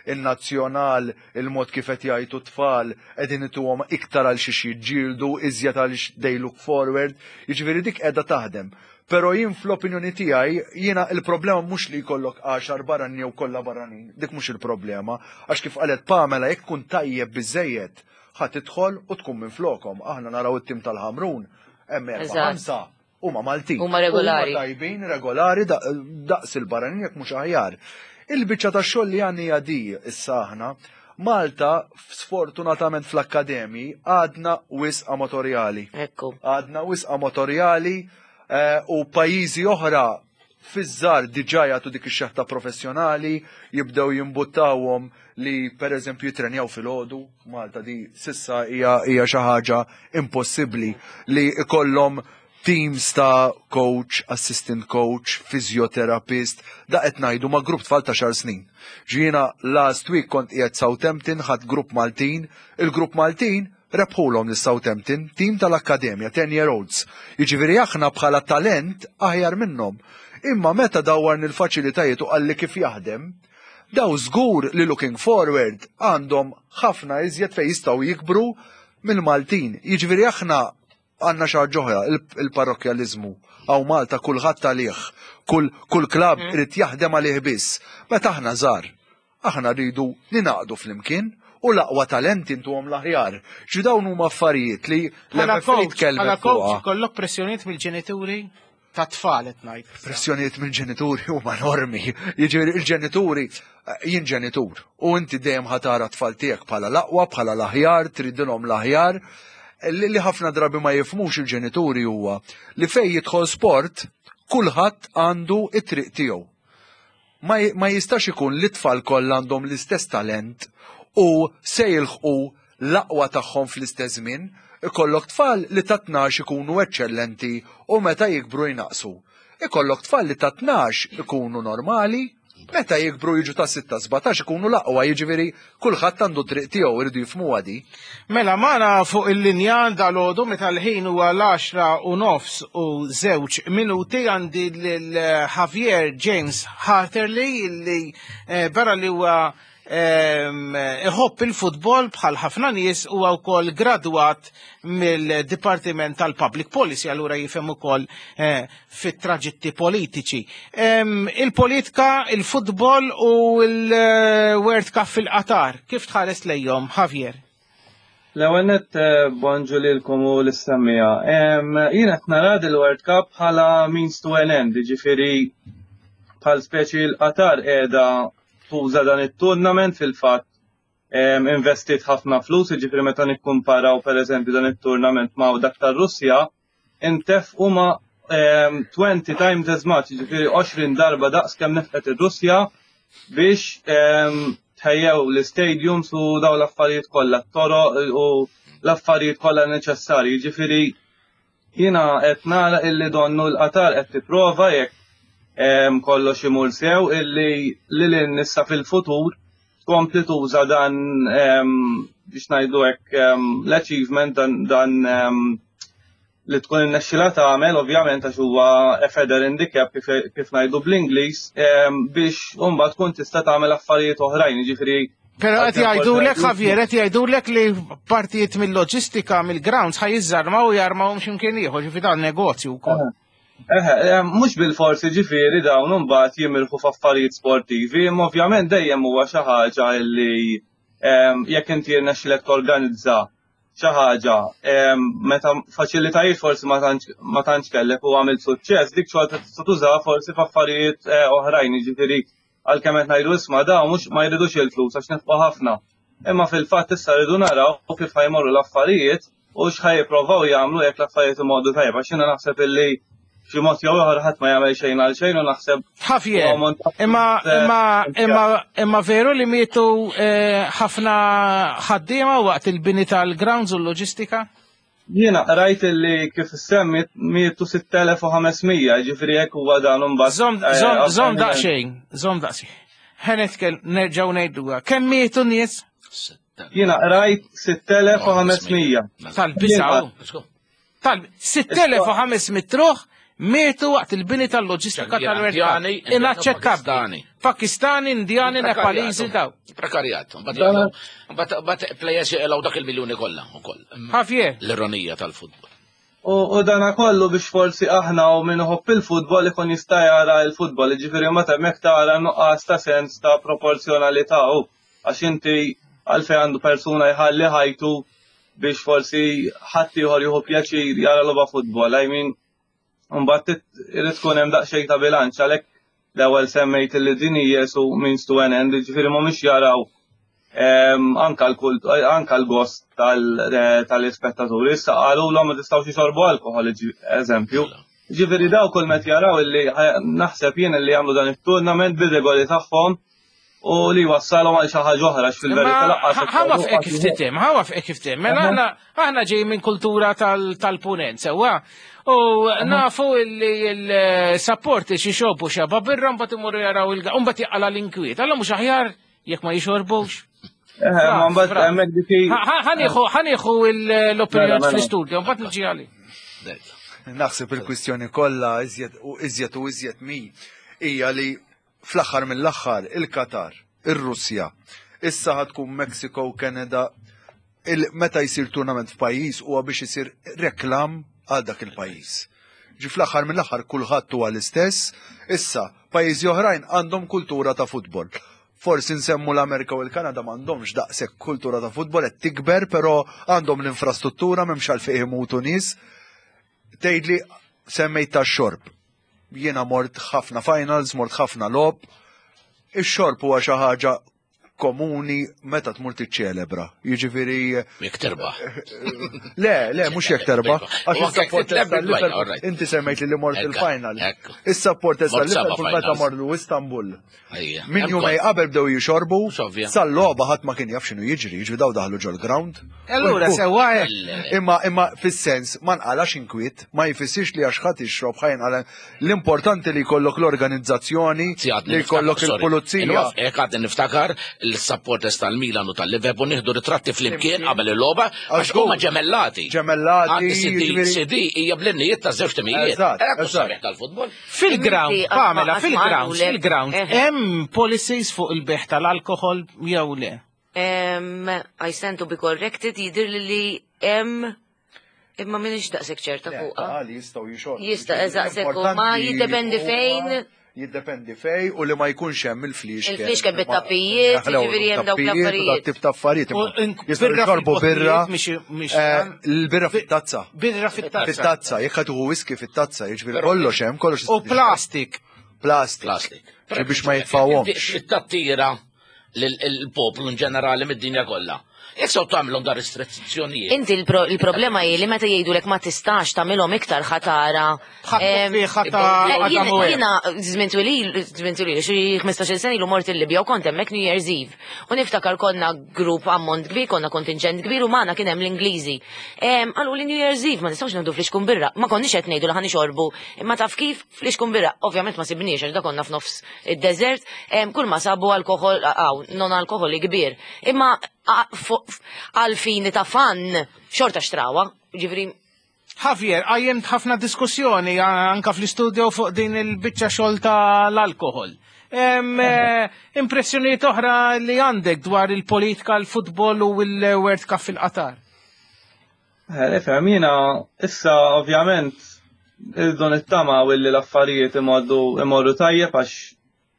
il-nazzjonal, il-mod kif qed jgħidu t-tfal, qegħdin ituhom iktar għal xiex jiġġieldu, iżjed għal they look forward, jiġifieri dik qiegħda taħdem. Però jien fl-opinjoni tiegħi jiena il-problema mhux li jkollok għaxar barranin jew kollha barranin, dik mhux il-problema, għax kif qalet Pamela, jekk tkun tajjeb biżejjed ħa tidħol u tkun minn flokom. Aħna naraw it-tim tal-Ħamrun, hemm erba' Eżatt. ħamsa huma Maltin. Huma regolari. Huma tajbin, regolari, da- daqs il-barranin jekk mhux aħjar. Il-biċċa ta' xogħol li għandi hija di issa aħna Malta sfortunatament fl-akkademji għadna wisq amatorjali. Ekku. Għadna wisq amatorjali eh, u pajjiżi oħra fiż-żgħar diġà jagħtu dik ix-xeħta professjonali, jibdew jimbuttawhom li pereżempju jitrenjaw filgħodu. Malta di s'issa hija hija xi ħaġa impossibbli li ikollhom teams ta' coach, assistant coach, physiotherapist, da qed ngħidu ma' grupp tfal ta' għaxar snin. Ġiena last week kont qiegħed Southampton, ħadd grupp Maltin, il-grupp Maltin rebħulhom lil Southampton, team tal-Akkademja, ten year olds. Jiġifieri aħna bħala talent aħjar minnhom. Imma meta dawwarni l-faċilitajiet u qalli kif jaħdem, daw żgur li looking forward għandhom ħafna iżjed fejn jistgħu jikbru mill-Maltin. Jiġifieri aħna għandna xi ħaġa oħra, il- il-parrokjalizmu. Hawn Malta kulħadd għalih, kull kull klab irid jaħdem għalih biss. Meta aħna żgħar, aħna rridu ninaqdu flimkien u l-aqwa talenti intuhom l-aħjar. Ġi dawn huma affarijiet li Bħala l-M F A coach, tkellmet bħala coach, fuqha. ikollok pressjonijiet mill-ġenituri ta' tfal qed ngħid. Pressjonijiet mill-ġenituri huma enormi. Jiġifieri il-ġenituri, eh, jien ġenitur, u inti dejjem ħa tara tfal tiegħek bħala l-aqwa, bħala l-aħjar, tridilhom l-aħjar. Li li ħafna drabi ma jifhmux il-ġenituri huwa li fej jidħol sport, kulħadd għandu it-triq tiegħu. Ma, ma jistax ikun li tfal kollha għandhom l-istess talent u se jilħqu l-aqwa tagħhom fl-istess żmien. Ikollok tfal li ta' tnax ikunu eċċellenti u meta jikbru jnaqsu. Ikollok tfal li ta' tnax ikunu normali, meta jikbru jiġu ta' sitta sbatax ikunu l-aqwa, jiġifieri kulħadd għandu triq tiegħu, iridu jifhmuha di. Mela magħna fuq il-linja dalgħodu meta l-ħin huwa l-għaxra u nofs u żewġ minuti għandi lil Javier James Harterley li eh, barra li huwa ehm, iħobb il-futbol bħal ħafna nies huwa wkoll gradwat mill-Dipartiment tal-Public Policy, allura jifhem ukoll eh, fit-traġitti politiċi. Ehm, Il-politika, il-futbol u l-World Cup fil-Qatar, kif tħares lejhom, Javier? L-ewwel nett eh, bonġu lilkom u lis-semmiegħa. Jien qed nara il-World Cup bħala means to an end, jiġifieri bħal speċi l-Qatar qiegħda tuża dan it-tournament, fil-fatt em, investit ħafna flus, jiġifieri meta nikkumparaw pereżempju dan it-tournament ma' dak tar-Russja, intefqu ma' em, twenty times as much, jiġifieri għoxrin darba daqs kemm nefqet ir-Russja biex em, tħejjew l-stadiums u daw l-affarijiet kollha, t-toroq u l-affarijiet kollha neċessarji. Jiġifieri jiena qed nara illi donnu l-Qatar qed tipprova, jekk em, kollox imur sew, illi lil nissa fil-futur tkompli tuża dan em, biex ngħidu hekk em, l-achievement dan dan em, li tkun innexxila tagħmel ovvjament għax huwa a feather in the cap kif, kif ngħidu bl-Ingliż biex mbagħad tkun tista' tagħmel affarijiet oħrajn, jiġifieri. Però qed jgħidulek Javier, qed jgħidulek li partijiet mill-loġistika mill-grounds ħa jiżżarmaw u jarmawhom x'imkien ieħor, ġifieri dan negozju wkoll. Eħe, mhux bil-forsi ġifieri dawn imbagħad jimirħu f'affarijiet sportivi, imma ovvjament dejjem huwa xi ħaġa li jekk inti jirnexxilek torganizza xi ħaġa meta faċilitajiet forsi ma tantx kellek u għamilt suċċess, dik xorta tista' tużaha forsi f'affarijiet oħrajn, jiġifieri għalkemm qed ngħidu isma' dawn mhux ma jridux il-flus għax nefqu ħafna. Imma fil-fatt issa rridu naraw kif ħajmorru l-affarijiet u x'ħaj jipprovaw jagħmlu jekk l-affarijiet imorru tajba. Għax jiena naħseb illi xi mod jew ieħor ħadd ma jagħmel xejn għal xejn u naħseb Javier, imma imma imma imma veru li mietu ħafna ħaddiema waqt il-bini tal-grounds u l-loġistika? Jiena rajt illi kif semmi mietu sitt elef u ħames mija, ġifieri hekk huwa dan imbagħad. Żomm żomm żomm daqsxejn, żomm daqsxejn. Ħa nitkellem nerġgħu ngħiduha. Kemm mietu nies? Jiena rajt sitt elef u ħames mija. Tal-biżgħu. Tal sitt elef u ħames mitt ruħ mietu waqt il-bini tal-loġistika tal-World Cup. Inaċċettabbli. Pakistani, Indjani, Nepaliżi daw. Prekarjat. Mbagħad plejers jeqilgħu dak il-miljuni kollha ukoll. Javier. L-ironija tal-futbol. U dana kollu biex forsi aħna u min iħobb il-futbol ikun jista' jara l-futbol, jiġifieri meta hemmhekk tara nuqqas ta' sens ta' proporzjonalità u għax inti għalfejn għandu persuna jħalli ħajtu biex forsi ħadd ieħor jieħu pjaċir jara logħba futbol. I mean, mbagħad irid tkun hemm daqsxejn ta' bilanċ għalhekk l-ewwel semmejt li din hija su means to an end, jiġifieri mhumiex jaraw anka l-kult, anka l-gost tal-ispettaturi. Issa qalulhom ma tistgħux jixorbu alkoħol, eżempju. Ġifieri daw kull meta jaraw illi naħseb jien illi jagħmlu dan it-tournament bir-regoli tagħhom u li wassalhom għal xi ħaġa oħra fil-verità laqqas. Ħa f'hekk kif titim, ħa f'hekk kif titim. Mela aħna aħna ġej minn kultura tal-punent sewwa. U nafu li l-sapporti xi xorbu xaba birra mbagħad imorru jaraw il mbagħad jaqala l-inkwiet. Alla mhux aħjar jekk ma jixorbux. Ħa nieħu l-opinjoni fl-istudju, mbagħad niġi għali. Naħseb il-kwistjoni kollha iżjed u iżjed u iżjed mi hija li fl-aħħar mill-aħħar il-Qatar, ir-Russja, issa ħatkun Mexico, Kanada, meta jsir tournament f'pajjiż huwa biex isir reklam għal dak il-pajjiż. Ġi fl-aħħar mill-aħħar kulħadd huwa l-istess, issa pajjiżi oħrajn għandhom kultura ta' futbol. Forsi nsemmu l-Amerika u l-Kanada m'għandhomx daqshekk kultura ta' futbol qed tikber, però għandhom l-infrastruttura m'hemmx għalfejn imutu nies. Tgħidli semmejt tax-xorb. Jiena mort ħafna finals, mort ħafna logħob. Ix-xorb huwa xi ħaġa komuni meta tmur tiċċelebra. Jiġifieri jekk terbaħ. Le, le, mhux jekk terbaħ. Għax is-supporters tal-Liverpool, inti semmejt li mort il-final. Is-supporters tal-Liverpool meta morru Istanbul. Min jumej qabel bdew jixorbu, sal-logħba ħadd ma kien jaf x'inhu jiġri, jiġri daw daħlu ġol-ground. Allura sewwa hekk. Imma imma fis-sens ma nqalax inkwiet, ma jfissirx li għax ħadd ixrob ħajn qala. L-importanti li jkollok l-organizzazzjoni, li jkollok il-pulizija. Hekk għadni niftakar l-supporters tal-Milan u tal-Liverpool nieħdu ritratti flimkien qabel il-logħba għax huma ġemellati. Ġemellati. C D hija bl-innijiet ta' żewġ timijiet. Eżatt. Tal-futbol. Fil-ground, Pamela, fil-ground, fil-ground, hemm policies fuq il-beħ tal-alkohol jew le? I stand to be corrected, jidir li hemm imma minix daqshekk ċerta fuqha. Jistgħu jixorbu. Jista' eżatt, ma jiddependi fejn. Jiddependi fej u li ma jkunx hemm il-flixken. Il-flixken bit-tappijiet, jiġifieri hemm dawk l-affarijiet. Tip ta' affarijiet. Jistgħu jxorbu birra. Il-birra fit-tazza. Birra fit-tazza. Fit-tazza, jekk ħa tieħu whisky fit-tazza, jiġifieri kollox hemm, kollox. U plastik. Plastik. Plastik. Biex ma jitfawhomx. It-tattira lill-poplu in ġenerali mid-dinja kollha. Jekk sew tagħmilhom dar restrizzjonijiet. Inti il-problema hi li meta jgħidulek ma tistax tagħmilhom iktar ħatara. Jiena żmien twil, żmien twil, xi ħmistax-il sena ilu mort il-Libja u kont hemmhekk New Year's Eve. U niftakar konna grupp ammont kbir, konna kontingent kbir u magħna kien hemm l-Ingliżi. Qalu li New Year's Eve ma nistgħux nieħdu flixkun birra. Ma konniex qed ngħidu li ħa nixorbu, imma taf kif flixkun birra. Ovvjament ma sibniex għax da konna f'nofs id-desert, kull ma sabu alkoħol, non alkoħoli kbir. Imma għal fini ta' fan xorta xtrawa, ġifri. Javier, qajjimt ħafna diskussjoni anka fl-istudio fuq din il-biċċa xogħol tal-alkohol. Eh, impressjonijiet oħra li għandek dwar il-politika, l-futbol u l-World Cup fil-Qatar? Eh, ifhem, jiena issa ovvjament irridu nittama u li l-affarijiet imorru imorru tajjeb, għax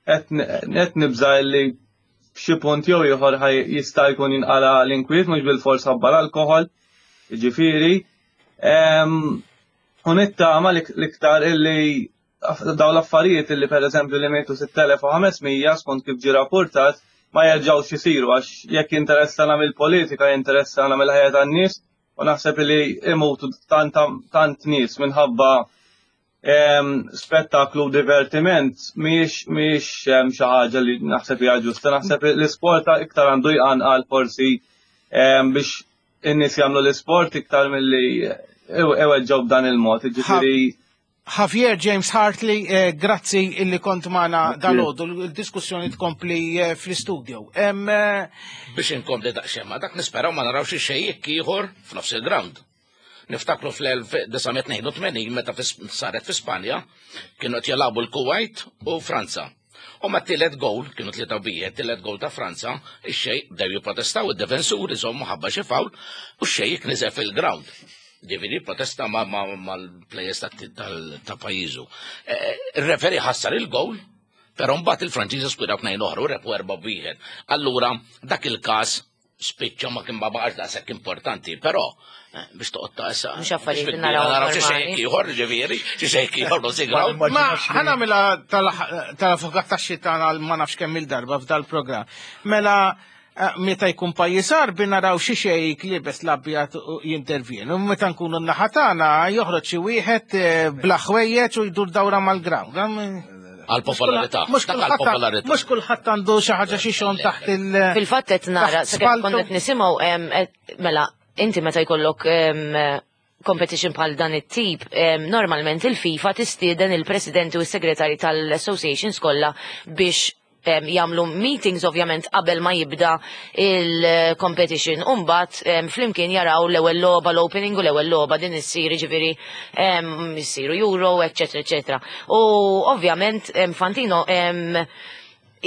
qed nibża li f'xi punt jew ieħor jista' jkun jinqala l-inkwiet, mhux bil-fors ħabba l-alkohol, jiġifieri. U nittama l-iktar illi daw l-affarijiet illi per eżempju li mietu sitt elef u ħames mija skont kif ġi rapportat ma jerġgħux isiru, għax jekk interessana mill-politika, interessana mill-ħajja tan-nies, u naħseb li imutu tant tant nies minħabba spettaklu u divertiment mhijiex mhijiex xi ħaġa li naħseb hija ġusta. Naħseb l-isport iktar għandu jqanqal forsi biex in-nies jagħmlu l-isport iktar milli iweġġgħu b'dan il-mod. Ġifieri Javier James Hartley, eh, grazzi illi kont magħna dalgħodu, il-diskussjoni tkompli eh, fl-studio. Eh, Biex inkompli daqsxejn ma dak, nisperaw ma narawx xejk ieħor f'nofs il-ground. Niftakru fl-elf disa' mija tnejn u tmenin meta saret fi Spanja, kienu qed jilagħbu l-Kuwait u Franza. U ma tielet goal, kienu tlieta wieħed, tielet goal ta' Franza, ix-xejk bdew jipprotestaw id-defensuri żommu ħabba xi foul u x-xejk niżel fil-ground. Ġifieri protesta mal-players ta' pajjiżu. Il-referee ħassar il-goal, però mbagħad il-Franċiżi skurjaw tnejn oħra u rebħu erba' wieħed. Allura dak il-każ spiċċa, ma kien baqax daqshekk importanti, però eh, biex toqgħod ta' issa. Mhux affarijiet li naraw naraw xi normali. xejk ieħor, ġifieri, xi xejk ieħor no Ma ħa nagħmilha tal-avukat tax-xitan għal ma nafx kemm il-darba f'dal-programm. Mela eh, meta jkun pajjiż Għarbi naraw xi xejk liebes l-abjad u jintervjenu. Meta nkunu n-naħa tagħna joħroġ xi wieħed eh, bla ħwejjeġ u jdur dawra mal-ground. Għal-popolarità. Mhux Dak kulħadd għal-popolarità. mhux kulħadd għandu xi ħaġa xi xon taħt il- Fil-fatt qed nara, taħt sakemm spaltu. kont qed nisimgħu em, et- mela inti meta jkollok em, competition bħal dan it-tip, em, normalment il-FIFA tistieden il-presidenti u s-segretari tal-associations kollha biex em, jagħmlu meetings ovvjament qabel ma jibda il-competition. Umbat flimkien jaraw l-ewwel logħba, l-opening u l-ewwel logħba din issir, ġifieri em, issiru Euro, eċetera, eċetera. U ovvjament em, Infantino em,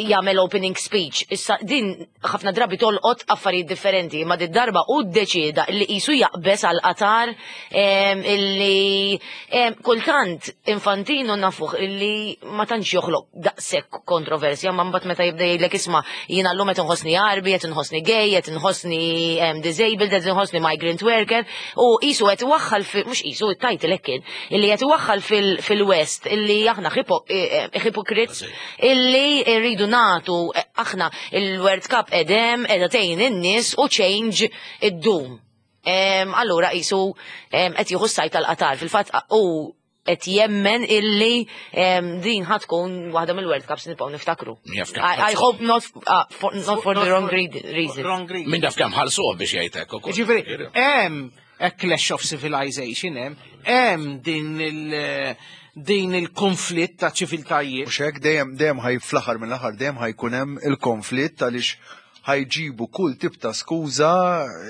jagħmel opening speech. Issa din ħafna drabi tolqot affarijiet differenti, ma din darba u ddeċieda li qisu jaqbes għal Qatar, em, illi em, kultant Infantino nafuh illi ma tantx joħloq daqshekk kontroversja, ma mbagħad meta jibda jgħidlek, "Isma', jiena llum qed inħossni Għarbi, qed inħossni gay, qed inħossni em, disabled, qed inħossni migrant worker", u qisu qed iwaħħal fi, mhux qisu, it-title hekk kien, illi qed iwaħħal fil-West illi aħna eh, hypocrites illi rridu nagħtu eh, aħna il-World Cup edem edha tgħin in-nies u change id-dum. Em, Allura qisu em, qed jieħu s-sajt tal-Qatar. Fil-fatt u qed jemmen illi em, din ħa tkun waħda mill-World Cups nibqgħu niftakru. Jaf kemm I, I ħallsuh. hope not, uh, for, not for the wrong reason. Wrong reason. Min jaf kemm ħallsuh biex jgħidlek ukoll. Ġifieri, hemm a clash of civilization, hemm hemm din il- din il-konflitt ta' ċiviltajiet. Mhux hekk, dejjem dejjem ħaj fl-aħħar mill-aħħar dejjem ħajkun hemm il-konflitt, għaliex ħajġibu kull tip ta' skuża,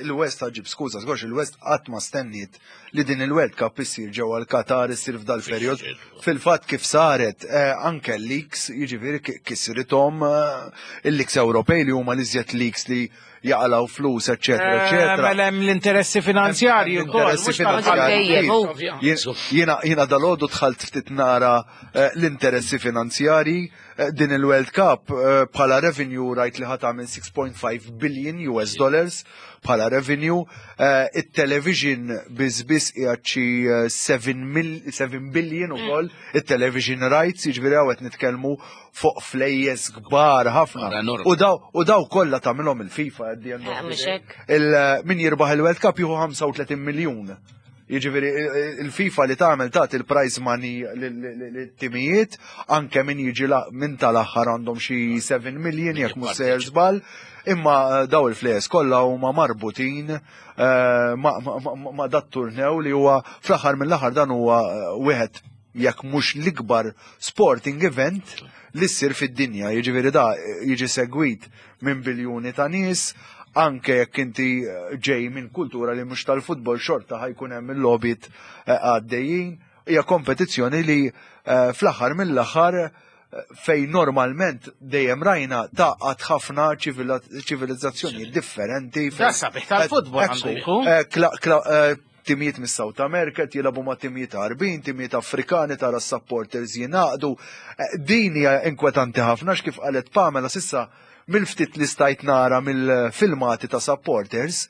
il-West ħa ġġib skuża, żgurx il-West qatt ma stenniet li din il-World Cup issir ġewwa l-Qatar, issir f'dal perjod. Fil-fatt kif saret eh, anke l-leaks, jiġifieri ki- kisrithom eh, il-leaks Ewropej li huma l-iżjed leaks li jaqalaw flus, eċetera, Eh, eċetera. Mela hemm l-interessi finanzjarji wkoll. Interessi mhux tal- finanzjarji. Dejjem, Jien- Jiena jiena dalgħodu dħalt ftit nara eh, l-interessi finanzjarji eh, din il-World Cup eh, bħala revenue rajt li ħa tagħmel sitta punt ħamsa billion U S dollars bħala revenue. Eh, it-television biss biss qiegħed xi seba billion ukoll it-television rights, jiġifieri hawn qed nitkellmu fuq flejjes kbar ħafna. Enormi. U daw u daw kollha tagħmilhom il-FIFA at the end of Eh, the mhux day. hekk. Il- min jirbaħ il-World Cup jieħu ħamsa u tletin miljun. Jiġifieri il- il-FIFA li tagħmel tagħti il-prize money lit-timijiet, anke min jiġi la- min tal-aħħar għandhom xi seba' million jekk mhux sejjer żball, imma eh, daw il-flejjes kollha huma marbutin eh, ma' ma- ma- ma' dat turnew li huwa fl-aħħar mill-aħħar dan huwa eh, wieħed jekk mhux l-ikbar sporting event li ssir fid-dinja. Jiġifieri da eh, jiġi segwit minn biljuni ta' nies, Anke jekk inti eh, ġej minn kultura li mhux tal-futbol, xorta ħa jkun hemm il-logħbiet eh, għaddejjin. Hija kompetizzjoni li eh, fl-aħħar mill-aħħar eh, fejn normalment dejjem rajna taqgħat ħafna ċivilizzazzjoni differenti. Da sabiħ tal-futbol għandu jkun. Eh, kla- kla- eh, Timijiet mis South America jilagħbu ma' timijiet Għarbin, timijiet Afrikani, tara supporters jingħaqdu. Eh, Din hija inkwetanti ħafna x'kif qalet Pamela s'issa, mill-ftit li stajt nara mill-filmati ta' supporters,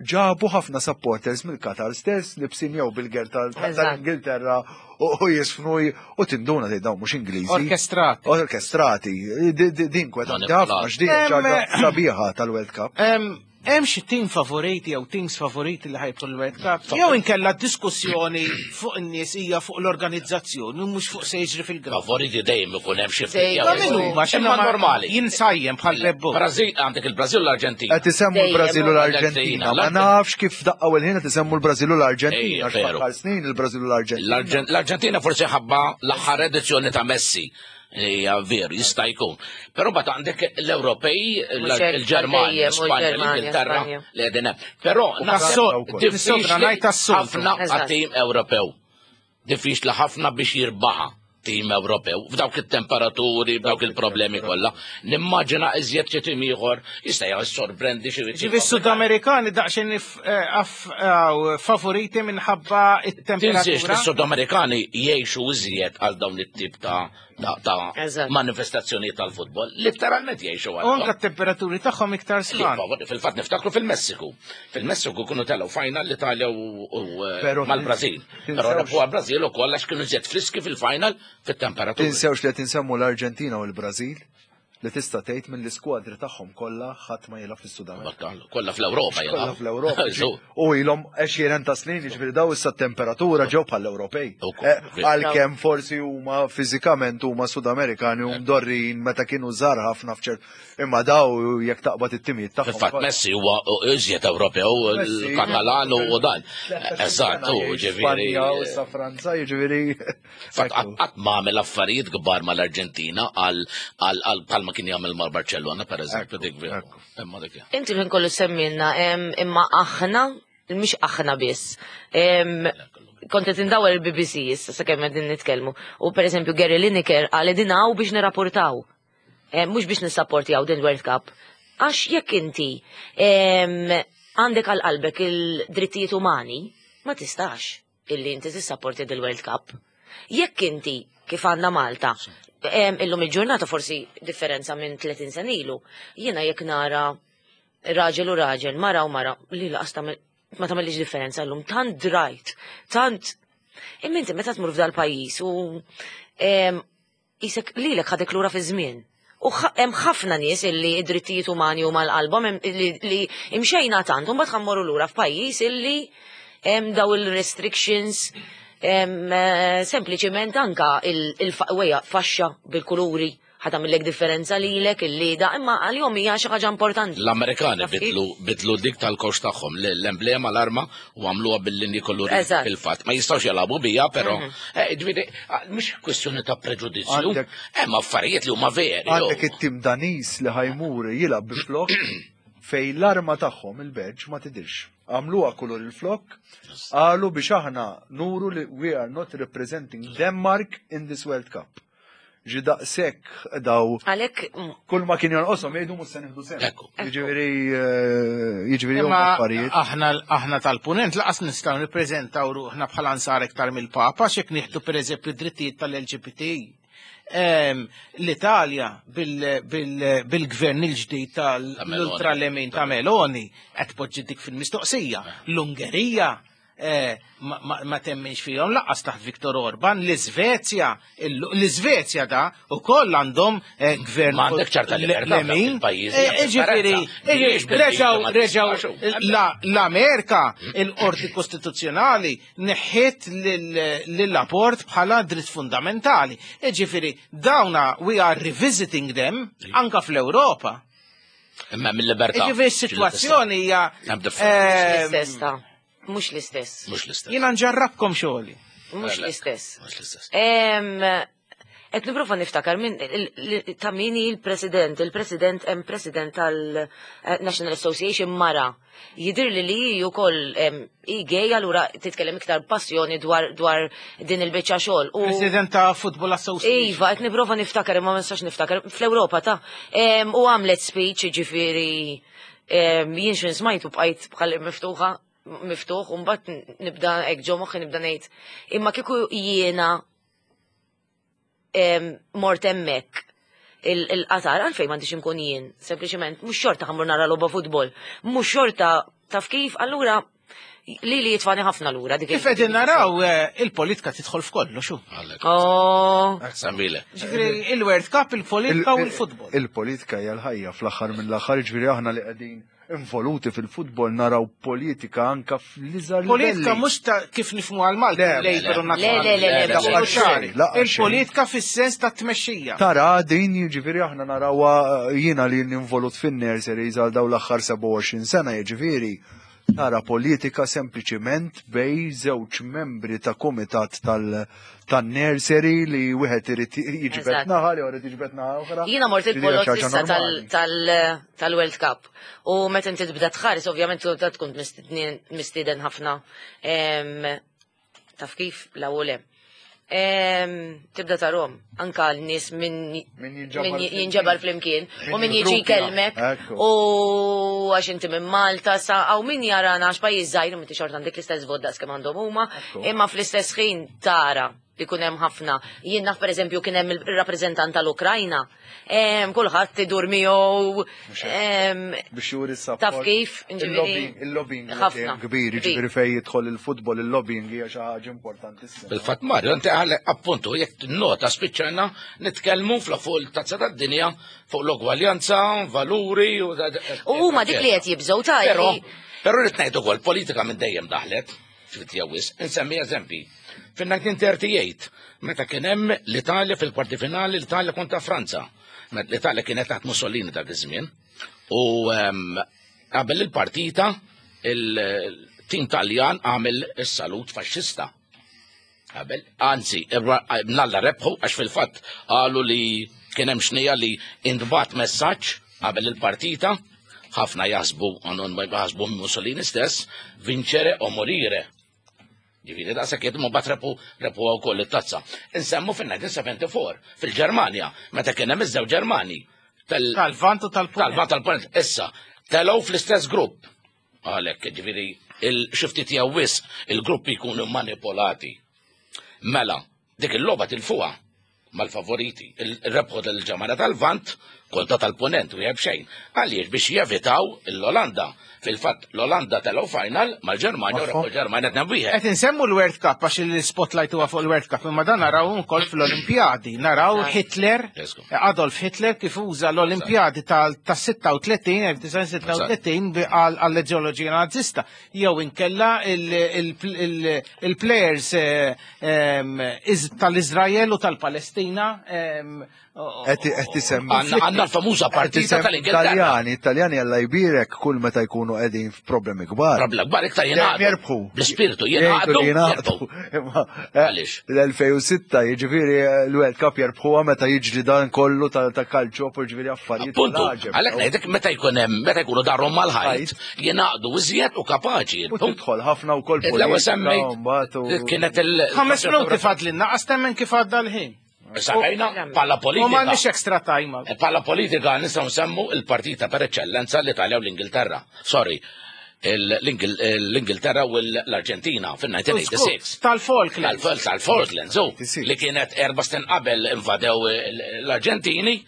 ġabu ħafna supporters mill-Qatar stess libsin jew bil-gear tal- tal-Ingilterra u u jisfnu u tinduna li dawn mhux Ingliżi. Orkestrati. Orkestrati. Di- di- Din inkwetanti ħafna x'din Em, ġaġa sabiħa tal-World Cup. Em, Hemm xi team favoriti jew teams favoriti li ħa jidħlu l-World Cup? Jew inkella diskussjoni fuq in-nies hija fuq l-organizzazzjoni u mhux fuq se jiġri fil-ground. Favoriti dejjem ikun hemm xi ftit. Ma min huma Imma normali. Jinsajjem bħal bebbu. Brażil, għandek il-Brażil u l-Arġentina. Qed isemmu l-Brażil u l-Arġentina. Ma nafx kif daqqa u l-ħin qed isemmu l-Brażil u l-Arġentina. Ejja, Għax veru. fl-aħħar snin il-Brażil u l-Arġentina. L-Arġen- L-Arġentina forsi ħabba l-aħħar edizzjoni ta' Messi. Hija veru, jista' jkun. Però mbagħad għandek l-Ewropej, Mhux hekk, il-Ġermanja, dejjem, u Spanja, l-Ġermanja, l-Ingilterra Spanja. li qegħdin hemm. Però U naħseb tas-soltu. diffiċli Nissobra ngħid tas-soltu. ħafna Eżatt. għat-tim Ewropew. Diffiċli ħafna biex jirbaħa tim Ewropew f'dawk it-temperaturi, f'dawk il-problemi kollha. Nimmaġina iżjed xi tim ieħor jista' jissorprendi xi Ġifi Sudamerikani daqsxejn if- eh, aff- aw, favoriti minħabba Tinsiex li it-temperatura. s-Sudamerikani jgħixu iżjed għal dawn it-tip ta' ta' ta' Eżatt. manifestazzjoni tal-futbol. Literalment jgħixu U għal. anka t-temperaturi tagħhom iktar sħan. Fil-fatt niftakru fil-Messiku. Fil-Messiku kienu telgħu final l-Italja u u, eh, Pero mal-Brażil. tinsewx- Però rebħu għal-Brażil ukoll għax kienu iżjed friski fil-final fit-temperatura. Tinsewx li qed insemmu l-Arġentina u l-Brażil, li tista' tgħid mill-iskwadri tagħhom kollha ħadd ma jilgħab fis-Sud Amerika. Kollha fl-Ewropa Kollha jilgħabu. fl-Ewropa. Żu. U ilhom għexieren ta' snin, jiġifieri daw issa temperatura ġew bħall-Ewropej. Ukoll, Eh, Għalkemm forsi huma fiżikament huma Sudamerikani u mdorrin meta kienu żgħar ħafna f'ċert, imma daw jekk taqbad it-timijiet tagħhom. Fil-fatt Messi huwa iżjed Ewropew, Messi. il-Katalan u dan. Eżatt, u ġifieri. Spanja u issa Franza, jiġifieri. Fatt qatt ma għamel affarijiet kbar mal-Arġentina għal għal għal bħalma kien jagħmel mal-Barcellona pereżempju, dik veru. Imma dik. Inti l-ħin kollu semmilna, em, imma aħna, mhix aħna biss. Em, Kont qed indawwar il-B B C issa sakemm qegħdin nitkellmu. U pereżempju Gary Lineker qal qegħdin hawn biex nirrapportaw. Em, Mhux biex nissapportjaw din World Cup. Għax jekk inti em, għandek għal qalbek il-drittijiet umani, ma tistax illi inti tissapporti dil-World Cup. Jekk inti kif għandna Malta, em, illum il-ġurnata forsi differenza minn tletin sena ilu, jiena jekk nara raġel u raġel, mara u mara, li laqas tagħmel- ma tagħmellix differenza llum, tant drajt, tant. Imma inti meta tmur f'dal pajjiż u em, jisek lilek ħadek lura fi żmien. U ħa- hemm ħafna nies illi id-drittijiet umani huma l-qalbhom hemm- li, li imxejna tant, u mbagħad ħa mmorru lura f'pajjiż illi hemm daw il-restrictions em, eh, sempliċiment anka il-wejja faxxa bil-kuluri ħa tagħmillek differenza lilek illi da imma għalihom hija xi ħaġa importanti. L-Amerikani Taf kif? bidlu bidlu dik tal-kox tagħhom, l- l-emblema, l-arma, u għamluha bil-linji kolori Eżatt. fil-fatt. Ma jistgħux jilagħbu bija, però Mhm. eh, ġifieri, ah, mhux kwestjoni ta' preġudizzju. Għandek- Hemm affarijiet li huma veri. Għandek it-tim Danis li ħa jmur jilgħab bi flok fej l-arma tagħhom, il-badge, ma tidirx. Għamluha kulur il-flok, qalu biex aħna nuru li we are not representing Denmark in this World Cup. Ġi daqshekk daw Għalhekk mm, kull ma kien jonqoshom jgħidu mhux se nieħdu sehem. Jiġifieri eh, jiġifieri huma Imma affarijiet. aħna aħna tal-punent laqas nistgħu nippreżentaw ruħna bħala nsar iktar mill-Papa x'jekk nieħdu pereżempju drittijiet tal-L G B T. Em, L-Italja bil-gvern il-ġdid tal-ultralemin ta' Meloni qed poġġi dik fil-mistoqsija. L-Ungerija eh, ma- ma ma temminx fihom laqas taħt Viktor Orban, l-Iżvezja, l-Iżvezja da ukoll għandhom eh, gvern Ma għandek ċerta libertà f'dawk lemin. il-pajjiżi, Eh, hemm Ġifieri, differenza. Mhijiex reġaw, bil-liġi ma reġaw, tistax. la- l-Amerika, il-qorti kostituzzjonali neħħet lill-abort bħala dritt fundamentali. Ġifieri, dawna we are revisiting them anka fl-Ewropa. Imma mill-libertà. Ġifieri, s-situazzjoni hija. Hemm differenza. eh, L-istess ta' mhux l-istess. Mhux l-istess. Jiena nġarrabkom xogħli. Mhux l-istess. Mhux l-istess. Em, Qed nipprova niftakar min il- il- ta' min hi l-president, il-president hemm president tal-National Association mara. Jidir li li hi wkoll em, hi gay allura titkellem iktar passjoni dwar dwar din il-biċċa xogħol. U President ta' Football Association. Iva, qed nipprova niftakar imma ma nistax niftakar fl-Ewropa ta' Em, u għamlet speech ġifieri em, jien x'in smajtu bqajt bħal miftuħa miftuħ u mbagħad nibda hekk ġo moħħi nibda ngħid imma kieku jiena em, mort hemmhekk il- il-Qatar għalfejn m'għandix inkun jien, sempliċement mhux xorta ħa mmur nara logħba futbol, mhux xorta taf kif, allura li li jitfani ħafna lura dik Kif qegħdin naraw eh, il-politika tidħol f'kollox xu. Oh. Semmile. Ġifieri il-World Cup, il-politika u l-futbol. Il-politika hija l-ħajja fl-aħħar mill-aħħar, ġifieri aħna li qegħdin involuti fil-futbol naraw politika anka fl-iżgħar Politika livelli. mhux ta' kif nifhmu għal Malta, Le, Labour u le, Nazzjonali. le, le, le, le, Ċari. le, xejn, laqgħa xejn. Il-politika fis-sens ta' tmexxija. Tara din jiġifieri aħna narawha jiena li involut fin-nurseries għal dawn l-aħħar sebgħa u għoxrin sena jiġifieri tara politika sempliċiment bejn żewġ membri ta' komitat tal- tan-nursery li wieħed irid jiġbed Eżatt. naħa li irid jiġbed naħa oħra. Jiena mort Li hija il-polot xi ħaġa issa tal- normali. tal- tal-World Cup. U meta inti tibda tħares, ovvjament tu tkun mistednin- mistieden ħafna. Em, Taf kif, la u le. Em, Tibda tarahom, anka l-nies min min jinġabar flimkien u min jiġi Gruppi, jkellmek ekku. u għax inti minn Malta sa għaw min jarana għax pajjiż żgħir u inti xorta għandek l-istess vot daqs kemm għandhom huma, imma fl-istess ħin tara li kun hemm ħafna. Jien naf pereżempju kien hemm il-rappreżentant tal-Ukrajna. Em, Kulħadd idur miegħu. em, Biex juri s-support. Taf kif, ġifieri- Il-lobbying, il-lobbying huwa Ħafna. dejjem kbir, jiġifieri fejn jidħol il-futbol, il-lobbying hija xi ħaġa importantissima. Fil-fatt Mario, inti għale appuntu, jekk nota spiċċajna nitkellmu fl fuq il-tazza tad-dinja, fuq l-ogwaljanza, valuri u U huma dik li qed jibżgħu ta' Però, li- però rrid ngħid ukoll politika minn dejjem daħlet, ftit jew wisq, insemmi eżempi. Fin-elf disa' mija u tlieta u tletin, meta kien hemm l-Italja fil-kwarti finali, l-Italja kontra Franza. Meta l-Italja kienet taħt Mussolini dak iż-żmien. U ehm, qabel il-partita, il-tim Taljan għamel is-salut faxxista. Qabel, anzi, nalla rebħu, għax fil-fatt qalu li kien hemm xnija li intbagħat messaġġ qabel il-partita, ħafna jaħsbu, għandhom ma jaħsbu Mussolini stess, vincere o morire. Ġifieri, da sekk ma bat rebħu rebħu wkoll it-tazza. Insemmu fil-elf disa' mija u erbgħa u sebgħin fil-Ġermanja, meta kien hemm iż-żewġ Ġermani. Tal-Vant u tal-Punent. Tal-Vant tal-Punent. Issa, telgħu fl-istess grupp. Għalhekk, ġifieri, il-xifti tiegħu wisq, il-gruppi jkunu manipolati. Mela, dik il-logħba tilfuha mal-favoriti. Il-rebħu tal-Ġermanja tal-Vant kontra tal-Punent u xejn. Għaliex biex jevitaw l-Olanda. Fil-fatt l-Olanda telgħu final mal-Ġermanja u rebħu l-Ġermanja tnejn wieħed. Qed insemmu l-World Cup għax il-spotlight huwa fuq il-World Cup, imma dan naraw ukoll fl-Olimpjadi. Naraw Hitler, Adolf Hitler kif uża l-Olimpjadi tal-sitta u tletin, elf disa' mija u sitta u tletin bi- għal- għall-ideoloġija nazista. Jew inkella il-players eh, em, iz- tal-Izrael u tal-Palestina em, Qed qed isemmi. Għanna għanna l-famuża partita tal-Ingilterra. Italjani, Italjani Alla jbierek kull meta jkunu qegħdin f'problemi kbar. Problemi kbar iktar Dejjem jingħaqdu. Jerbħu. Bl-ispirtu Jgħidu jingħaqdu. li jingħaqdu. Imma, eh, L-elfejn u sitta jiġifieri eh, l-World Cup jerbħuha meta jiġri dan kollu ta' ta' calcio jiġifieri affarijiet Puntu, tal-għaġeb. għalhekk ngħidlek meta jkun hemm meta jkunu darhom mal-ħajt, jingħaqdu iżjed u kapaċi. U tidħol ħafna wkoll L-ewwel politika semmejt u mbagħad u- kienet il- Ħames minuti fadlinna, qas temmen kif għadda l-ħin. Semmejna bħala U politika. m'għandniex extra time. Bħala politika nistgħu nsemmu il-partita per eccellenza l-Italja u l-Ingilterra. Sorry, l-Ingil- l-Ingilterra u l-Arġentina fil-elf disa' mija u sitta u disgħin. Tal-Falklands. Tal- Tal-Falklands, u li kienet erba snin qabel invadew l-Arġentini,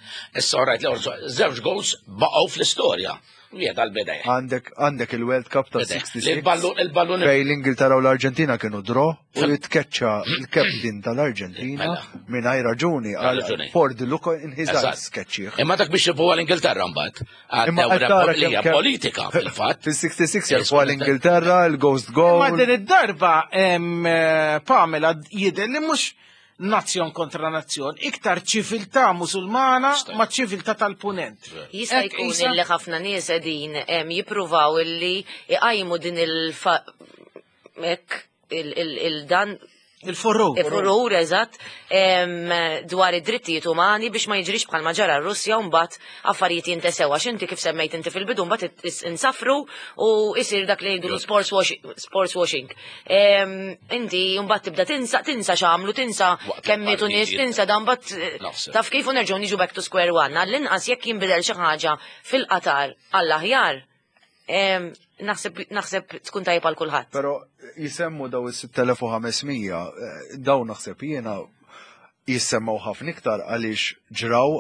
issa rajt li żewġ goals baqgħu fl-istorja. Wieħed għal-bidej. Għandek għandek il-World Cup ta' Li sitta u sittin l-ballun il-ballun fej l-Ingilterra u l-Arġentina kienu draw u jitkeċċa il-captain tal-Arġentina mingħajr raġuni għal raġuni. for the look in his Eżatt. eyes keċċih. Imma dak biex jirbħu għal-Ingilterra mbagħad. Imma Għaddew qed tara li hija kemm- kemm- politika fil-fatt. Fis-sitta u sittin jerbħu għal-Ingilterra, il-Ghost Ma Goal. din id-darba em, eh, Pamela jidher li mhux nazzjon kontra nazzjon, iktar ċiviltà musulmana ma ċiviltà tal-punent. Jista' Hekk jkun isa- illi ħafna nies qegħdin em, jippruvaw illi iqajmu din il-fa hekk il- il- il-dan Il-furur. Il-furur, eżatt, dwar id-drittijiet umani biex ma jiġrix bħalma ġara r-Russja u mbagħad affarijiet jintesew għax inti kif semmejt inti fil-bidu mbagħad insafru u isir dak li jgħidu sports washing. Sports washing. Inti mbagħad tibda tinsa tinsa x'għamlu, tinsa kemm mietu nies, tinsa dan mbagħad taf kif u nerġgħu niġu back to square one. Għall-inqas jekk jinbidel xi ħaġa fil-Qatar għall-aħjar, naħseb naħseb tkun tajjeb għal kulħadd. Però jisemmu daw is-sitt elef u ħames mija, daw naħseb jiena jissemmaw ħafna iktar għaliex ġraw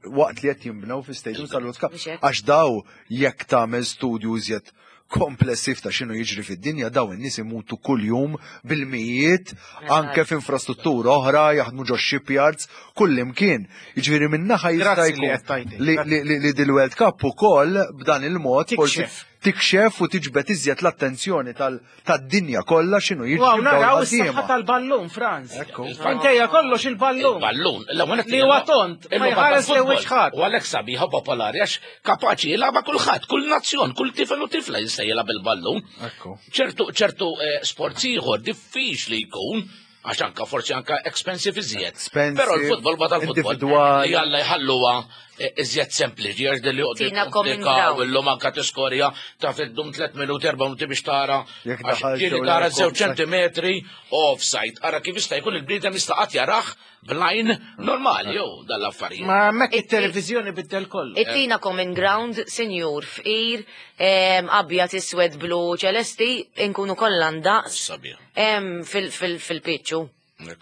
waqt li qed jinbnew fi stadium tal-World Cup. Għax daw jekk tagħmel studju iżjed komplessiv ta' x'inhu jiġri fid-dinja, daw in-nies imutu kuljum bil-mijiet, anke f'infrastruttura oħra, jaħdmu ġo shipyards, kull imkien. Jiġifieri min-naħa jista' jkun li dil-World Cup ukoll b'dan il-mod forsi tikxef u tiġbed iżjed l-attenzjoni tad-dinja kollha x'inhu jiġri. Wow, naraw is-saħħa tal-ballun, Franz. Minkejja kollox il-ballun. Il-ballun. Li huwa tont, ma jħares li wiċċ ħadd. U għalhekk sabiħa popolari għax kapaċi jilgħabha kulħadd, kull nazzjon, kull tifel u tifla jista' jilgħab il-ballun. Ċertu ċertu sports ieħor diffiċli jkun għax anka forsi anka expensive iżjed. Però l-futbol bada l-futbol. Jalla jħalluha iżjed sempliċi għax dilli joqgħod jikkomplikaw illum anka tiskorja taf iddum tliet minuti erba' minuti biex tara. Ġieli tara żewġ ċentimetri offside. Ara kif jista' jkun il-bniedem jista' qatt jarah bl-għajn normali jew dal-affarijiet. Ma hemmhekk it-televiżjoni biddel kollu. Ittina common ground, sinjur, fqir, abjad, iswed, blu, ċelesti, inkunu kollha ndaqs fil-pitċu.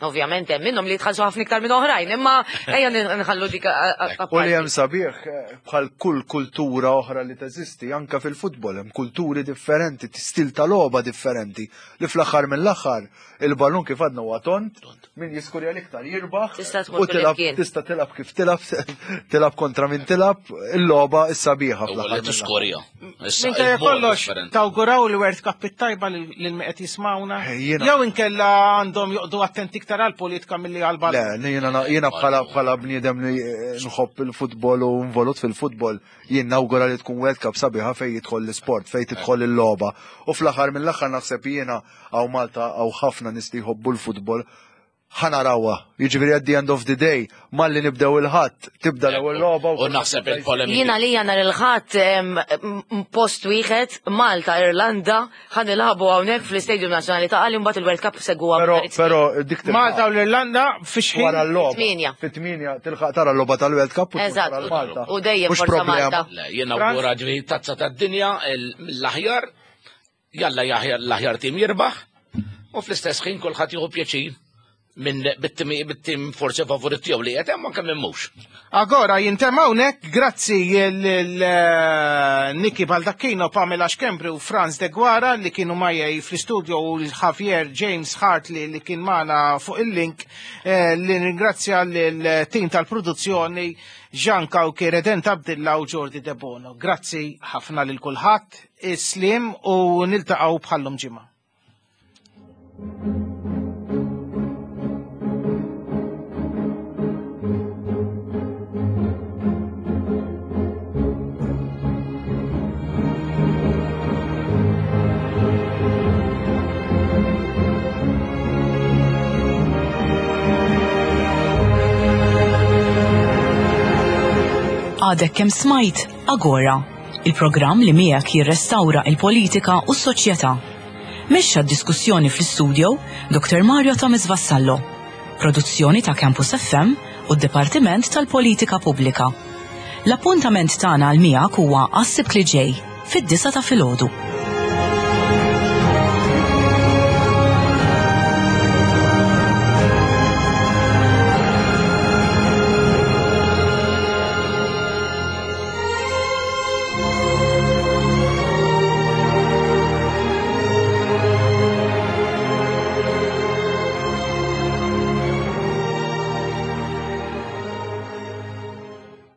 Ovvjament hemm minnhom li jitħallsu ħafna iktar minn oħrajn, imma ejja nħallu dik. U li hemm sabiħ bħal kull kultura oħra li teżisti, anke fil-futbol hemm kulturi differenti, stil ta' logħba differenti, li fl-aħħar mill-aħħar il-ballun kif għadna huwa tont, min jiskurja l-iktar jirbaħ, u tilab tista' tilab kif tilab, tilab kontra min tilab, il-logħba is-sabiħa fl-aħħar. Tiskurja. Minkejja kollox tawguraw l-World Cup it-tajba lil min qed jismawna. Jew inkella għandhom joqgħdu attenti iktar għal-politika milli għal-ballun. Le, jiena bħala bħala bniedem li nħobb il-futbol u involut fil-futbol, jien nawgura li tkun World Cup sabiħa fejn jidħol l-isport, fejn tidħol il-logħba. U fl-aħħar mill-aħħar naħseb jiena hawn Malta hawn ħafna nies li jħobbu l-futbol, ħa narawha. Jiġifieri at the end of the day, malli nibdew il-ħadd, tibda l-ewwel logħba. U naħseb il-polemika. Jiena lija nhar il-ħadd post wieħed Malta Irlanda ħa nilagħbu hawnhekk fl-Istadium Nazzjonali ta' Qali mbagħad il-World Cup segwuha. Però dik Malta u l-Irlanda fi xħin wara l-logħba. Fit-tmienja tilħaq tara l-logħba tal-World Cup u Eżatt. U dejjem forza Malta. Jiena wara ġifieri tazza tad-dinja l-aħjar, jalla l-aħjar tim jirbaħ u fl-istess ħin kulħadd jieħu pjaċir minn bit-tim forsi favorit tiegħu li qed hemm anke minn mhux. Agora jintemm hawnhekk, grazzi lil Niki Baldacchino, Pamela Schembri u Franz Deguara li kienu majja fl-istudio u Javier James Hartley li kien magħna fuq il-link, li ringrazzja lil-tim tal-produzzjoni Jean Cauchi, Redent Abdilla u Jordi De Bono. Grazzi ħafna lil kulħadd, islim u niltaqgħu bħallum ġimgħa. Għadek kemm smajt Agora, il-programm li miegħek jirrestawra il-politika u s-soċjetà. Mexxa d-diskussjoni fl-istudio Doktor Mario Thomas Vassallo. Produzzjoni ta' Campus F M u d-Dipartiment tal-Politika Pubblika. L-appuntament tagħna għal miegħek huwa għas-Sibt li ġej fid-disgħa ta' filgħodu.